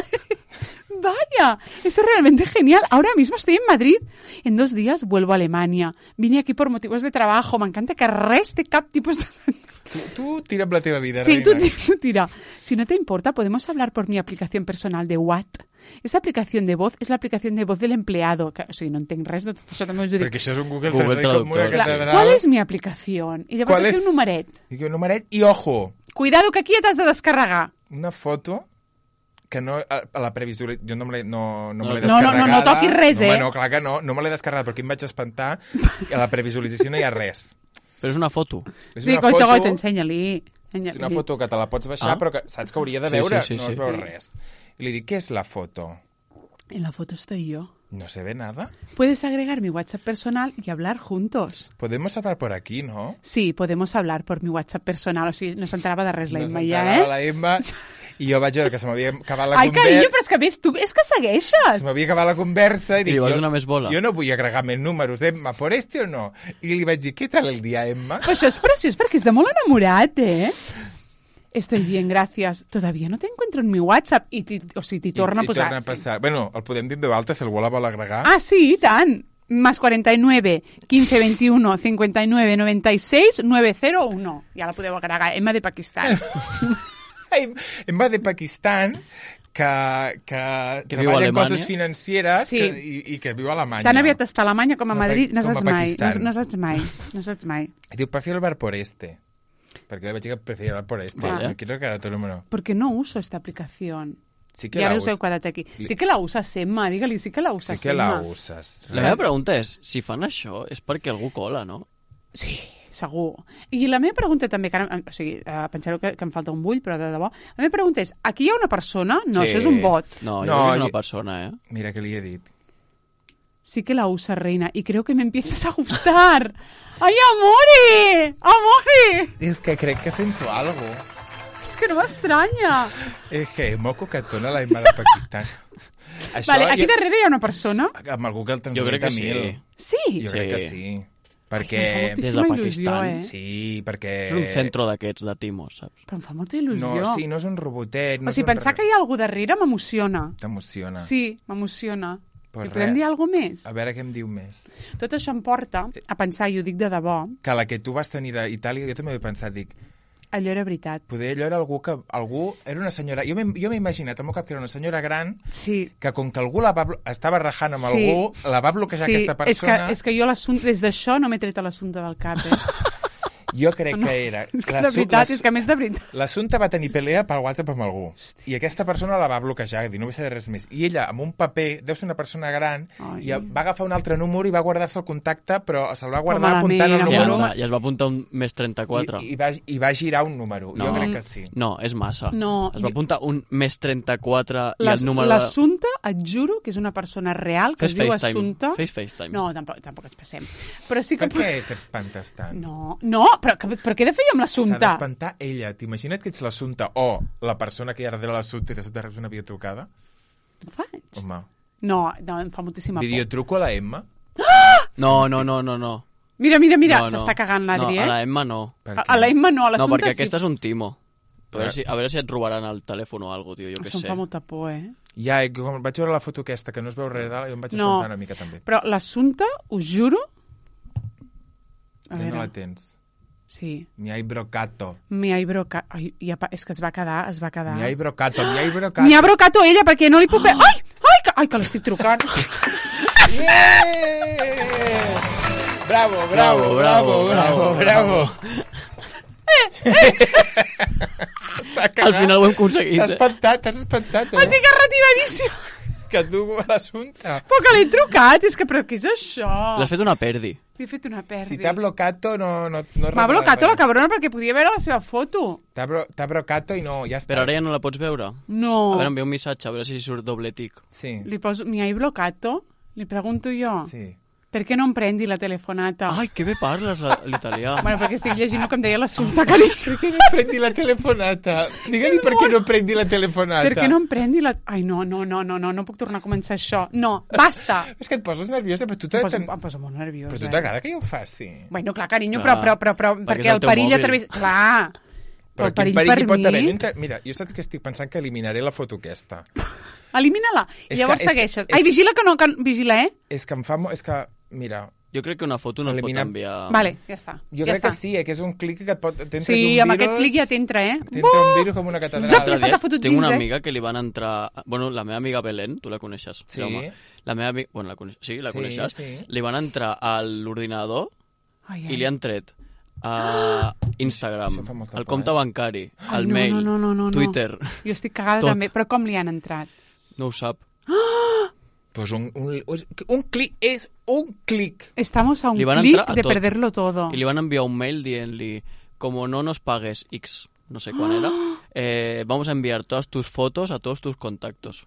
Speaker 1: Vaya, eso es realmente genial. Ahora mismo estoy en Madrid. En dos días vuelvo a Alemania. Vine aquí por motivos de trabajo. Me encanta que res té cap tipus de...
Speaker 2: Tu, tu tira amb la teva vida,
Speaker 1: Sí, tú,
Speaker 2: reina.
Speaker 1: ti- tú tira. Si no te importa, podemos hablar por mi aplicación personal de Watt. Esta aplicación de voz es la aplicación de voz del empleado. Que, o sigui, no entenc res de tot això, també us ho dic.
Speaker 2: Perquè això és un Google,
Speaker 3: Google
Speaker 2: Translate com una
Speaker 3: Traductor.
Speaker 1: Clar,
Speaker 2: catedral.
Speaker 1: ¿cuál es mi aplicación? I llavors
Speaker 2: ¿Cuál
Speaker 1: aquí
Speaker 2: es?
Speaker 1: un numeret.
Speaker 2: Dic un numeret i, ojo,
Speaker 1: Cuidado que aquí ja t'has de descarregar.
Speaker 2: una foto que no, a, a la previsualització... Jo no me l'he no, no me l'he
Speaker 1: No, no, no,
Speaker 2: descarregada.
Speaker 1: no toquis res,
Speaker 2: no,
Speaker 1: eh?
Speaker 2: home, No, clar que no, no me l'he descarregat perquè em vaig espantar i a la previsualització no hi ha res.
Speaker 3: Però és una foto.
Speaker 2: És
Speaker 1: Sí,
Speaker 2: una
Speaker 1: goito,
Speaker 2: foto,
Speaker 1: goito, ensenya-li.
Speaker 2: és
Speaker 1: Ensenya-li.
Speaker 2: una foto que te la pots baixar,
Speaker 3: Ah.
Speaker 2: però que saps que hauria de
Speaker 3: Sí,
Speaker 2: veure,
Speaker 3: sí, sí,
Speaker 2: no
Speaker 3: sí.
Speaker 2: es veu res. I li dic, què és la foto?
Speaker 1: En la foto estoy yo.
Speaker 2: No se ve nada.
Speaker 1: Puedes agregar mi WhatsApp personal y hablar juntos.
Speaker 2: Podemos hablar por aquí, ¿no?
Speaker 1: Sí, podemos hablar por mi WhatsApp personal. O sigui, no s'enterava de res la
Speaker 2: No
Speaker 1: Imma
Speaker 2: s'enterava
Speaker 1: ja, eh?
Speaker 2: la Emma i jo vaig veure que se m'havia acabat la
Speaker 1: Ai,
Speaker 2: conversa.
Speaker 1: carinyo, però és que ves, tu és que segueixes.
Speaker 2: Se m'havia acabat la conversa i dic,
Speaker 3: li vas
Speaker 2: jo,
Speaker 3: donar més bola.
Speaker 2: jo no vull agregar més números, Emma, por este o no? I li vaig dir, què tal el dia, Emma?
Speaker 1: Però això és preciós perquè és de molt enamorat, eh? Estoy bien, gracias. Todavía no te encuentro en mi WhatsApp. I ti, o sigui, t'hi torna
Speaker 2: I,
Speaker 1: a posar.
Speaker 2: I torna a passar. Bueno, el podem dir en veu alta, si algú la vol agregar.
Speaker 1: Ah, sí, i tant. Más cuarenta y nueve, quince, veintiuno, cincuenta y nueve, noventa y seis, nueve cero uno. Ja la podeu agregar. Emma de Pakistan.
Speaker 2: Em- Emma de Pakistan, que, que,
Speaker 3: Que viu a
Speaker 2: treballa en
Speaker 3: Alemanya.
Speaker 2: coses financeres
Speaker 1: Sí.
Speaker 2: que, i, i que viu a Alemanya.
Speaker 1: Tan aviat està a Alemanya com a
Speaker 2: Com a
Speaker 1: Madrid. No
Speaker 2: Pa- com
Speaker 1: saps
Speaker 2: a
Speaker 1: mai. No,
Speaker 2: Pakistan.
Speaker 1: no saps mai. No saps mai.
Speaker 2: I diu, prefiero hablar por este. Perquè li vaig dir que prefiero hablar por este.
Speaker 3: Vale.
Speaker 2: No quiero que ahora todo el número.
Speaker 1: Porque no uso esta aplicación.
Speaker 2: Sí que
Speaker 1: I
Speaker 2: la
Speaker 1: ara us heu
Speaker 2: usas.
Speaker 1: quedat aquí. Sí que la usas, Emma. Digue-li, sí que la usas,
Speaker 2: Sí que la
Speaker 1: Emma.
Speaker 2: usas.
Speaker 3: La meva pregunta és, si fan això, és perquè algú cola, no?
Speaker 1: Sí, segur. I la meva pregunta també, que ara, o sigui, eh, pensareu que, que em falta un bull, però de debò, la meva pregunta és, aquí hi ha una persona? No,
Speaker 2: Sí.
Speaker 1: això és un bot.
Speaker 3: No, jo
Speaker 2: No,
Speaker 3: crec que és una
Speaker 2: i-
Speaker 3: persona, eh?
Speaker 2: Mira que li he dit.
Speaker 1: Sí que la usa, reina, y creo que me empiezas a gustar. ¡Ay, amore! ¡Amore!
Speaker 2: És que crec que sento algo.
Speaker 1: Es que no m'estranya.
Speaker 2: És que és molt coquetona la Emma de Pakistan. Això
Speaker 1: Vale, aquí
Speaker 2: jo-
Speaker 1: darrere hi ha una persona.
Speaker 2: Amb el Google Translate
Speaker 3: Jo crec que sí.
Speaker 2: mil.
Speaker 1: Sí.
Speaker 2: Jo
Speaker 3: Sí.
Speaker 2: crec que sí.
Speaker 1: Em
Speaker 2: Perquè...
Speaker 1: fa
Speaker 3: Des de
Speaker 1: moltíssima il·lusió,
Speaker 3: Pakistan,
Speaker 1: eh?
Speaker 2: Sí, perquè...
Speaker 3: És un centre d'aquests de timos, saps?
Speaker 1: Però em fa molta il·lusió.
Speaker 2: No, sí, no és un robotet. No
Speaker 1: o sigui,
Speaker 2: és un
Speaker 1: pensar
Speaker 2: re-
Speaker 1: que hi ha algú darrere m'emociona.
Speaker 2: T'emociona.
Speaker 1: Sí, m'emociona.
Speaker 2: Pues
Speaker 1: I podem
Speaker 2: res.
Speaker 1: dir alguna cosa més?
Speaker 2: A veure què em diu més.
Speaker 1: Tot això em porta a pensar, i ho dic de debò,
Speaker 2: Que la que tu vas tenir d'Itàlia, jo també he pensat, dic,
Speaker 1: allò era veritat.
Speaker 2: poder allò era algú que... Algú era una senyora... Jo m'he jo m'he imaginat al meu cap que era una senyora gran
Speaker 1: Sí.
Speaker 2: que com que algú la va, blo- estava rajant amb
Speaker 1: Sí.
Speaker 2: algú, la va bloquejar
Speaker 1: Sí,
Speaker 2: aquesta
Speaker 1: és que,
Speaker 2: persona
Speaker 1: és que jo l'assumpte, des d'això no m'he tret l'assumpte del cap, eh?
Speaker 2: Jo crec que era...
Speaker 1: És que de veritat, és que a més de veritat.
Speaker 2: L'assumpte va tenir pelea per WhatsApp amb algú. Hòstia. I aquesta persona la va bloquejar, dir, no vull saber res més. I ella, amb un paper, deu ser una persona gran,
Speaker 1: Ai.
Speaker 2: i va agafar un altre número i va guardar-se el contacte, però se'l va guardar
Speaker 1: malament,
Speaker 2: apuntant el
Speaker 3: Sí,
Speaker 1: Però
Speaker 2: número...
Speaker 3: anda, i es va apuntar un més trenta-quatre.
Speaker 2: I, i, va, I va girar un número.
Speaker 3: No.
Speaker 2: Jo crec que sí.
Speaker 3: No, és massa.
Speaker 1: No,
Speaker 3: es va
Speaker 1: jo-
Speaker 3: apuntar un més trenta-quatre i
Speaker 1: Les-
Speaker 3: el número de...
Speaker 1: L'Assumpta, et juro que és una persona real que
Speaker 3: Fes
Speaker 1: es diu
Speaker 3: FaceTime.
Speaker 1: Assumpta.
Speaker 3: Fes FaceTime.
Speaker 1: No, tampoc, tampoc ens passem. Però sí que...
Speaker 2: Per què t'espantes tant?
Speaker 1: No, no, però, que, però què he de fer jo amb
Speaker 2: S'ha
Speaker 1: l'Assumpta?
Speaker 2: d'espantar ella. T'imagina't que ets l'assumpte o la persona que hi ha darrere l'assumpte i de sobte reps una videotrucada?
Speaker 1: Ho faig?
Speaker 2: Home,
Speaker 1: No, no, em fa moltíssima por.
Speaker 2: videotruco a la Emma?
Speaker 3: No, no, no, no, no.
Speaker 1: Mira, mira, mira,
Speaker 3: no, no.
Speaker 1: s'està cagant l'Adri,
Speaker 3: no,
Speaker 1: eh?
Speaker 3: a la Emma no.
Speaker 2: Per
Speaker 1: A,
Speaker 2: què?
Speaker 1: a la Emma no, a
Speaker 3: No,
Speaker 1: l'Assumpta
Speaker 3: perquè
Speaker 1: sí.
Speaker 3: aquest és un timo. A veure,
Speaker 2: Però-
Speaker 3: si, a veure si et robaran el telèfon o alguna cosa, tio, jo què
Speaker 1: Això em
Speaker 3: sé.
Speaker 1: fa molta por, eh?
Speaker 2: Ja, i quan vaig veure la foto aquesta, que no es veu res dalt, jo em vaig
Speaker 1: No.
Speaker 2: espantar una mica també.
Speaker 1: Però l'Assumpta, us juro... A
Speaker 2: Ja no
Speaker 1: veure,
Speaker 2: la tens.
Speaker 1: sí.
Speaker 2: Mi hay brocato.
Speaker 1: Mi hay broca... Ai, ja, pa- és que es va quedar, es va quedar.
Speaker 2: Mi hay brocato, mi hay brocato.
Speaker 1: Mi ha brocato ella, perquè no li puc... Ai, ai, que, ai, que l'estic trucant.
Speaker 2: Yeah! Bravo, bravo, bravo, bravo, bravo. S'ha
Speaker 3: Al
Speaker 2: cagat.
Speaker 3: final ho hem aconseguit.
Speaker 2: T'has
Speaker 3: Eh?
Speaker 2: espantat, t'has espantat,
Speaker 1: Estic
Speaker 2: eh?
Speaker 1: retiradíssim.
Speaker 2: Que tu a l'assumpte.
Speaker 1: Però que l'he trucat, és que, però què és això?
Speaker 3: L'has fet una perdi.
Speaker 1: Li he fet una perdi.
Speaker 2: Si t'ha blocato, no... no, no
Speaker 1: M'ha
Speaker 2: revela
Speaker 1: blocat
Speaker 2: res.
Speaker 1: la cabrona perquè podia veure la seva foto.
Speaker 2: T'ha bro, t'ha brocato i no, ja està.
Speaker 3: Però ara ja no la pots veure.
Speaker 1: No.
Speaker 3: A veure, envia un missatge, a veure si surt doble tic.
Speaker 2: Sí,
Speaker 1: Li poso, mi hai blocato? Li pregunto jo.
Speaker 2: sí.
Speaker 1: Per què no em prendi la telefonata?
Speaker 3: Ai, que bé parles la- l'italià.
Speaker 1: Bueno, perquè estic llegint el que em deia l'assumpte, carinyo.
Speaker 2: Per què no prendi la telefonata? Digue-li per què no prendi la telefonata.
Speaker 1: Per què no em prendi la... Ai, no, no, no, no, no, no puc tornar a començar això. No, basta.
Speaker 2: És que et poses nerviosa, però tu
Speaker 1: Em
Speaker 2: t'ha-
Speaker 1: poso, em poso molt nerviosa.
Speaker 2: però tu t'agrada que jo ho faci.
Speaker 1: Bueno, clar, carinyo,
Speaker 3: Clar,
Speaker 1: però, però, però, però
Speaker 3: perquè
Speaker 1: perquè
Speaker 3: és el
Speaker 1: el
Speaker 3: teu
Speaker 1: perill
Speaker 3: mòbil.
Speaker 1: a través... Clar,
Speaker 2: Però
Speaker 1: el
Speaker 2: quin
Speaker 1: perill
Speaker 2: perill
Speaker 1: per
Speaker 2: hi pot
Speaker 1: mi...
Speaker 2: haver? No inter- Mira, jo saps que estic pensant que eliminaré la foto aquesta.
Speaker 1: Elimina-la. I
Speaker 2: És
Speaker 1: llavors
Speaker 2: que- és que-
Speaker 1: segueixes.
Speaker 2: és
Speaker 1: Ai,
Speaker 2: que-
Speaker 1: vigila que no... Que... Vigila, eh?
Speaker 2: És que em fa... mo- És que, mira,
Speaker 3: Jo crec que una foto no es pot
Speaker 2: Elimina-
Speaker 3: enviar...
Speaker 1: Vale, ja està.
Speaker 2: jo
Speaker 1: ja
Speaker 2: crec
Speaker 1: està.
Speaker 2: que sí, eh, que és un clic que et pot... t'entra
Speaker 1: Sí,
Speaker 2: un
Speaker 1: amb
Speaker 2: virus,
Speaker 1: aquest clic ja t'entra, eh?
Speaker 2: T'entra un virus com una catedral.
Speaker 1: Zap,
Speaker 3: L'altre
Speaker 1: ja se
Speaker 3: dia
Speaker 1: t'ha fotut
Speaker 3: Tinc
Speaker 1: dins,
Speaker 3: una
Speaker 1: eh?
Speaker 3: amiga que li van entrar... Bueno, la meva amiga Belén, tu la coneixes.
Speaker 2: Sí.
Speaker 3: Jaume. La meva amiga... Bueno, la coneixes. Sí, la
Speaker 2: Sí,
Speaker 3: coneixes.
Speaker 2: sí.
Speaker 3: Li van entrar a l'ordinador
Speaker 1: Ai, ai.
Speaker 3: i li han tret a Instagram,
Speaker 2: Això fa molta
Speaker 3: el
Speaker 2: por,
Speaker 3: compte
Speaker 2: eh?
Speaker 3: bancari,
Speaker 1: Ai,
Speaker 3: el
Speaker 1: no,
Speaker 3: mail,
Speaker 1: no, no, no, no,
Speaker 3: Twitter.
Speaker 1: Jo estic cagada
Speaker 3: Tot.
Speaker 1: també. Però com li han entrat?
Speaker 3: No ho sap.
Speaker 2: Pues un, un, un clic és un clic.
Speaker 1: Estamos a un
Speaker 3: Li van
Speaker 1: clic
Speaker 3: entrar a
Speaker 1: de
Speaker 3: tot.
Speaker 1: perderlo todo.
Speaker 3: I li van enviar un mail dient-li, como no nos pagues X, no sé quan era, eh, vamos a enviar todas tus fotos a todos tus contactos.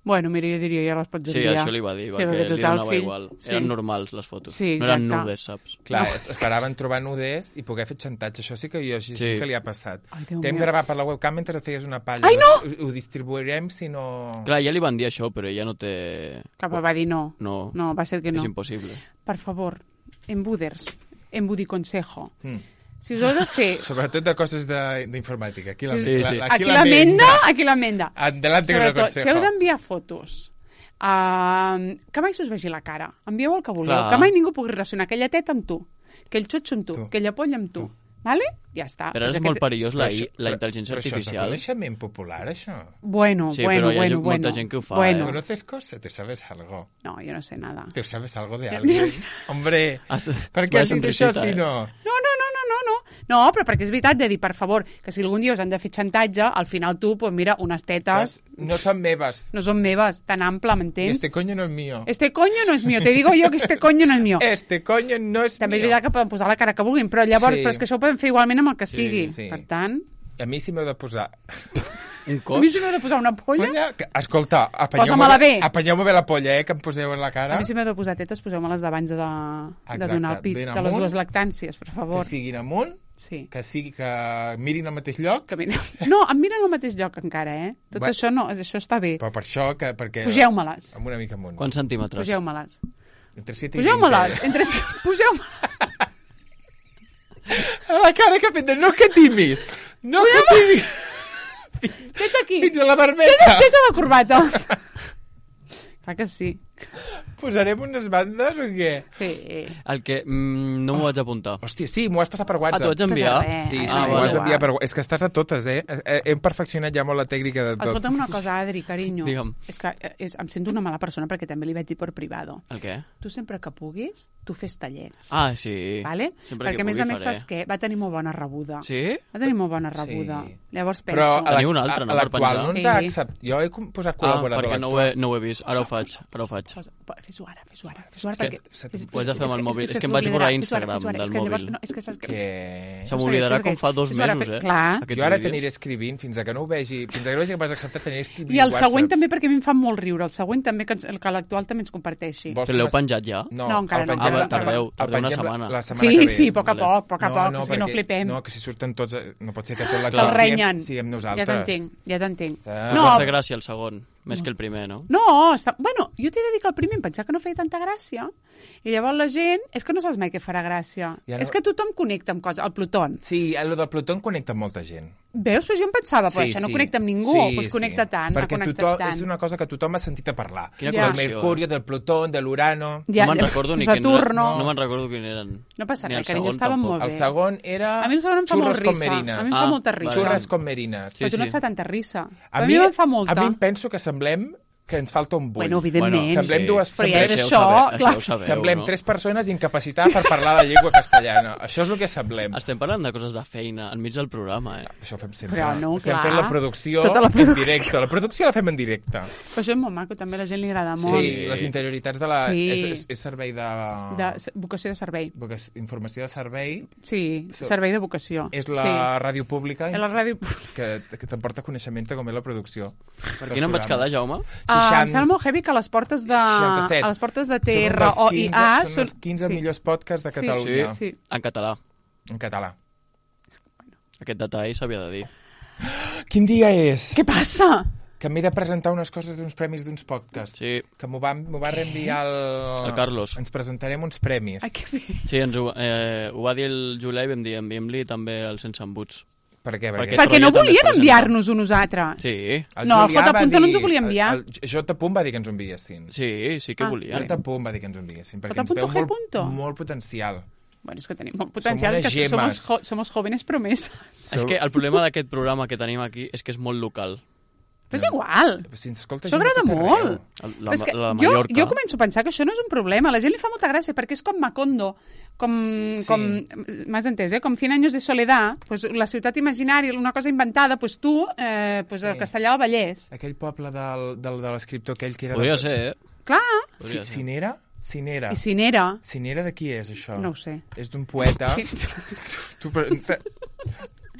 Speaker 1: Bueno, mira, jo diria, ja les pots
Speaker 3: Sí,
Speaker 1: enviar.
Speaker 3: això li va dir,
Speaker 1: Sí,
Speaker 3: perquè
Speaker 1: perquè
Speaker 3: li
Speaker 1: total,
Speaker 3: donava
Speaker 1: fill,
Speaker 3: igual.
Speaker 1: sí.
Speaker 3: Eren normals, les fotos.
Speaker 1: Sí,
Speaker 3: no eren
Speaker 1: exacte.
Speaker 3: nudes, saps?
Speaker 2: Clar, es- esperaven trobar nuders i poder fer xantatge. Això sí que jo sí, sí.
Speaker 3: Sí.
Speaker 2: que li ha passat.
Speaker 1: Ai, Déu
Speaker 2: T'hem
Speaker 1: meu.
Speaker 2: gravat per la webcam mentre et feies una palla.
Speaker 1: Ai, no!
Speaker 2: Ho, ho distribuirem si no...
Speaker 3: Clar, ja li van dir això, però ella no té...
Speaker 1: Cap va dir no.
Speaker 3: No,
Speaker 1: No, va ser que no.
Speaker 3: és impossible.
Speaker 1: Per favor, embuders, embudiconsejo.
Speaker 2: Mm.
Speaker 1: Si us heu de fer...
Speaker 2: Sobretot de coses de- d'informàtica. Aquí, la,
Speaker 3: Sí, sí.
Speaker 2: la,
Speaker 1: Aquí la menda, aquí la menda.
Speaker 2: Adelante con el
Speaker 1: Sobretot,
Speaker 2: consejo.
Speaker 1: si heu d'enviar fotos, uh, que mai s'us vegi la cara. Envieu el que vulgueu.
Speaker 3: Clar.
Speaker 1: Que mai ningú pugui relacionar aquella teta amb tu, aquell xotxo amb tu,
Speaker 2: Tu.
Speaker 1: aquella polla amb tu. Vale? Ja està.
Speaker 3: Però ara
Speaker 1: Pues
Speaker 3: és molt
Speaker 1: aquest-
Speaker 3: perillós la,
Speaker 2: Però
Speaker 3: I-
Speaker 2: això-
Speaker 3: la
Speaker 2: però-
Speaker 3: intel·ligència
Speaker 2: però
Speaker 3: artificial.
Speaker 2: Això és reconeixement popular, això.
Speaker 1: Bueno,
Speaker 3: Sí,
Speaker 1: bueno,
Speaker 3: però hi ha
Speaker 1: bueno,
Speaker 3: gent- molta
Speaker 1: bueno.
Speaker 3: gent que ho fa,
Speaker 1: bueno.
Speaker 3: eh?
Speaker 2: ¿Conoces cosas? ¿Te sabes algo?
Speaker 1: No, jo no sé nada.
Speaker 2: ¿Te sabes algo de
Speaker 1: Mira,
Speaker 2: alguien?
Speaker 1: mira.
Speaker 2: Hombre,
Speaker 3: Has-
Speaker 2: per què
Speaker 3: vaya
Speaker 2: has dit això
Speaker 3: sonrisita,
Speaker 2: si
Speaker 3: eh?
Speaker 2: no?
Speaker 1: No, no, no, no, no, no. No, però perquè és veritat de dir, per favor, que si algun dia us han de fer xantatge, al final tu, pues mira, unes tetes
Speaker 2: No son meves.
Speaker 1: no són meves, tan ample,
Speaker 2: Y
Speaker 1: m'entens?
Speaker 2: este coño no es mío.
Speaker 1: Este coño no és mío, te digo yo que este coño no és mío.
Speaker 2: Este coño no es
Speaker 1: També és
Speaker 2: mío.
Speaker 1: veritat que poden posar la cara que vulguin, però llavors,
Speaker 2: Sí.
Speaker 1: però és que això ho poden fer igualment amb el que
Speaker 3: Sí,
Speaker 1: sigui.
Speaker 2: sí.
Speaker 1: Per tant,
Speaker 2: A mi si m'heu de posar...
Speaker 3: Un
Speaker 1: a
Speaker 3: cos?
Speaker 1: mi si m'heu de posar una polla,
Speaker 2: Polla? Que, escolta,
Speaker 1: Posa-me-la
Speaker 2: apanyeu-me
Speaker 1: bé.
Speaker 2: apanyeu bé la polla, eh, que em poseu en la cara.
Speaker 1: a mi si m'heu de posar tetes, poseu-me-les d'abans de, de
Speaker 2: Exacte,
Speaker 1: donar el pit,
Speaker 2: ben
Speaker 1: de les
Speaker 2: amunt.
Speaker 1: dues lactàncies, per favor.
Speaker 2: Que siguin amunt,
Speaker 1: Sí.
Speaker 2: que sigui que mirin al mateix lloc,
Speaker 1: Que mira... No, em miren al mateix lloc encara, eh? Tot
Speaker 2: Bé.
Speaker 1: això no, això està bé.
Speaker 2: però per això, que, perquè...
Speaker 1: Pugeu-me-les.
Speaker 2: Amb una mica amunt.
Speaker 3: Quants centímetres?
Speaker 1: Pugeu-me-les.
Speaker 2: Entre set i
Speaker 1: Pugeu-me-les.
Speaker 2: vint.
Speaker 1: Entre... Pugeu-me.
Speaker 2: A la cara que ha fet de no que timis. No que timis.
Speaker 1: Teta aquí.
Speaker 2: Fins a la barbeta.
Speaker 1: Teta, teta la corbata. Clar que sí.
Speaker 2: Posarem unes bandes o què?
Speaker 1: Sí.
Speaker 3: El que mm, no m'ho vaig apuntar.
Speaker 2: Hòstia, sí, m'ho has passat per
Speaker 3: Ah, t'ho
Speaker 2: WhatsApp.
Speaker 3: vaig enviar?
Speaker 1: Pues res.
Speaker 2: Sí, sí,
Speaker 3: Ah,
Speaker 2: m'ho
Speaker 3: vale.
Speaker 2: has enviat per... És que estàs a totes, eh? Eh, Hem perfeccionat ja molt la tècnica de tot.
Speaker 1: Escolta'm una cosa, Adri, carinyo.
Speaker 3: Digue'm.
Speaker 1: És que eh, és, em sento una mala persona perquè també li vaig dir per privado.
Speaker 3: El què?
Speaker 1: Tu sempre que puguis, tu fes tallets.
Speaker 3: Ah, sí.
Speaker 1: Vale?
Speaker 3: Sempre
Speaker 1: Perquè,
Speaker 3: que
Speaker 1: a més
Speaker 3: pugui
Speaker 1: a més,
Speaker 3: faré.
Speaker 1: saps què? Va tenir molt bona rebuda.
Speaker 3: Sí?
Speaker 1: Va tenir molt bona rebuda.
Speaker 2: Sí.
Speaker 1: Llavors penso...
Speaker 2: Però a la-
Speaker 3: Teniu un altre, no,
Speaker 2: a
Speaker 3: per
Speaker 2: l'actual
Speaker 3: penjar?
Speaker 2: no ens ha
Speaker 1: Sí.
Speaker 2: acceptat. Jo he com- posat
Speaker 3: Ah,
Speaker 2: col·laborador
Speaker 3: perquè no ho, he, no ho he vist. Ara ho faig, ara ho faig.
Speaker 1: Posa- po- Fes-ho ara, fes-ho ara. Fes-ho ara
Speaker 2: Que-
Speaker 1: perquè...
Speaker 2: se-
Speaker 1: és-
Speaker 3: ho haig de fer amb el
Speaker 1: és-
Speaker 3: mòbil.
Speaker 1: és
Speaker 3: És que em
Speaker 1: t'ho
Speaker 3: vaig borrar
Speaker 1: oblidarà. Fes-ho ara,
Speaker 3: Instagram
Speaker 1: fes-ho ara.
Speaker 3: del
Speaker 1: És que llavors,
Speaker 3: mòbil.
Speaker 1: no, és que saps que...
Speaker 2: Que...
Speaker 3: Se m'oblidarà
Speaker 1: Saps
Speaker 3: com
Speaker 1: què?
Speaker 3: fa dos
Speaker 1: Fes-ho ara,
Speaker 3: mesos,
Speaker 1: fe-
Speaker 3: eh?
Speaker 1: clar.
Speaker 3: Aquests
Speaker 2: Jo ara
Speaker 3: vídeos.
Speaker 2: t'aniré escrivint fins a que no ho vegi, fins a que no vegi que m'has acceptat, t'aniré escrivint
Speaker 1: I el
Speaker 2: WhatsApp.
Speaker 1: següent també, perquè a mi em fa molt riure. El següent també, que, ens, el que l'actual també ens comparteixi.
Speaker 2: Vols
Speaker 3: Però l'heu
Speaker 2: que m'es-
Speaker 3: penjat ja?
Speaker 2: No,
Speaker 1: No, encara
Speaker 2: el
Speaker 1: no.
Speaker 2: pengem
Speaker 3: Ah,
Speaker 2: la-
Speaker 3: tardeu,
Speaker 2: el
Speaker 3: tardeu una
Speaker 2: pengem la-
Speaker 3: setmana.
Speaker 2: La setmana
Speaker 1: Sí,
Speaker 2: que ve.
Speaker 1: sí, a poc a
Speaker 3: Vale.
Speaker 1: poc, a poc a
Speaker 2: No,
Speaker 1: poc,
Speaker 2: no,
Speaker 1: o sigui, no
Speaker 2: perquè-
Speaker 1: flipem.
Speaker 2: No, que si surten tots... eh, No pot ser que tot
Speaker 1: Que
Speaker 2: l'actual
Speaker 1: el renyen.
Speaker 2: siguem, siguem
Speaker 1: Ja
Speaker 2: nosaltres.
Speaker 1: t'entenc, ja t'entenc.
Speaker 2: Ah.
Speaker 3: No.
Speaker 1: No,
Speaker 3: Va fer gràcia el segon, més que el primer, no?
Speaker 1: no, està... bueno, jo t'he de dir que el primer em pensava que no feia tanta gràcia, i llavors la gent, és que no saps mai què farà gràcia.
Speaker 2: I ara-
Speaker 1: És que tothom connecta amb coses, el Pluton.
Speaker 2: Sí, el del Plutó connecta amb molta gent.
Speaker 1: Veus? Però jo em pensava, però això no connecta amb ningú, doncs connecta tant, ha
Speaker 2: Perquè
Speaker 1: connectat
Speaker 2: tothom,
Speaker 1: tant.
Speaker 2: és una cosa que tothom ha sentit a parlar.
Speaker 3: Quina
Speaker 1: Ja.
Speaker 2: Del
Speaker 3: connexió,
Speaker 2: Mercurio,
Speaker 3: eh?
Speaker 2: del Plutó, de l'Urano...
Speaker 1: Ja,
Speaker 3: no me'n
Speaker 1: ja,
Speaker 3: recordo ni
Speaker 1: Saturno.
Speaker 3: quin... No me'n recordo quin eren.
Speaker 1: No passa
Speaker 3: Ni
Speaker 1: res,
Speaker 3: el
Speaker 1: carinyo,
Speaker 3: segon
Speaker 1: estaven
Speaker 3: tampoc.
Speaker 1: molt
Speaker 2: El
Speaker 1: bé.
Speaker 2: segon era...
Speaker 1: A mi el segon em fa molt
Speaker 2: Xurros con
Speaker 1: risa.
Speaker 2: merines.
Speaker 1: A mi em fa
Speaker 3: Ah,
Speaker 1: molta risa.
Speaker 3: vale.
Speaker 2: Xurres con merines.
Speaker 3: Sí,
Speaker 1: Però tu no
Speaker 3: sí.
Speaker 1: et fa tanta risa.
Speaker 2: A
Speaker 1: A
Speaker 2: mi,
Speaker 1: mi em fa molta.
Speaker 2: a mi em penso que semblem que ens falta un bull.
Speaker 1: Bueno, evidentment.
Speaker 2: Semblem dues...
Speaker 1: Però ja és
Speaker 2: semblem,
Speaker 1: això,
Speaker 3: ho sabeu,
Speaker 1: clar.
Speaker 3: ho sabeu,
Speaker 2: semblem
Speaker 3: no?
Speaker 2: tres persones incapacitades per parlar la llengua castellana. Això és el que semblem.
Speaker 3: Estem parlant de coses de feina enmig del programa, eh?
Speaker 2: Això ho fem sempre.
Speaker 1: Però no,
Speaker 2: Estem
Speaker 1: clar.
Speaker 2: fent la producció,
Speaker 1: Tota la producció.
Speaker 2: en directe. La producció la fem en directe.
Speaker 1: Però això és molt maco, també a la gent li agrada molt.
Speaker 2: Sí, les interioritats de la...
Speaker 1: Sí.
Speaker 2: És, és, és servei de...
Speaker 1: De s- vocació de servei.
Speaker 2: vocació- Informació de servei.
Speaker 1: Sí,
Speaker 2: So-
Speaker 1: servei de vocació.
Speaker 2: És la ràdio pública
Speaker 1: Sí, és la ràdio...
Speaker 2: que, que t'emporta coneixement de com és la producció.
Speaker 3: Per quina em vaig quedar, Jaume?
Speaker 1: Ah, em sembla molt heavy que a les portes de,
Speaker 2: seixanta-set.
Speaker 1: a les portes de T
Speaker 2: Són un
Speaker 1: R
Speaker 2: dels
Speaker 1: O I
Speaker 2: quinze,
Speaker 1: A
Speaker 2: són els quinze
Speaker 1: sí.
Speaker 2: millors podcasts de
Speaker 1: Sí,
Speaker 2: Catalunya.
Speaker 1: sí.
Speaker 3: En català.
Speaker 2: En català.
Speaker 3: Aquest detall s'havia de dir.
Speaker 2: Quin dia és?
Speaker 1: Què passa?
Speaker 2: Que m'he de presentar unes coses d'uns premis d'uns podcasts.
Speaker 3: Sí,
Speaker 2: Que m'ho va, m'ho va reenviar el...
Speaker 3: El Carlos.
Speaker 2: Ens presentarem uns premis.
Speaker 1: Ai, que bé.
Speaker 3: sí ens ho, eh, ho va dir el Julià i vam dir enviem-li també el Sense Embuts.
Speaker 2: Per què?
Speaker 3: Perquè-
Speaker 1: Perquè no
Speaker 3: rotllo també es
Speaker 1: volien
Speaker 3: presenta.
Speaker 1: enviar-nos-ho nosaltres.
Speaker 3: Sí,
Speaker 2: El
Speaker 1: No, el
Speaker 2: Julià
Speaker 1: J.
Speaker 2: va
Speaker 1: Punta no ens ho
Speaker 2: dir-
Speaker 1: volia enviar.
Speaker 2: El, el J. Punt va dir que ens ho enviessin.
Speaker 3: sí, sí que
Speaker 1: Ah,
Speaker 3: volia.
Speaker 2: J. Punt va dir que ens ho enviessin. Perquè
Speaker 1: J.
Speaker 2: ens veu
Speaker 1: G.
Speaker 2: molt, molt potencial.
Speaker 1: Bueno, és que tenim molt potencial,
Speaker 2: unes
Speaker 1: és que
Speaker 2: gemes.
Speaker 1: somos, jo, somos jóvenes promesas.
Speaker 3: És que el problema d'aquest programa que tenim aquí és que és molt local.
Speaker 1: Però és igual.
Speaker 2: Si ens escolta
Speaker 1: Això
Speaker 2: gent de
Speaker 1: agrada
Speaker 2: tot
Speaker 1: molt.
Speaker 2: arreu.
Speaker 3: La,
Speaker 1: Però és que
Speaker 3: la
Speaker 1: jo,
Speaker 3: Mallorca.
Speaker 1: jo començo a pensar que això no és un problema. A la gent li fa molta gràcia, perquè és com Macondo, com,
Speaker 2: Sí.
Speaker 1: com m'has entès, eh? Com cent anys de soledat, pues, la ciutat imaginària, una cosa inventada, pues tu, eh, pues el
Speaker 2: Sí.
Speaker 1: castellà al Vallès.
Speaker 2: Aquell poble del, del, de l'escriptor aquell que era...
Speaker 3: Podria
Speaker 2: de...
Speaker 3: ser, eh?
Speaker 1: Clar,
Speaker 3: Podria
Speaker 2: Si,
Speaker 3: ser.
Speaker 2: Cinera? Cinera.
Speaker 1: i Cinera,
Speaker 2: Cinera de qui és, això?
Speaker 1: no ho sé.
Speaker 2: És d'un poeta...
Speaker 1: Sí.
Speaker 2: Tu, però, te-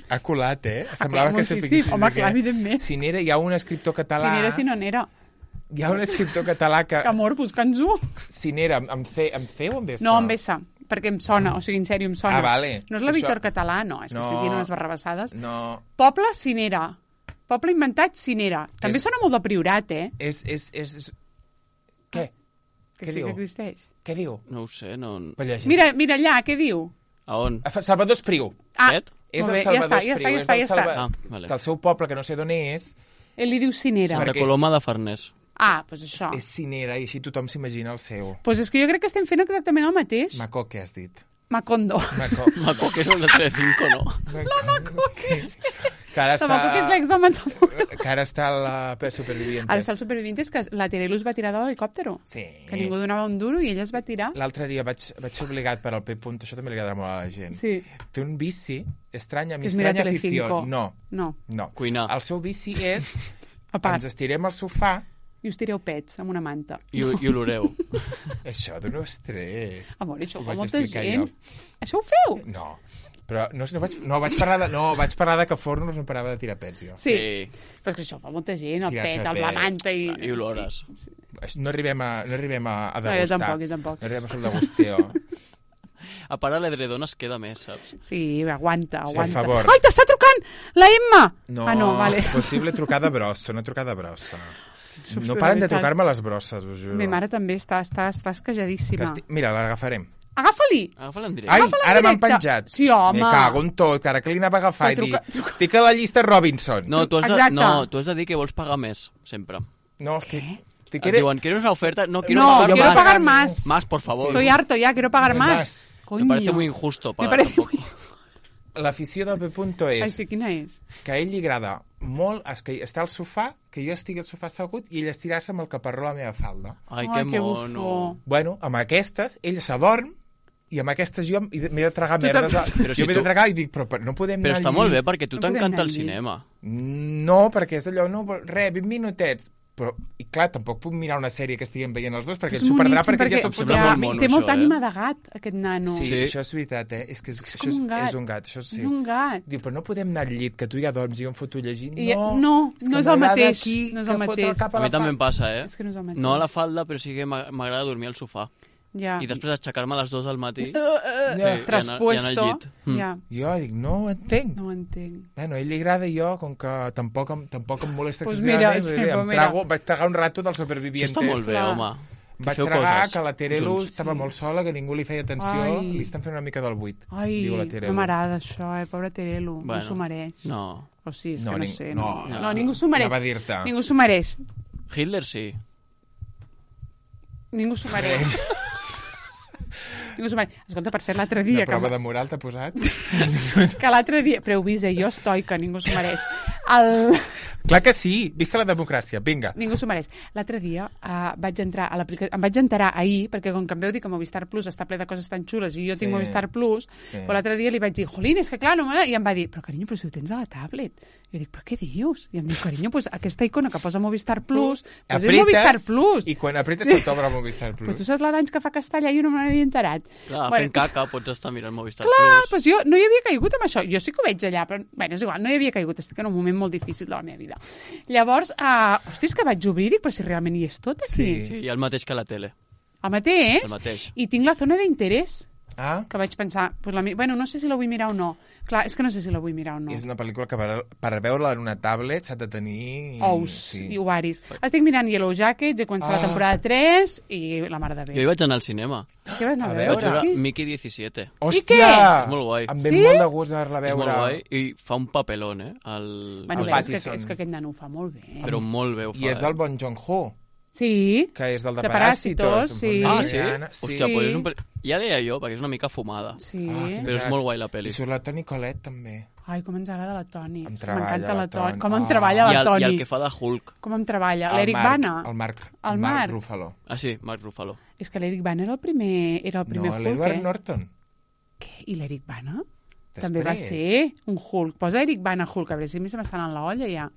Speaker 2: ha colat, eh? Semblava que
Speaker 1: Moltíssim.
Speaker 2: sapiguessis
Speaker 1: Home,
Speaker 2: de què.
Speaker 1: clar, evidentment.
Speaker 2: Cinera, hi ha un escriptor català...
Speaker 1: Cinera si no n'era.
Speaker 2: Hi ha un escriptor català que...
Speaker 1: Que amor, busca'ns-ho.
Speaker 2: Cinera, amb C, amb C o amb S?
Speaker 1: No, amb S, perquè em sona, o sigui, en sèrio, em sona.
Speaker 2: Ah, vale.
Speaker 1: No és la
Speaker 2: Això-
Speaker 1: Víctor Català, no, és que
Speaker 2: No.
Speaker 1: estic dient unes barrabassades.
Speaker 2: No,
Speaker 1: Poble Cinera. Poble inventat Cinera. També
Speaker 2: És-
Speaker 1: sona molt de Priorat, eh?
Speaker 2: és... és, és, és... Què?
Speaker 1: Que
Speaker 2: Què
Speaker 1: sí
Speaker 2: diu?
Speaker 1: que existeix.
Speaker 2: Què diu?
Speaker 3: No ho sé, no...
Speaker 2: Va, llegeix.
Speaker 1: Mira, mira allà, què diu?
Speaker 3: A on?
Speaker 2: Ah, Salvador Espriu.
Speaker 1: Ah,
Speaker 3: Aquest?
Speaker 2: És
Speaker 1: molt
Speaker 2: del
Speaker 1: bé, ja
Speaker 2: Salvador
Speaker 1: està, ja està,
Speaker 2: Espriu.
Speaker 1: ja
Speaker 2: és
Speaker 1: està,
Speaker 2: del
Speaker 1: ja està.
Speaker 2: Salva-
Speaker 3: Ah, vale.
Speaker 2: Que el seu poble, que no sé d'on és,
Speaker 1: Ell li diu Cinera.
Speaker 2: Perquè
Speaker 3: De Coloma de Farners.
Speaker 1: Ah, doncs això.
Speaker 2: és Cinera, i així tothom s'imagina el seu.
Speaker 1: Doncs és que jo crec que estem fent exactament el mateix.
Speaker 2: Macó, què has dit?
Speaker 1: Macondo.
Speaker 2: Macó.
Speaker 3: Maco, que és el de Telecinco, no?
Speaker 2: La Macó, que és... Que ara
Speaker 1: La Maco, que és
Speaker 2: està...
Speaker 1: l'ex de Matamoros.
Speaker 2: Que ara està a la Supervivientes.
Speaker 1: Ara està el supervivientes que la Terelu es va tirar de l'helicòptero.
Speaker 2: Sí.
Speaker 1: Que ningú donava un duro i ella es va tirar.
Speaker 2: L'altre dia vaig, vaig ser obligat per al P. Punt, això també li agradarà molt a la gent.
Speaker 1: Sí.
Speaker 2: Té un vici, estranya, mi
Speaker 1: Que és mirar
Speaker 2: estranya
Speaker 1: Telecinco.
Speaker 2: afició. No,
Speaker 1: No,
Speaker 2: no.
Speaker 3: Cuinar.
Speaker 2: El seu vici és...
Speaker 1: a part.
Speaker 2: Ens estirem al sofà.
Speaker 1: I us tireu pets amb una manta.
Speaker 3: I, i oloreu.
Speaker 2: Això dona estrès.
Speaker 1: Amor, això ho
Speaker 2: Ho
Speaker 1: fa
Speaker 2: vaig
Speaker 1: molta
Speaker 2: explicar
Speaker 1: gent.
Speaker 2: jo.
Speaker 1: Això ho feu?
Speaker 2: No, però no, no, vaig, no, vaig parlar de, no, vaig parlar de que Fornos no parava de tirar pets, jo.
Speaker 1: Sí.
Speaker 3: Sí.
Speaker 1: Però és que això ho fa molta gent, el
Speaker 2: Tirar-se
Speaker 1: pet, el,
Speaker 2: pet.
Speaker 1: la manta i...
Speaker 3: I olores.
Speaker 2: No arribem a, no arribem a, a
Speaker 1: No, jo
Speaker 2: degustar.
Speaker 1: tampoc, jo tampoc.
Speaker 2: No arribem a fer el degusteo.
Speaker 3: A part, a l'edredon es queda més, saps?
Speaker 1: Sí, aguanta, aguanta.
Speaker 2: per favor.
Speaker 1: Ai, t'està trucant la Emma!
Speaker 2: No,
Speaker 1: Ah, no, vale.
Speaker 2: possible trucada brossa, una trucada brossa.
Speaker 1: Uf,
Speaker 2: No
Speaker 1: de
Speaker 2: paren de
Speaker 1: veritat.
Speaker 2: trucar-me les brosses, us juro.
Speaker 1: Mi mare també està, està, està
Speaker 2: Que
Speaker 1: esquejadíssima.
Speaker 2: esti... Mira, l'agafarem.
Speaker 1: Agafa-li!
Speaker 3: Agafa-la en directe.
Speaker 2: Ai,
Speaker 1: Agafa'la en
Speaker 2: ara m'han
Speaker 1: directe.
Speaker 2: penjat.
Speaker 1: Sí, home.
Speaker 2: Me cago en tot, que ara que li anava a agafar i
Speaker 1: Però
Speaker 2: dir...
Speaker 1: truca- truca-
Speaker 2: Estic a la llista Robinson.
Speaker 3: No, tu has, de,
Speaker 1: Exacte.
Speaker 3: no, tu has de dir que vols pagar més, sempre.
Speaker 2: No, és que... Te
Speaker 3: Et
Speaker 2: quiere-
Speaker 3: diuen, ¿quieres una oferta? No, quiero
Speaker 1: No,
Speaker 3: pagar
Speaker 1: quiero
Speaker 3: más.
Speaker 1: pagar más.
Speaker 3: Más, por favor.
Speaker 1: Estoy harto ya, quiero pagar
Speaker 2: Más.
Speaker 1: más. Coño.
Speaker 3: Me parece muy injusto
Speaker 1: Me
Speaker 3: pagar
Speaker 1: parece
Speaker 3: tampoc.
Speaker 1: muy...
Speaker 2: L'afició del P. és
Speaker 1: Ai, sí, quina és?
Speaker 2: que a ell li agrada molt es que està al sofà, que jo estigui al sofà assegut i ell estirar-se amb el caparró a la meva falda.
Speaker 3: Ai,
Speaker 1: Ai,
Speaker 3: que
Speaker 1: que
Speaker 3: mono.
Speaker 1: bufó.
Speaker 2: Bueno, amb aquestes, ell s'adorm i amb aquestes jo m'he de tragar
Speaker 1: Tu
Speaker 2: merdes.
Speaker 1: t'has-
Speaker 3: Però si
Speaker 2: jo m'he de
Speaker 3: tu-
Speaker 2: tragar i dic, però, però no podem
Speaker 3: Però
Speaker 2: anar
Speaker 3: està
Speaker 2: al
Speaker 3: molt bé
Speaker 2: llit.
Speaker 3: perquè tu
Speaker 1: No podem
Speaker 3: t'encanta
Speaker 1: anar
Speaker 3: el
Speaker 1: al llit.
Speaker 3: cinema.
Speaker 2: No, perquè és allò, no, res, vint minutets. Però, i clar, tampoc puc mirar una sèrie que estiguem veient els dos, perquè
Speaker 1: És
Speaker 2: ell s'ho perdrà
Speaker 1: moníssim,
Speaker 2: perquè, ja
Speaker 3: Em
Speaker 2: s'ho
Speaker 3: sembla
Speaker 2: fotrà
Speaker 3: molt
Speaker 2: amb mi.
Speaker 3: mono,
Speaker 1: té molta
Speaker 3: això, eh?
Speaker 1: ànima de gat, aquest nano.
Speaker 2: Sí,
Speaker 3: Sí.
Speaker 2: això és veritat, eh? És que és,
Speaker 1: És
Speaker 2: això
Speaker 1: com un gat.
Speaker 2: és un gat, això sí.
Speaker 1: És un gat.
Speaker 2: Diu, però no podem anar al llit, que tu ja dorms i jo em foto llegint.
Speaker 1: I-
Speaker 2: No,
Speaker 1: no,
Speaker 2: que
Speaker 1: no és el
Speaker 2: m'agrada
Speaker 1: mateix,
Speaker 2: Aquí,
Speaker 1: no és
Speaker 2: que
Speaker 1: el
Speaker 2: fot
Speaker 1: mateix.
Speaker 2: cap
Speaker 3: A
Speaker 2: la
Speaker 3: mi també
Speaker 2: fa-
Speaker 3: em passa, eh?
Speaker 1: És que no és el mateix.
Speaker 3: No a la falda, però sí que m'a- m'agrada dormir al sofà.
Speaker 1: Ja.
Speaker 3: I després aixecar-me a les dues del matí.
Speaker 2: Ja.
Speaker 3: i anar- i anar al
Speaker 1: Traspuesto.
Speaker 3: llit. Mm.
Speaker 1: Ja.
Speaker 2: Jo dic, no ho entenc.
Speaker 1: No ho entenc.
Speaker 2: Bueno, a ell li agrada i jo, com que tampoc, em- tampoc em molesta
Speaker 1: Pues
Speaker 2: excessivament,
Speaker 1: mira, sí,
Speaker 2: em
Speaker 1: pues mira.
Speaker 2: trago, vaig tragar un rato dels
Speaker 3: Això
Speaker 2: supervivientes.
Speaker 3: està molt bé,
Speaker 1: Clar.
Speaker 3: home. Que
Speaker 2: Vaig
Speaker 3: feu
Speaker 2: tragar
Speaker 3: coses
Speaker 2: que la Terelu
Speaker 3: junts.
Speaker 2: estava
Speaker 1: Sí.
Speaker 2: molt sola, que ningú li feia atenció.
Speaker 1: Ai.
Speaker 2: Li estan fent una mica del buit,
Speaker 1: Ai,
Speaker 2: diu la Terelu.
Speaker 1: no m'agrada això, eh? Pobre Terelu. No
Speaker 3: Bueno,
Speaker 1: s'ho mereix.
Speaker 3: No.
Speaker 1: O sí, és
Speaker 2: No,
Speaker 1: que no
Speaker 2: ning-
Speaker 1: sé.
Speaker 2: no,
Speaker 1: No,
Speaker 3: no.
Speaker 1: no ningú s'ho mereix.
Speaker 2: Anava a dir-te.
Speaker 1: Ningú s'ho mereix.
Speaker 3: Hitler sí.
Speaker 1: Ningú s'ho mereix. Ningú s'ho mereix. Escolta, per cert, l'altre
Speaker 2: Una
Speaker 1: dia... Que,
Speaker 2: prova de moral t'ha posat?
Speaker 1: que l'altre dia... Però heu vist, eh? Jo estoica, ningú s'ho mereix. El...
Speaker 2: Clar que sí, visca la democràcia, vinga.
Speaker 1: Ningú s'ho mereix. L'altre dia uh, vaig entrar a l'aplicació... Em vaig enterar ahir, perquè com que em veu dir que Movistar Plus està ple de coses tan xules i jo
Speaker 2: Sí.
Speaker 1: tinc Movistar Plus,
Speaker 2: Sí.
Speaker 1: però l'altre dia li vaig dir, jolín, és que clar, no me... I em va dir, però carinyo, però si ho tens a la tablet. I jo dic, però què dius? I em diu, carinyo, pues, aquesta icona que posa Movistar Plus, pues és Movistar Plus.
Speaker 2: i quan apretes sí. t'obre Movistar Plus.
Speaker 1: Però tu saps la d'anys que fa Castellà i jo no me n'havia enterat.
Speaker 3: Clar,
Speaker 1: Bueno,
Speaker 3: fent caca pots estar mirant Movistar
Speaker 1: Clar,
Speaker 3: Plus.
Speaker 1: doncs jo no hi havia caigut amb això. Jo sí que ho veig allà, però bueno, és igual, no hi havia caigut. Estic en un moment molt difícil de la meva vida. Llavors, uh, hòstia, és que vaig obrir i dic, però si realment hi és tot aquí.
Speaker 2: Sí.
Speaker 3: Sí, i el mateix que la tele.
Speaker 1: El mateix.
Speaker 3: El mateix.
Speaker 1: I tinc la zona d'interès,
Speaker 2: Ah,
Speaker 1: que vaig pensar, pues la, mi- bueno, no sé si la vull mirar o no. Clar, és que no sé si la vull mirar o no.
Speaker 2: és una pel·lícula que per, per veure-la en una tablet s'ha de tenir...
Speaker 1: Ous
Speaker 2: sí.
Speaker 1: i ovaris. Estic mirant Yellow Jackets, he començat
Speaker 2: Ah.
Speaker 1: la temporada tres i la mar de bé.
Speaker 3: Jo hi vaig anar al cinema.
Speaker 1: Què vas anar a
Speaker 2: A
Speaker 1: veure?
Speaker 3: Vaig veure
Speaker 1: Qui?
Speaker 3: Mickey disset.
Speaker 2: Hòstia!
Speaker 1: I què?
Speaker 3: És molt guai.
Speaker 2: Em ve
Speaker 1: Sí?
Speaker 2: molt de gust anar-la a
Speaker 3: És
Speaker 2: veure.
Speaker 3: molt guai i fa un papelón, eh? El...
Speaker 1: Bueno,
Speaker 2: el
Speaker 1: però és que,
Speaker 2: Pattinson.
Speaker 1: és que aquest nano ho fa molt bé.
Speaker 3: Però molt bé ho fa.
Speaker 2: I és del
Speaker 3: eh?
Speaker 2: bon Jong-ho,
Speaker 1: Sí,
Speaker 2: que és del de,
Speaker 1: De
Speaker 2: Paràsitos.
Speaker 1: Paràsitos, sí.
Speaker 3: Ah, sí?
Speaker 2: Coreana,
Speaker 3: Hòstia,
Speaker 1: Sí.
Speaker 3: pues és un... pe- Ja deia jo, perquè és una mica fumada.
Speaker 1: sí.
Speaker 2: Ah, quines
Speaker 3: Però és
Speaker 2: ganes.
Speaker 3: molt guai la pel·li.
Speaker 2: I surt la Toni Collette, també.
Speaker 1: Ai, com ens agrada la Toni.
Speaker 2: Em
Speaker 1: És que
Speaker 2: treballa
Speaker 1: M'encanta
Speaker 2: la
Speaker 1: la Toni.
Speaker 2: Toni.
Speaker 1: Com em
Speaker 2: Ah.
Speaker 1: treballa
Speaker 3: I
Speaker 1: la
Speaker 3: el,
Speaker 1: Toni.
Speaker 3: I el que fa de Hulk.
Speaker 1: Com em treballa.
Speaker 2: El
Speaker 1: L'Eric
Speaker 2: Marc-
Speaker 1: Bana.
Speaker 2: El Marc,
Speaker 1: El
Speaker 2: el Marc
Speaker 1: Marc.
Speaker 2: Ruffalo.
Speaker 3: Ah, sí, Mark Ruffalo.
Speaker 1: És que l'Eric Bana era el primer, era el primer
Speaker 2: No,
Speaker 1: Hulk,
Speaker 2: l'Edward
Speaker 1: eh?
Speaker 2: Norton.
Speaker 1: Què? I l'Eric Bana?
Speaker 2: Després.
Speaker 1: També va ser un Hulk. Posa Eric Bana Hulk, a veure si a mi se m'estan en la olla ja.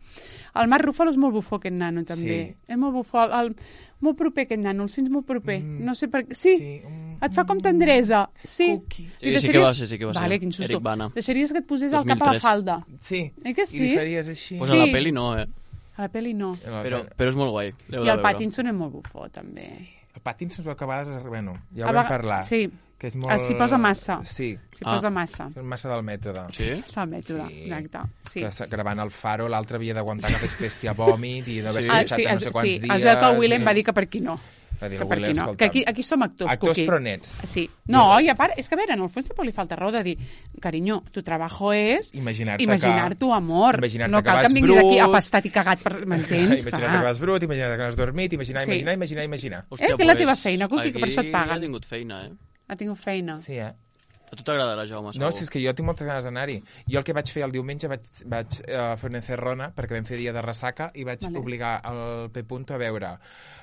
Speaker 1: El Marc Ruffalo és molt bufó, aquest nano, també.
Speaker 2: Sí.
Speaker 1: És molt bufó. El, molt proper, aquest nano. El sents molt proper.
Speaker 2: Mm.
Speaker 1: No sé per què. Sí,
Speaker 2: Sí, un-
Speaker 1: et fa com tendresa. Sí.
Speaker 2: Cookie.
Speaker 3: Sí, sí que va ser, sí que va ser.
Speaker 1: Vale, quin susto.
Speaker 3: Eric Bana.
Speaker 1: Deixaries que et posés el
Speaker 3: dos mil
Speaker 1: cap a la
Speaker 3: tres.
Speaker 1: falda.
Speaker 2: Sí.
Speaker 1: Eh que
Speaker 2: I
Speaker 1: sí?
Speaker 2: li faries així.
Speaker 3: Pues
Speaker 1: Sí.
Speaker 3: a la pel·li no, eh?
Speaker 1: A la pel·li no.
Speaker 3: Però, però és molt guai. l'heu
Speaker 1: I
Speaker 3: de
Speaker 1: el
Speaker 3: veure.
Speaker 1: Pattinson és molt bufó, també.
Speaker 2: El Pattinson es veu que a vegades... Bueno, ja
Speaker 1: A
Speaker 2: ho vam
Speaker 1: vega-
Speaker 2: parlar.
Speaker 1: Sí,
Speaker 2: Que és molt...
Speaker 1: Ah, s'hi posa massa.
Speaker 2: Sí,
Speaker 1: s'hi
Speaker 3: Ah.
Speaker 1: posa massa.
Speaker 2: és massa del mètode.
Speaker 3: Sí?
Speaker 1: És el mètode,
Speaker 2: Sí.
Speaker 1: exacte. Sí.
Speaker 2: Que s- gravant el Faro, l'altre havia d'aguantar que fes pèstia a vòmit i d'haver
Speaker 3: Sí.
Speaker 1: Ah,
Speaker 2: estat
Speaker 1: sí,
Speaker 2: a no
Speaker 1: es,
Speaker 2: sé quants
Speaker 1: sí.
Speaker 2: dies.
Speaker 1: es veu que el Willem
Speaker 2: i-
Speaker 1: va dir que per aquí no.
Speaker 2: Va dir
Speaker 1: Que
Speaker 2: el
Speaker 1: per
Speaker 2: Willem,
Speaker 1: aquí no.
Speaker 2: escolta'm,
Speaker 1: Que aquí, aquí som actors,
Speaker 2: actors
Speaker 1: Cuqui.
Speaker 2: però nets.
Speaker 1: Sí. No, i a part, és que a veure, en el fons tampoc li falta raó de dir, carinyo, tu trabajo és
Speaker 2: Imaginar-te
Speaker 1: imaginar
Speaker 2: que-
Speaker 1: tu amor.
Speaker 2: imaginar-te
Speaker 1: no
Speaker 2: que
Speaker 1: cal que
Speaker 2: vas
Speaker 1: em vinguis aquí
Speaker 2: brut.
Speaker 1: apastat i cagat, per... m'entens?
Speaker 2: Imagina't que vas brut, imagina't que no has dormit, imaginar,
Speaker 1: Sí.
Speaker 2: imaginar, imaginar, imaginar.
Speaker 1: Eh, que és la teva feina, Cuqui, que per això et
Speaker 3: aquí
Speaker 1: paguen.
Speaker 3: ha tingut feina, eh?
Speaker 1: Ha tingut feina.
Speaker 2: Sí, eh?
Speaker 3: A tu t'agradarà, Jaume,
Speaker 2: No,
Speaker 3: segur.
Speaker 2: si és que jo tinc moltes ganes d'anar-hi. Jo el que vaig fer el diumenge vaig, vaig uh, fer una encerrona perquè vam fer dia de ressaca i vaig
Speaker 1: Vale.
Speaker 2: obligar el P. a veure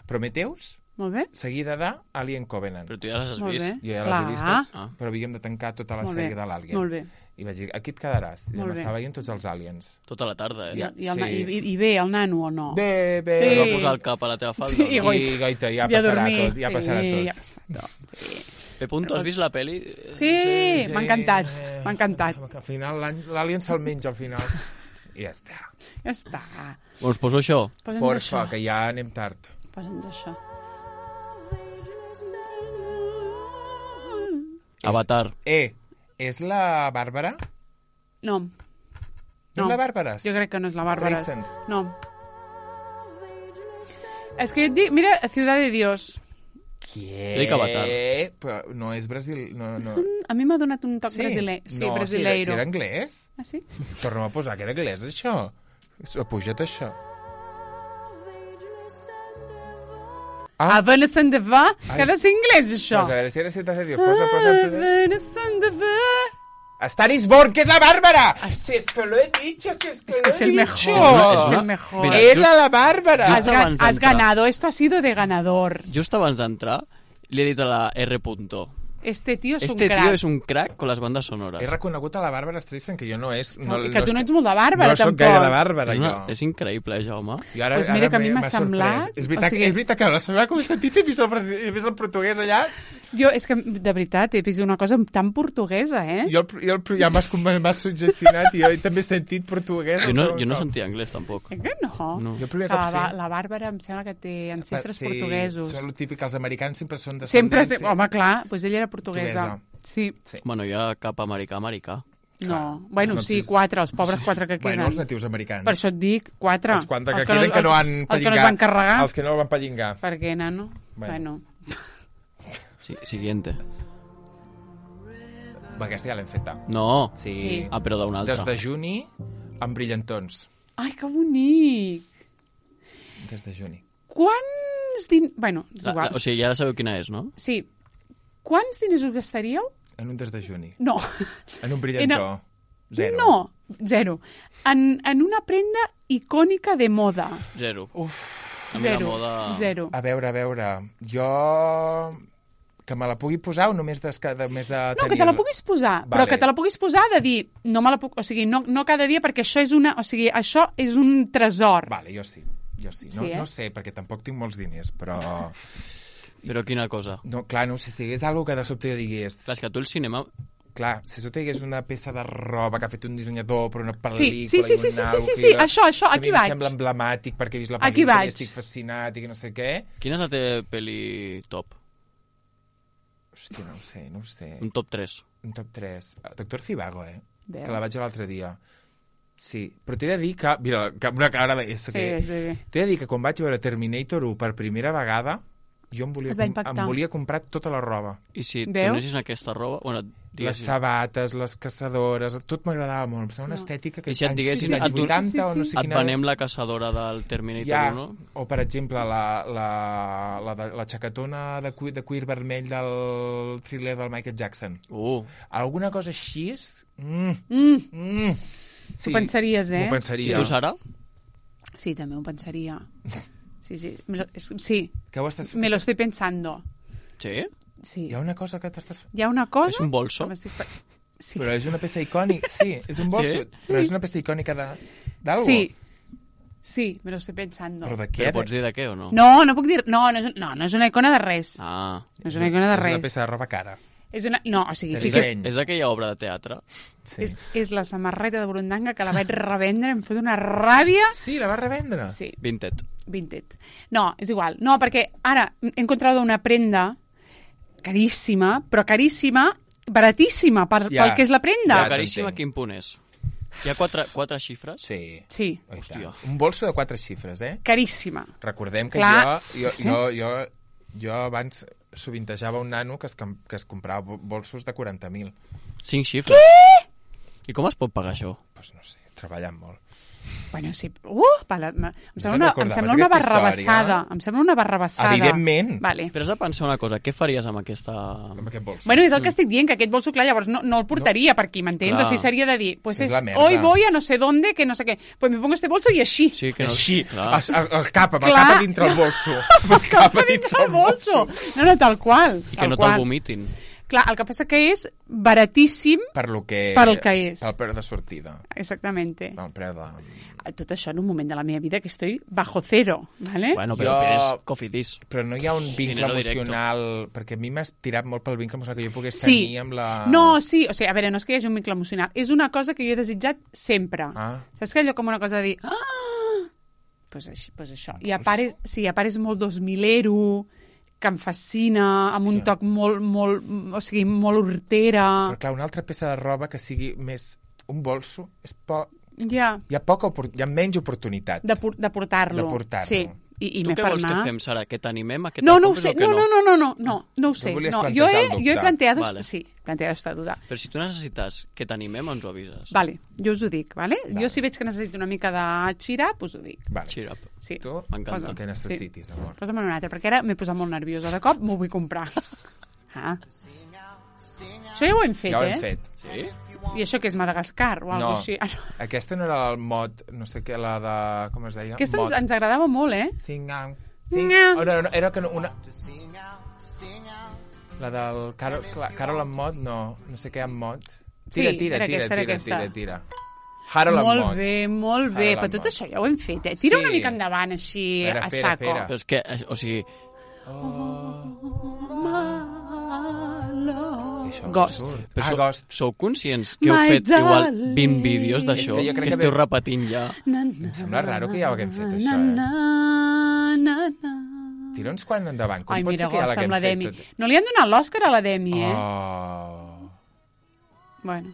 Speaker 2: Prometheus,
Speaker 1: Molt bé.
Speaker 2: seguida de Alien Covenant.
Speaker 3: Però tu ja les has
Speaker 1: Molt
Speaker 3: vist.
Speaker 1: bé.
Speaker 2: Jo ja
Speaker 1: Clar.
Speaker 2: les he vistes,
Speaker 3: Ah.
Speaker 2: però havíem de tancar tota la
Speaker 1: Molt
Speaker 2: sèrie
Speaker 1: bé.
Speaker 2: de l'Alien.
Speaker 1: Molt bé.
Speaker 2: I vaig dir, aquí et quedaràs. I
Speaker 1: Molt bé.
Speaker 2: m'estava veient tots els aliens.
Speaker 3: Tota la tarda, eh?
Speaker 2: Ja.
Speaker 1: I, el, na-
Speaker 2: sí.
Speaker 1: i, i, I bé, el nano o no?
Speaker 2: Bé, bé.
Speaker 3: Es
Speaker 1: Sí.
Speaker 3: va posar el cap a la teva falda.
Speaker 1: Sí,
Speaker 3: no?
Speaker 1: goita.
Speaker 2: I, goita, ja
Speaker 1: I a
Speaker 2: passarà
Speaker 1: dormir.
Speaker 2: tot. Ja
Speaker 1: Sí,
Speaker 2: passarà tot.
Speaker 1: ja passarà tot. Sí.
Speaker 3: P. has vist la pel·li?
Speaker 1: Sí, m'ha encantat,
Speaker 2: eh,
Speaker 1: m'ha encantat.
Speaker 2: Al final l'any- l'Alien se'l menja al final. I ja està.
Speaker 1: Ja està.
Speaker 3: Us poso això?
Speaker 1: Posa'ns
Speaker 2: Porfa,
Speaker 1: això.
Speaker 2: que ja anem tard.
Speaker 1: Posa'ns això.
Speaker 3: Avatar.
Speaker 2: Eh, és la Bàrbara?
Speaker 1: No.
Speaker 2: No,
Speaker 1: No.
Speaker 2: és la Bàrbara?
Speaker 1: Jo crec que no és la Bàrbara.
Speaker 2: Streisand.
Speaker 1: No. És que jo et dic, mira, Ciudad de Dios.
Speaker 2: Què?
Speaker 3: Jo dic Avatar.
Speaker 2: Però no és Brasil... No, no.
Speaker 1: A mi m'ha donat un toc brasiler. Sí,
Speaker 2: no,
Speaker 1: brasileiro.
Speaker 2: Si era, si era anglès?
Speaker 1: Ah, sí?
Speaker 2: Torna'm a posar que era anglès, això. Puja't això. Ah.
Speaker 1: A Vanessa de va,
Speaker 2: Ai.
Speaker 1: que ha de ser anglès, això.
Speaker 2: Pues a ver si eres cita serio. Posa,
Speaker 1: A
Speaker 2: posa...
Speaker 1: Vanessa de va.
Speaker 2: Stanis Born, que es la Bárbara. Si es que lo he dicho, si es que
Speaker 1: Es
Speaker 2: lo
Speaker 1: que es
Speaker 2: he
Speaker 1: el
Speaker 2: dicho.
Speaker 1: mejor,
Speaker 3: Es
Speaker 1: es
Speaker 3: una-
Speaker 1: el mejor.
Speaker 3: Mira,
Speaker 2: Era la Bárbara.
Speaker 3: Just
Speaker 1: Has, ga-
Speaker 3: abans
Speaker 1: has
Speaker 3: d'entrar.
Speaker 1: ganado, esto ha sido de ganador.
Speaker 3: Just abans d'entrar, li he dit a la R. Punto.
Speaker 1: Este tío es
Speaker 3: Este
Speaker 1: un crack.
Speaker 3: tío es un crack con las bandas sonoras.
Speaker 2: He reconegut a la Bàrbara Streisand, que jo no és...
Speaker 1: No,
Speaker 2: No,
Speaker 1: i que tu no ets molt de
Speaker 2: no
Speaker 1: Bàrbara,
Speaker 2: soc
Speaker 1: tampoc.
Speaker 2: gaire de Bàrbara,
Speaker 3: És,
Speaker 2: jo.
Speaker 3: una, és increïble, eh, Jaume.
Speaker 2: I ara,
Speaker 1: Pues mira
Speaker 2: ara
Speaker 1: que a mi
Speaker 2: m'he-
Speaker 1: m'ha
Speaker 2: m'ha
Speaker 1: semblat,
Speaker 2: sorprès. És veritat,
Speaker 1: o sigui-
Speaker 2: és veritat que la setmana com he sentit he vist el, presi- he vist el portuguès allà.
Speaker 1: Jo, és que, de veritat, he vist una cosa tan portuguesa, eh?
Speaker 2: Jo, el, jo el, ja m'has m'has suggestionat i jo també he sentit portuguès.
Speaker 3: Jo
Speaker 2: el
Speaker 3: no,
Speaker 2: segon
Speaker 3: jo no
Speaker 2: cop.
Speaker 3: sentia anglès, tampoc.
Speaker 1: Eh que no?
Speaker 3: No.
Speaker 2: Jo el primer
Speaker 1: Que
Speaker 2: cop
Speaker 1: la,
Speaker 2: sí.
Speaker 1: Ba- la Bàrbara em sembla que té ancestres
Speaker 2: Sí,
Speaker 1: portuguesos.
Speaker 2: Són el típic, els americans sempre són de
Speaker 1: Sempre,
Speaker 2: descendència.
Speaker 1: home, clar, doncs ella era portuguesa.
Speaker 2: Portuguesa.
Speaker 1: Sí,
Speaker 2: Sí.
Speaker 3: Bueno, hi ha cap americà, americà.
Speaker 1: no. Bueno,
Speaker 2: no,
Speaker 1: sí,
Speaker 2: sí.
Speaker 1: quatre, els pobres quatre que queden.
Speaker 2: Bueno, els natius americans.
Speaker 1: Per això et dic, quatre.
Speaker 2: Els quatre que
Speaker 1: Els
Speaker 2: queden que no han
Speaker 1: Els que no es
Speaker 2: pellingat.
Speaker 1: van carregar.
Speaker 2: Els que no el van pellingar.
Speaker 1: Perquè, nano,
Speaker 2: Bueno.
Speaker 1: bueno.
Speaker 3: Sí, siguiente.
Speaker 2: Va, aquesta ja l'hem feta.
Speaker 3: No.
Speaker 2: Sí.
Speaker 1: Sí.
Speaker 3: Ah, però d'un altre.
Speaker 2: Des de juni, amb brillantons.
Speaker 1: Ai, que bonic!
Speaker 2: Des de juni.
Speaker 1: Quants diners... Bueno, és
Speaker 3: La, la,
Speaker 1: igual.
Speaker 3: o sigui, ja sabeu quina és, no?
Speaker 1: Sí. Quants diners us gastaríeu?
Speaker 2: En un des de juni.
Speaker 1: No.
Speaker 2: En un brillantó. Zero.
Speaker 1: No, zero. En, en una prenda icònica de moda.
Speaker 3: Zero.
Speaker 2: Uf.
Speaker 3: A mi la
Speaker 1: Zero.
Speaker 3: moda...
Speaker 1: Zero.
Speaker 2: A veure, a veure. Jo... Que me la pugui posar o només de, de, més de
Speaker 1: No, que te la puguis posar,
Speaker 2: Vale.
Speaker 1: però que te la puguis posar de dir, no me la puc, o sigui, no, no cada dia, perquè això és una, o sigui, això és un tresor.
Speaker 2: Vale, jo sí. Jo sí. No,
Speaker 1: Sí, eh?
Speaker 2: no sé, perquè tampoc tinc molts diners, però...
Speaker 3: Però quina cosa?
Speaker 2: No, clar, no, si sigués algo que de sobte jo digués...
Speaker 3: Clar, és que tu el cinema...
Speaker 2: Clar, si sobte hi hagués una peça de roba que ha fet un dissenyador per una pel·lícula
Speaker 1: Sí, sí, sí,
Speaker 2: i
Speaker 1: sí,
Speaker 2: un
Speaker 1: sí,
Speaker 2: algo
Speaker 1: sí,
Speaker 2: que
Speaker 1: sí,
Speaker 2: jo-
Speaker 1: això, això,
Speaker 2: que
Speaker 1: aquí
Speaker 2: a mi
Speaker 1: vaig.
Speaker 2: em sembla emblemàtic perquè he vist la
Speaker 1: Aquí
Speaker 2: pel·lícula
Speaker 1: vaig.
Speaker 2: i estic fascinat i que no sé què.
Speaker 3: Quina és la teva pel·li top?
Speaker 2: Hòstia, no ho sé, no ho sé.
Speaker 3: Un top tres.
Speaker 2: Un top tres. Doctor Zivago, eh?
Speaker 1: Veus?
Speaker 2: Que la vaig l'altre dia. Sí, però t'he de dir que... Mira, que una cara de...
Speaker 1: Sí,
Speaker 2: que...
Speaker 1: sí.
Speaker 2: T'he de dir que quan vaig veure Terminator u per primera vegada, jo em volia,
Speaker 1: Et va
Speaker 2: com...
Speaker 1: impactar.
Speaker 2: em volia comprar tota la roba.
Speaker 3: I si et
Speaker 1: Veus?
Speaker 3: donessin aquesta roba... Bueno,
Speaker 2: Les
Speaker 3: diguessin...
Speaker 2: sabates, les caçadores, tot m'agradava molt. Em sembla una
Speaker 1: No.
Speaker 2: estètica que
Speaker 3: I si et
Speaker 2: anys-
Speaker 3: diguessin,
Speaker 2: anys
Speaker 3: et do-
Speaker 2: vuitanta
Speaker 1: Sí, sí,
Speaker 2: o no
Speaker 1: sí.
Speaker 2: sé
Speaker 3: Et
Speaker 2: quina...
Speaker 3: venem la caçadora del Terminator
Speaker 2: Ja,
Speaker 3: u, no?
Speaker 2: o per exemple la, la, la, de- la xacatona de cuir, de cuir vermell del thriller del Michael Jackson.
Speaker 3: Uh,
Speaker 2: Alguna cosa així és... Mm,
Speaker 1: Mm,
Speaker 2: mm.
Speaker 1: T'ho pensaries, eh?
Speaker 2: M'ho pensaria.
Speaker 3: tu, Sara?
Speaker 1: Sí, també ho pensaria. Sí, sí, me lo, es, sí,
Speaker 2: Que ho estàs...
Speaker 1: me lo estoy pensando.
Speaker 3: Sí?
Speaker 1: Sí.
Speaker 2: Hi ha una cosa que t'estàs...
Speaker 1: Hi ha una cosa...
Speaker 3: És un bolso?
Speaker 1: que m'estic pe- Sí.
Speaker 2: Però és una peça icònica, sí, és un bolso,
Speaker 3: Sí?
Speaker 2: però és una peça icònica de... d'algo.
Speaker 1: Sí. Sí, me lo estoy pensando.
Speaker 2: Però de què?
Speaker 3: Però pots dir de què o no?
Speaker 1: No, no puc dir... No, no és, no, no és una icona de res.
Speaker 3: Ah.
Speaker 1: No és una icona de
Speaker 2: És
Speaker 1: res.
Speaker 2: una peça de roba cara.
Speaker 1: És una... No, o sigui,
Speaker 2: De
Speaker 1: sí que és,
Speaker 2: disseny.
Speaker 3: És aquella obra de teatre?
Speaker 2: Sí.
Speaker 1: és, és la samarreta de Burundanga que la vaig revendre, em fot una ràbia.
Speaker 2: Sí, la va revendre.
Speaker 1: Sí,
Speaker 3: Vinted.
Speaker 1: Vinted. No, és igual. No, perquè ara he encontrado una prenda caríssima, però caríssima, baratíssima per,
Speaker 2: Ja.
Speaker 1: pel que és la prenda.
Speaker 2: Ja,
Speaker 3: Caríssima,
Speaker 2: t'entenc.
Speaker 3: quin punt és? Hi ha quatre, quatre xifres?
Speaker 2: Sí.
Speaker 1: Sí,
Speaker 2: Oh, i
Speaker 3: Hòstia.
Speaker 2: tant. Un bolso de quatre xifres, eh?
Speaker 1: caríssima.
Speaker 2: Recordem que
Speaker 1: Clar.
Speaker 2: jo, jo, jo, jo, jo abans sovintejava un nano que es, com- que es comprava bo- bolsos de quaranta mil.
Speaker 3: Cinc xifres. Què? I com es pot pagar això?
Speaker 2: Pues no sé, treballant molt.
Speaker 1: Bueno, sí. Uh, pala, em
Speaker 2: te'n
Speaker 1: sembla una, em
Speaker 2: recordaves
Speaker 1: sembla una
Speaker 2: d'aquesta
Speaker 1: barrabassada.
Speaker 2: història?
Speaker 1: Em sembla una barrabassada.
Speaker 2: Evidentment.
Speaker 1: Vale.
Speaker 3: Però has de pensar una cosa, què faries amb aquesta...
Speaker 2: Amb aquest bolso.
Speaker 1: Bueno, és el que estic dient, que aquest bolso, clar, llavors no, no el portaria per aquí, m'entens?
Speaker 3: Clar.
Speaker 1: O sigui, seria de dir, pues
Speaker 2: És
Speaker 1: es,
Speaker 2: la merda.
Speaker 1: hoy voy a no sé dónde, que no sé què. Pues me pongo este bolso i així.
Speaker 3: Sí, que no...
Speaker 2: Així,
Speaker 3: Clar.
Speaker 2: el, el, el cap, amb el
Speaker 1: Clar.
Speaker 2: cap a dintre el bolso. Amb el cap a dintre el bolso.
Speaker 1: No, no, tal qual.
Speaker 3: I que
Speaker 1: tal
Speaker 3: no
Speaker 1: qual.
Speaker 3: te'l vomitin.
Speaker 1: Clar, el que passa que és baratíssim,
Speaker 2: Per lo que...
Speaker 1: Per el que és.
Speaker 2: El preu de sortida.
Speaker 1: exactamente.
Speaker 2: El preu de...
Speaker 1: Tot això en un moment de la meva vida que estoy bajo cero, ¿vale?
Speaker 3: Bueno, però
Speaker 2: Jo-
Speaker 3: és cofidis.
Speaker 2: Però no hi ha un vincle
Speaker 3: Dinero directo.
Speaker 2: emocional... Perquè a mi m'has tirat molt pel vincle emocional que jo pogués
Speaker 1: Sí.
Speaker 2: tenir amb la...
Speaker 1: No, sí, o sigui, a veure, no és que hi hagi un vincle emocional, és una cosa que jo he desitjat sempre.
Speaker 2: Ah.
Speaker 1: Saps que allò com una cosa de dir... Ah! Pues, així, pues això. I a part, és, sí, a part és molt dos milero, que em fascina, amb un
Speaker 2: Hòstia.
Speaker 1: toc molt, molt, o sigui, molt hortera.
Speaker 2: Però clar, una altra peça de roba que sigui més... Un bolso és po...
Speaker 1: Ja,
Speaker 2: Hi ha, poca opor... hi ha menys oportunitat
Speaker 1: de, por- de portar-lo.
Speaker 2: de portar-lo.
Speaker 1: Sí, I, i
Speaker 3: Tu
Speaker 1: m'he
Speaker 3: què
Speaker 1: per
Speaker 3: vols
Speaker 1: anar...
Speaker 3: que fem, Sara? Que t'animem a que
Speaker 1: no,
Speaker 3: te'l
Speaker 1: no ho
Speaker 3: compris
Speaker 1: sé,
Speaker 3: o que
Speaker 1: no,
Speaker 3: no?
Speaker 1: no, no, no, no, no ho sé.
Speaker 2: volies
Speaker 1: No, jo,
Speaker 2: plantejar
Speaker 1: he,
Speaker 2: el dubte.
Speaker 1: jo he planteado...
Speaker 3: Vale.
Speaker 1: Sí, planteado esta duda.
Speaker 3: Però si tu necessites que t'animem, ens ho avises.
Speaker 1: Vale, jo us ho dic, vale?
Speaker 2: Vale.
Speaker 1: Jo si veig que necessito una mica de xirap, us ho dic.
Speaker 2: Vale.
Speaker 3: Cheer up.
Speaker 1: Sí.
Speaker 2: Tu,
Speaker 3: M'encanta.
Speaker 2: el que necessitis, amor.
Speaker 1: Posa'm un altre, perquè ara m'he posat molt nerviosa. De cop m'ho vull comprar. Ah. Això ja ho hem fet,
Speaker 2: Ja ho
Speaker 1: eh?
Speaker 2: hem fet.
Speaker 3: Sí?
Speaker 1: I això que és Madagascar o alguna
Speaker 2: No,
Speaker 1: així? Ah, no.
Speaker 2: aquesta no era el mod, no sé què, la de... Com es deia?
Speaker 1: Aquesta ens,
Speaker 2: Mod.
Speaker 1: ens agradava molt, eh?
Speaker 2: Sing-out. Sing...
Speaker 1: Nga.
Speaker 2: Oh, no, no, era que no, una... La del Carol, Cla- Carol en mod, no, no sé què en mod. Tira,
Speaker 1: Sí,
Speaker 2: tira,
Speaker 1: era
Speaker 2: tira,
Speaker 1: aquesta, era
Speaker 2: tira,
Speaker 1: aquesta.
Speaker 2: tira, tira. Harold en
Speaker 1: Molt
Speaker 2: mod.
Speaker 1: bé, molt bé.
Speaker 2: Ara
Speaker 1: Però
Speaker 2: la
Speaker 1: tot
Speaker 2: mort.
Speaker 1: això ja ho hem fet, eh? Tira
Speaker 2: Sí.
Speaker 1: una mica endavant, així,
Speaker 2: Espera,
Speaker 1: a
Speaker 2: espera,
Speaker 1: saco.
Speaker 2: espera.
Speaker 3: Però és que, eh, o sigui,
Speaker 2: Això no
Speaker 1: Ghost.
Speaker 2: surt.
Speaker 3: però
Speaker 2: Ah,
Speaker 3: sou,
Speaker 2: Ghost.
Speaker 3: sou conscients que heu
Speaker 1: My
Speaker 3: fet igual
Speaker 1: darling.
Speaker 3: vint vídeos d'això,
Speaker 2: És que jo crec
Speaker 3: que
Speaker 2: que
Speaker 3: esteu
Speaker 2: ve-
Speaker 3: repetint ja?
Speaker 1: Na,
Speaker 2: Em sembla raro que ja ho haguem fet,
Speaker 1: na,
Speaker 2: això, eh?
Speaker 1: na, na, na.
Speaker 2: Tira'ns quan endavant. Com
Speaker 1: Ai,
Speaker 2: pot
Speaker 1: mira,
Speaker 2: ser que ja
Speaker 1: Ghost, amb la
Speaker 2: l'haguem
Speaker 1: Demi.
Speaker 2: fet tot?
Speaker 1: No li han donat l'Òscar a la Demi, eh?
Speaker 2: Oh.
Speaker 1: Bueno.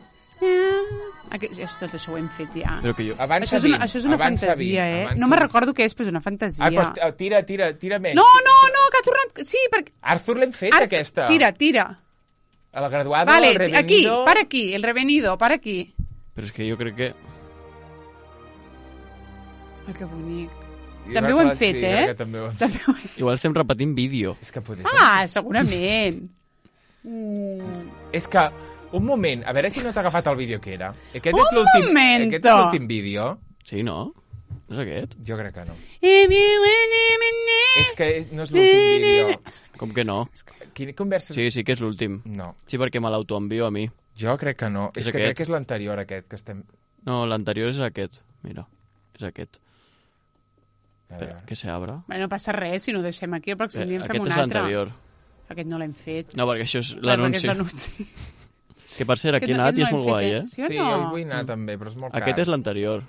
Speaker 1: Aquest, tot això ho hem fet ja.
Speaker 3: Però que jo...
Speaker 2: Avança
Speaker 1: Això és una,
Speaker 2: vint,
Speaker 1: això és una
Speaker 2: avança
Speaker 1: fantasia,
Speaker 2: vint,
Speaker 1: eh?
Speaker 2: avança
Speaker 1: No me
Speaker 2: vint.
Speaker 1: recordo què és, però és una fantasia.
Speaker 2: Ah, doncs, eh, tira, tira, tira més.
Speaker 1: No, no, no, que ha tornat... Sí, perquè...
Speaker 2: Arthur l'hem fet,
Speaker 1: Arth-
Speaker 2: aquesta.
Speaker 1: Tira, tira.
Speaker 2: A la graduada,
Speaker 1: Vale,
Speaker 2: el revenido...
Speaker 1: aquí, para aquí, el revenido, para aquí.
Speaker 3: Però és que jo crec que...
Speaker 1: Ai, que bonic.
Speaker 2: Jo
Speaker 1: També ho
Speaker 2: crec
Speaker 1: hem
Speaker 2: que
Speaker 1: fet,
Speaker 2: sí,
Speaker 1: eh?
Speaker 2: crec que també ho hem fet.
Speaker 1: També ho hem...
Speaker 3: Igual estem repetint vídeo.
Speaker 2: És que poder
Speaker 1: Ah, segurament. Mm.
Speaker 2: És que, un moment, a veure si no has agafat el vídeo que era. Aquest
Speaker 1: Un
Speaker 2: és l'últim
Speaker 1: momento.
Speaker 2: Aquest és l'últim vídeo.
Speaker 3: Sí, no? No és aquest?
Speaker 2: Jo crec que no.
Speaker 1: És
Speaker 2: És que és- no és l'últim vídeo.
Speaker 3: Com que no?
Speaker 2: Quina conversa...
Speaker 3: Sí, sí que és l'últim.
Speaker 2: No,
Speaker 3: Sí, perquè me l'autoenvio a mi.
Speaker 2: jo crec que no. És,
Speaker 3: És
Speaker 2: que
Speaker 3: aquest?
Speaker 2: crec que és l'anterior, aquest, que estem...
Speaker 3: No, l'anterior és aquest. Mira, és aquest.
Speaker 2: A
Speaker 3: Espera,
Speaker 2: veure.
Speaker 3: que se abre.
Speaker 1: Bueno, no passa res, si no ho deixem aquí, el pròxim dia en fem
Speaker 3: Aquest
Speaker 1: un
Speaker 3: és
Speaker 1: altre.
Speaker 3: l'anterior.
Speaker 1: Aquest no l'hem fet.
Speaker 3: No, perquè això és
Speaker 1: Clar, perquè és
Speaker 3: l'anunci.
Speaker 1: l'anunci.
Speaker 3: Que per cert, aquí
Speaker 1: Aquest
Speaker 3: he
Speaker 1: no-
Speaker 3: anat i és
Speaker 1: aquest no
Speaker 3: molt
Speaker 1: l'hem
Speaker 3: guai,
Speaker 1: fet,
Speaker 3: eh?
Speaker 1: eh? Sí o
Speaker 2: Sí,
Speaker 1: no?
Speaker 2: jo hi vull anar també, però és molt car.
Speaker 3: Aquest és l'anterior.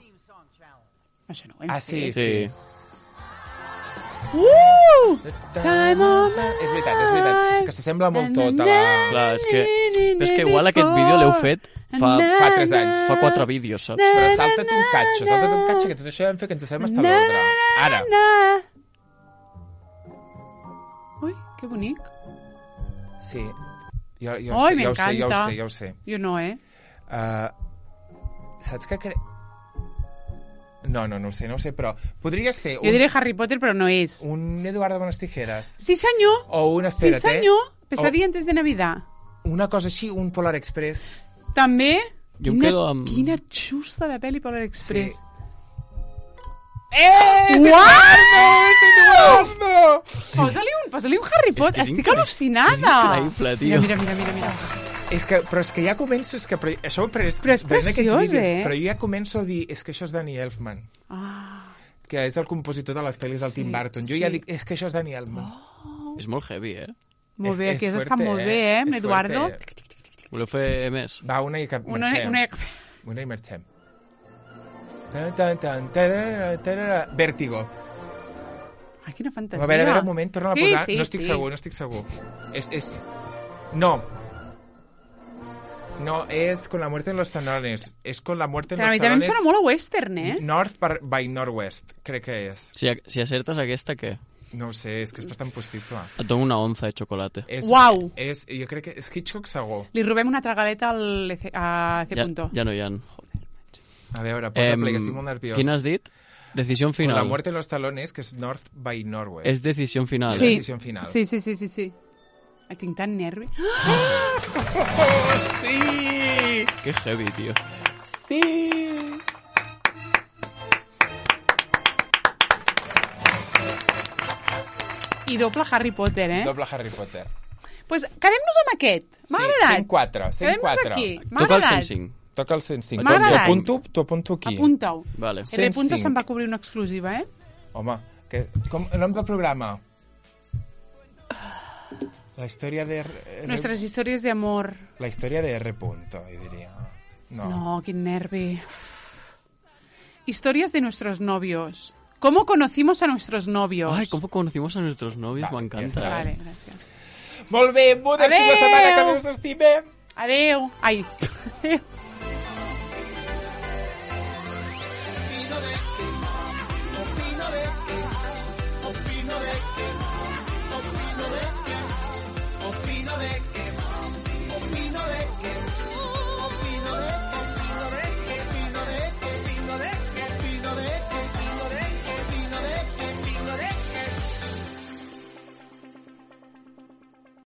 Speaker 1: Això no ho hem
Speaker 2: Ah, sí,
Speaker 1: fet.
Speaker 3: Sí.
Speaker 1: Uh! Time of my
Speaker 2: És veritat, és veritat. És que s'assembla molt tot a la...
Speaker 3: Clar, és que... Però és que igual aquest vídeo l'heu fet fa,
Speaker 2: Fa tres anys.
Speaker 3: fa quatre vídeos, saps?
Speaker 2: Però salta't un catxo, salta't un catxo, que tot això ja vam fer que ens sembla estar a l'ordre. Ara.
Speaker 1: Ui, que bonic.
Speaker 2: Sí. Jo, jo,
Speaker 1: Ai,
Speaker 2: sé, ja ho sé, ja ho
Speaker 1: m'encanta.
Speaker 2: sé, ja ho sé.
Speaker 1: Jo no, eh?
Speaker 2: Uh, saps què crec? No, no, no ho sé, no ho sé, però podries fer
Speaker 1: Jo
Speaker 2: un,
Speaker 1: diré Harry Potter, però no és.
Speaker 2: un Eduardo Buenas Tijeras
Speaker 1: Sí, senyor.
Speaker 2: o un,
Speaker 1: Sí,
Speaker 2: espera't,
Speaker 1: senyor.
Speaker 2: eh?
Speaker 1: Pesadilla antes de Navidad.
Speaker 2: Una cosa així, un Polar Express.
Speaker 1: També.
Speaker 3: Jo em
Speaker 1: Quina,
Speaker 3: quedo amb-
Speaker 1: quina xusta de pel·li Polar Express.
Speaker 2: Sí. Eh!
Speaker 1: Uau!
Speaker 2: Eduardo!
Speaker 1: Posa-li un, posa-li un Harry Potter.
Speaker 3: és
Speaker 1: Estic
Speaker 3: increïble.
Speaker 1: al·lucinada.
Speaker 3: És increïble, tio.
Speaker 1: Mira, mira, mira, mira.
Speaker 2: És que, però és que ja començo, és que, però, això ho he pres,
Speaker 1: Però és
Speaker 2: veient aquests
Speaker 1: preciós,
Speaker 2: vídeos,
Speaker 1: eh?
Speaker 2: Però jo ja començo a dir, és que això és Danny Elfman,
Speaker 1: Ah,
Speaker 2: que és el compositor de les pel·lis del
Speaker 1: Sí,
Speaker 2: Tim Burton. Jo
Speaker 1: sí.
Speaker 2: ja dic, és que això és Danny Elfman.
Speaker 3: Oh. És molt heavy, eh?
Speaker 1: molt
Speaker 2: És-
Speaker 1: bé,
Speaker 2: és
Speaker 1: aquí has
Speaker 2: fuerte,
Speaker 1: estat molt
Speaker 2: eh?
Speaker 1: bé, eh, amb
Speaker 2: És
Speaker 1: Eduardo.
Speaker 2: fuerte.
Speaker 3: Voleu fer més?
Speaker 2: Va, una i que
Speaker 1: Una,
Speaker 2: marxem.
Speaker 1: una...
Speaker 2: Una i marxem. Tan, tan, tan, tarara, tarara. Vértigo.
Speaker 1: Ai, quina fantasia.
Speaker 2: A veure, a veure, un moment, torna
Speaker 1: Sí,
Speaker 2: a posar.
Speaker 1: sí,
Speaker 2: no estic
Speaker 1: sí.
Speaker 2: segur, no estic segur. És, és... No. No, és con la muerte en los talones. És con la muerte en
Speaker 1: Però a
Speaker 2: los
Speaker 1: mi també em
Speaker 2: talones.
Speaker 1: sona molt a western, eh?
Speaker 2: North par- by Northwest, crec que és.
Speaker 3: Si, si acertes aquesta, què?
Speaker 2: No ho sé, és que és bastant possible.
Speaker 3: Et dono una onza de xocolate.
Speaker 2: És,
Speaker 1: Uau!
Speaker 2: És, jo crec que és Hitchcock segur.
Speaker 1: Li robem una tragaleta al E C, a C.
Speaker 3: Ja,
Speaker 1: Punto.
Speaker 3: ja no hi ha.
Speaker 2: A veure, posa
Speaker 3: Em,
Speaker 2: play, que estic molt nerviós.
Speaker 3: Quin has dit? Decisió
Speaker 2: Con
Speaker 3: final.
Speaker 2: la muerte en los talones, que és North by Northwest.
Speaker 3: És decisió final.
Speaker 2: És
Speaker 1: Sí.
Speaker 2: la decisió final.
Speaker 1: Sí, sí, sí, sí, sí. Ai, tinc tant nervi.
Speaker 2: Sí!
Speaker 3: Que heavy, tio.
Speaker 2: Sí!
Speaker 1: I doble Harry Potter, eh?
Speaker 2: Doble Harry Potter.
Speaker 1: Pues quedem-nos amb aquest. M'ha
Speaker 2: Sí,
Speaker 1: agradat.
Speaker 2: cent quatre, cent
Speaker 1: Quedem-nos
Speaker 2: quatre.
Speaker 1: aquí. M'ha
Speaker 3: Toca el
Speaker 1: agradat.
Speaker 3: cent cinc.
Speaker 2: Toca el cent cinc.
Speaker 1: M'ha
Speaker 2: T'ho
Speaker 1: agradat.
Speaker 2: apunto, t'ho apunto aquí.
Speaker 1: Apunta-ho.
Speaker 3: Vale.
Speaker 1: El de Punto
Speaker 2: cent cinc.
Speaker 1: se'n va cobrir una exclusiva, eh?
Speaker 2: Home, que, com, nom del programa? La història de... R-
Speaker 1: Nuestras historias de amor.
Speaker 2: La història de R. Punto, jo diria. No.
Speaker 1: No, quin nervi. Historias de nuestros novios. ¿Cómo conocimos a nuestros novios?
Speaker 3: Ay, ¿cómo conocimos a nuestros novios?
Speaker 2: Vale,
Speaker 3: Me
Speaker 2: ja
Speaker 3: encanta.
Speaker 2: està.
Speaker 1: Vale, gràcies.
Speaker 2: Molt bé, Budes,
Speaker 1: Adeu!
Speaker 2: la setmana que ve us estimem.
Speaker 1: Adeu. Ai. Adeu.